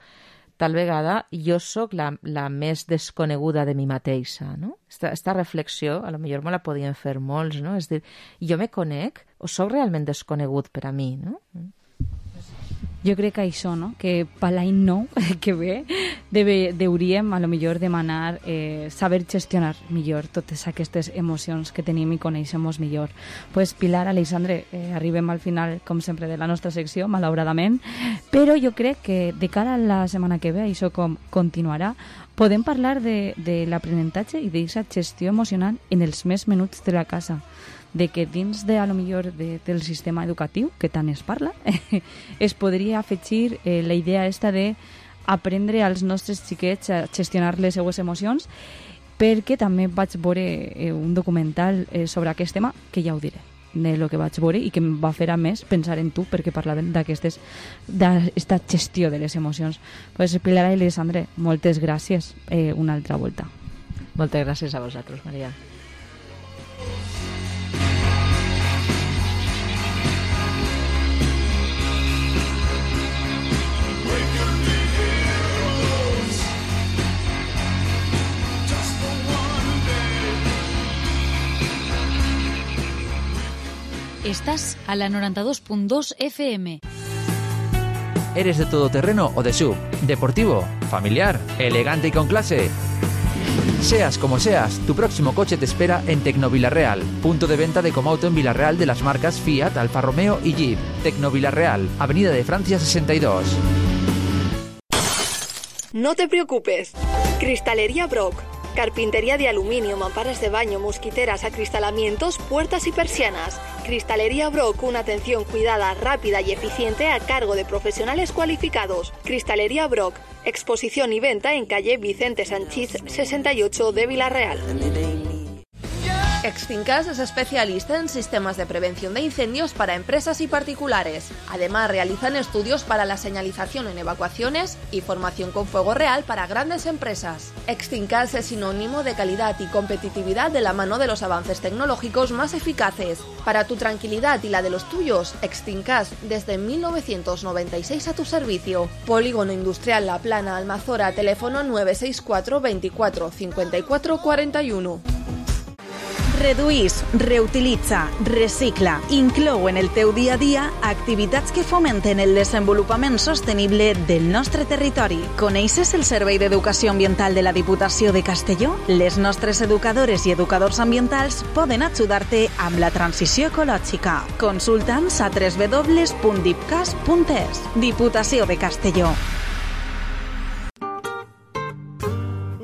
tal vegada jo sóc la, la més desconeguda de mi mateixa, no? Esta, esta reflexió, a lo millor me la podien fer molts, no? És dir, jo me conec o sóc realment desconegut per a mi, no? Jo crec que això, no? Que per l'any nou que ve deve, deuríem a lo millor demanar eh, saber gestionar millor totes aquestes emocions que tenim i coneixem millor. Pues Pilar, Alexandre, eh, arribem al final, com sempre, de la nostra secció, malauradament, però jo crec que de cara a la setmana que ve això com continuarà, podem parlar de, de l'aprenentatge i d'aquesta gestió emocional en els més menuts de la casa, de que dins de, a lo millor de, del sistema educatiu, que tant es parla, es podria afegir eh, la idea esta de aprendre als nostres xiquets a gestionar les seues emocions, perquè també vaig veure eh, un documental eh, sobre aquest tema, que ja ho diré, de lo que vaig veure i que em va fer a més pensar en tu, perquè parlaven d'aquesta gestió de les emocions. Pues Pilar i Alexandre, moltes gràcies eh, una altra volta. Moltes gràcies a vosaltres, Maria. Estás a la noventa y dos punto dos F M. ¿Eres de todoterreno o de sub? ¿Deportivo? ¿Familiar? ¿Elegante y con clase? Seas como seas, tu próximo coche te espera en Tecnovilarreal, punto de venta de Comauto en Vilarreal de las marcas Fiat, Alfa Romeo y Jeep. Tecnovilarreal, Avenida de Francia sesenta y dos. No te preocupes. Cristalería Brock. Carpintería de aluminio, mamparas de baño, mosquiteras, acristalamientos, puertas y persianas. Cristalería Brock, una atención cuidada, rápida y eficiente a cargo de profesionales cualificados. Cristalería Brock, exposición y venta en calle Vicente Sanchís sesenta y ocho de Vilarreal. Extincas es especialista en sistemas de prevención de incendios para empresas y particulares. Además, realizan estudios para la señalización en evacuaciones y formación con fuego real para grandes empresas. Extincas es sinónimo de calidad y competitividad de la mano de los avances tecnológicos más eficaces. Para tu tranquilidad y la de los tuyos, Extincas desde mil novecientos noventa y seis a tu servicio. Polígono Industrial La Plana, Almazora, teléfono nueve seis cuatro veinticuatro cincuenta y cuatro cuarenta y uno. Reduís, reutilitza, recicla, inclou en el teu dia a dia activitats que fomenten el desenvolupament sostenible del nostre territori. Coneixes el Servei d'Educació Ambiental de la Diputació de Castelló? Les nostres educadores i educadors ambientals poden ajudar-te amb la transició ecològica. Consulta'ns a w w w punt dipcas punt es. Diputació de Castelló.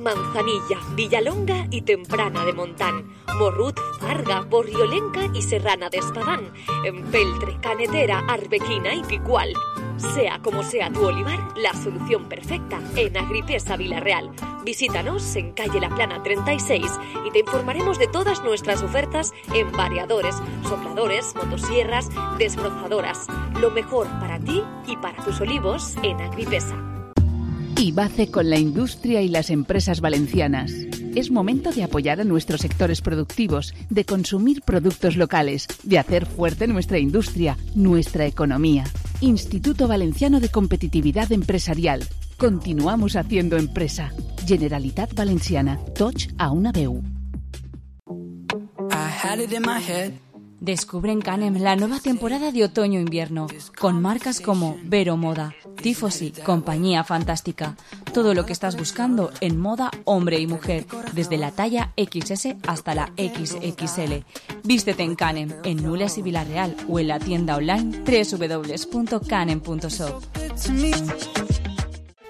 Manzanilla, Villalonga y Temprana de Montán, Morrut, Farga, Borriolenca y Serrana de Espadán, Empeltre, Canetera, Arbequina y Picual. Sea como sea tu olivar, la solución perfecta en Agripesa Vilarreal. Visítanos en calle La Plana treinta y seis y te informaremos de todas nuestras ofertas en variadores, sopladores, motosierras, desbrozadoras. Lo mejor para ti y para tus olivos en Agripesa. IBACE con la industria y las empresas valencianas. Es momento de apoyar a nuestros sectores productivos, de consumir productos locales, de hacer fuerte nuestra industria, nuestra economía. Instituto Valenciano de Competitividad Empresarial. Continuamos haciendo empresa. Generalitat Valenciana. Toch a una veu. Descubre en Canem la nueva temporada de otoño-invierno, con marcas como Vero Moda, Tifosi, Compañía Fantástica. Todo lo que estás buscando en moda hombre y mujer, desde la talla equis ese hasta la equis equis ele. Vístete en Canem, en Nules y Vilarreal, o en la tienda online doble u doble u doble u punto canem punto shop.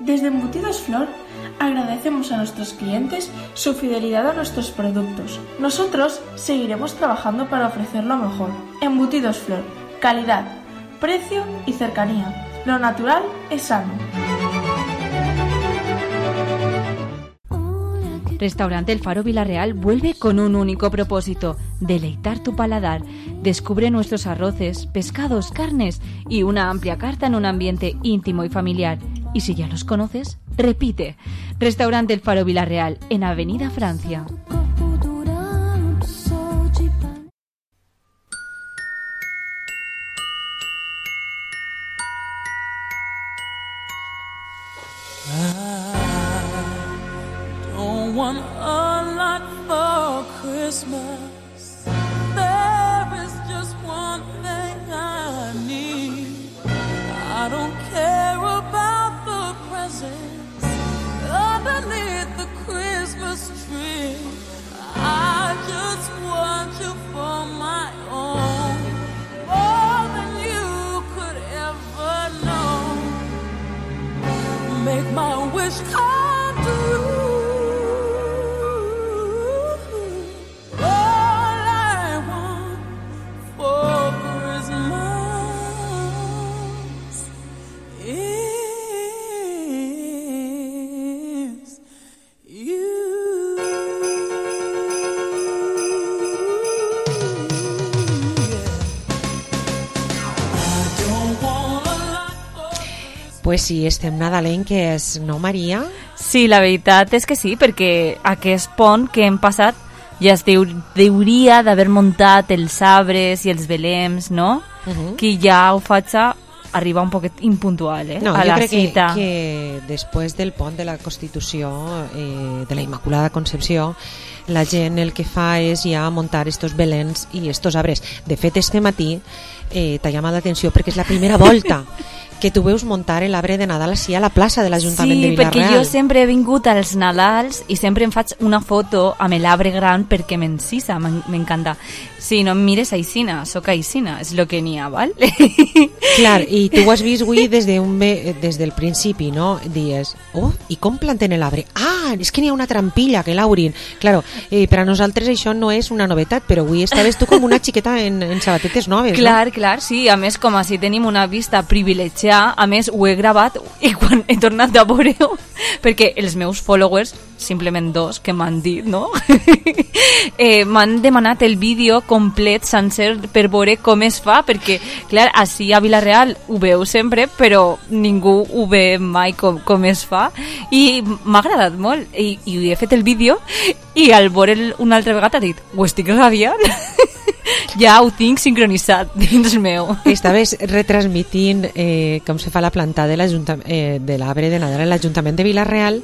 Desde Embutidos Flor agradecemos a nuestros clientes su fidelidad a nuestros productos. Nosotros seguiremos trabajando para ofrecer lo mejor. Embutidos Flor, calidad, precio y cercanía. Lo natural es sano. Restaurante El Faro Vilarreal vuelve con un único propósito: deleitar tu paladar. Descubre nuestros arroces, pescados, carnes y una amplia carta en un ambiente íntimo y familiar. Y si ya los conoces, repite. Restaurante El Faro Vilarreal, en Avenida Francia. Christmas, there is just one thing I need. I don't care about the presents underneath the Christmas tree. I just want you for my own, more than you could ever know. Make my wish come true. All I want for Christmas is you. Pues sí, estem nadalenques, no, Maria? Sí, la veritat és que sí, perquè aquest pont que hem passat ja es deu, deuria d'haver muntat els arbres i els belems, no? Uh-huh. Que ja ho faig a arribar un poquet impuntual, eh? No, a jo la crec cita. que, que després del pont de la Constitució, eh, de la Immaculada Concepció, la gent el que fa és ja muntar estos belens i estos arbres. De fet, este matí eh, t'ha llamat l'atenció perquè és la primera volta que tu veus muntar l'arbre de Nadal així a la plaça de l'Ajuntament sí, de Vila-real. Sí, perquè jo sempre he vingut als Nadals i sempre em faig una foto amb l'arbre gran perquè m'encisa, m'encanta. Sí, no em mires aixina, soc aixina, és el que n'hi ha, val? Clar, i tu ho has vist avui des, de un be, des del principi, no? Dies, oh, i com planten l'arbre? Ah, és que n'hi ha una trampilla que l'aurin. Claro, eh, per a nosaltres això no és una novetat, però avui estaves tu com una xiqueta en, en sabatetes noves, clar, no? Clar, sí, a més com així tenim una vista privilegiada, a més ho he gravat i quan he tornat a veure-ho, perquè els meus followers, simplement dos que m'han dit, no? eh, m'han demanat el vídeo complet, sencer, per veure com es fa, perquè, clar, així a Vila-real ho veu sempre, però ningú ho ve mai com, com es fa, i m'ha agradat molt, i, i he fet el vídeo, i al veure'l una altra vegada he dit, ho estic radiant? Ja ho tinc sincronitzat dins meu. Estaves retransmitint eh, com se fa la planta de eh, de l'arbre de Nadal a l'Ajuntament de Vila-real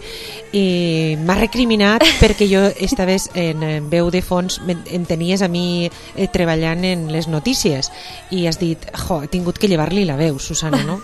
i m'ha recriminat perquè jo estaves en, en veu de fons, em tenies a mi eh, treballant en les notícies i has dit, jo, he tingut que llevar-li la veu, Susana, no?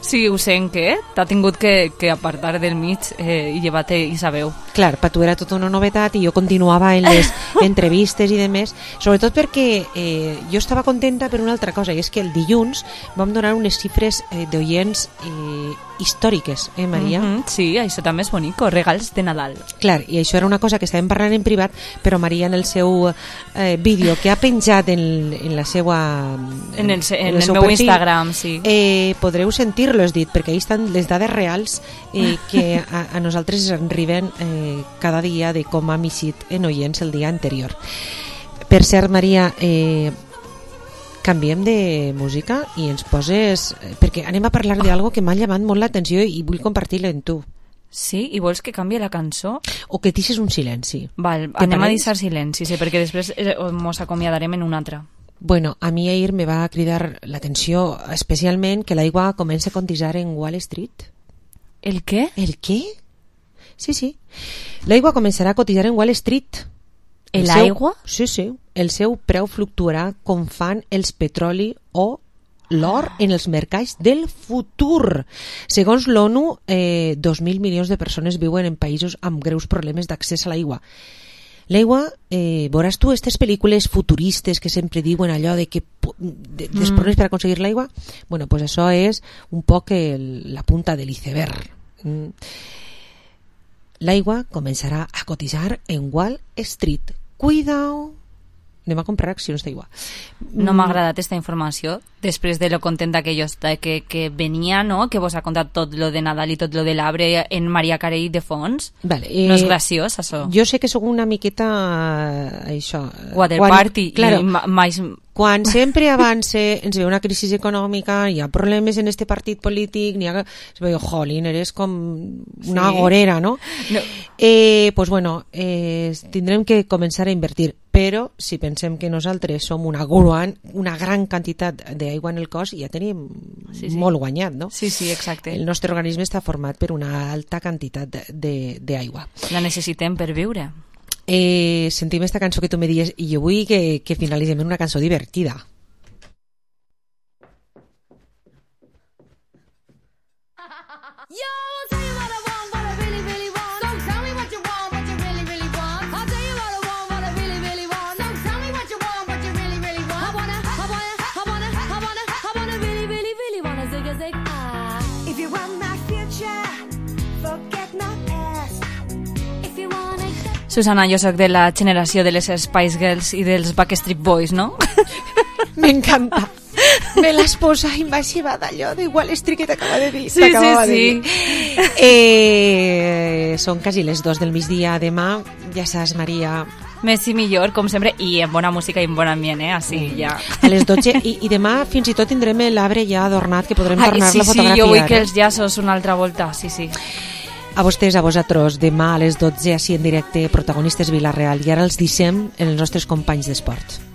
Sí, ho sent que t'ha tingut que, que apartar del mig eh, i llevar-te i sa veu. Clar, per tu era tota una novetat i jo continuava en les entrevistes i demés, sobretot perquè eh, jo estava contenta per una altra cosa, i és que el dilluns vam donar unes xifres eh, d'oients eh, històriques, eh, Maria? Mm-hmm, sí, això també és bonic, regals de Nadal. Clar, i això era una cosa que estàvem parlant en privat, però Maria en el seu eh, vídeo que ha penjat en, en la seva... En el, en en el, el meu perfil, Instagram, sí. Eh, podreu sentir-lo, has dit, perquè ahí estan les dades reals eh, que a, a nosaltres ens arriben eh, cada dia de com ha mixit en oients el dia anterior. Per cert, Maria, eh, canviem de música i ens poses... Perquè anem a parlar d'algo que m'ha llamat molt l'atenció i vull compartir-lo amb tu. Sí? I vols que canvi la cançó? O que deixes un silenci. Val, anem a deixar silenci, sí, perquè després ens acomiadarem en una altra. Bueno, a mi ahir me va cridar l'atenció especialment que l'aigua comença a cotitzar en Wall Street. El què? El què? Sí, sí. L'aigua començarà a cotitzar en Wall Street. L'aigua? Sí, sí. El seu preu fluctuarà com fan els petroli o l'or en els mercats del futur. Segons l'ONU, eh, dos mil milions de persones viuen en països amb greus problemes d'accés a l'aigua. L'aigua, eh, veuràs tu aquestes pel·lícules futuristes que sempre diuen allò de que de, mm. dels problemes per aconseguir l'aigua? Bueno, pues això és un poc el, la punta de l'iceberg. Mm. L'aigua començarà a cotitzar en Wall Street. Cuidao! Anem a comprar accions d'aigua. No m'ha agradat aquesta informació després de lo contenta que jo està, que, que venia, no? Que vos ha contat tot lo de Nadal i tot lo de l'arbre en Maria Carey de fons. Vale, eh, no és graciós, això. Jo sé que sóc una miqueta això... Water quan, party. Claro, i mais... Quan sempre avance, ens ve una crisi econòmica, hi ha problemes en este partit polític, n'hi ha... Es veu, jolín, eres com una sí. agorera, no? no. Eh, pues bueno, eh, tindrem que començar a invertir, però si pensem que nosaltres som una gran, una gran quantitat d'aigua en el cos, ja tenim sí, sí. molt guanyat, no? Sí, sí, exacte. El nostre organisme està format per una alta quantitat d'aigua. La necessitem per viure. Eh, sentim esta cançó que tu me dies i jo vull que, que finalitzem en una cançó divertida. Susana, jo sóc de la generació de les Spice Girls i dels Backstreet Boys, no? M'encanta. Me l'has posat i m'ha llevat allò de Wall Street que t'acaba de dir. Sí, sí, sí. Eh, són quasi les dos del migdia. Demà, ja saps, Maria... Més i millor, com sempre, i en bona música i en bon ambient, eh? Així, mm. ja. A les dotze, i, i demà fins i tot tindrem l'arbre ja adornat, que podrem tornar-lo sí, a fotografiar. Sí, jo vull que els llaços una altra volta, sí, sí. A vostès, a vosaltres, demà a les dotze, així en directe, protagonistes Vila-real. I ara els deixem en els nostres companys d'esport.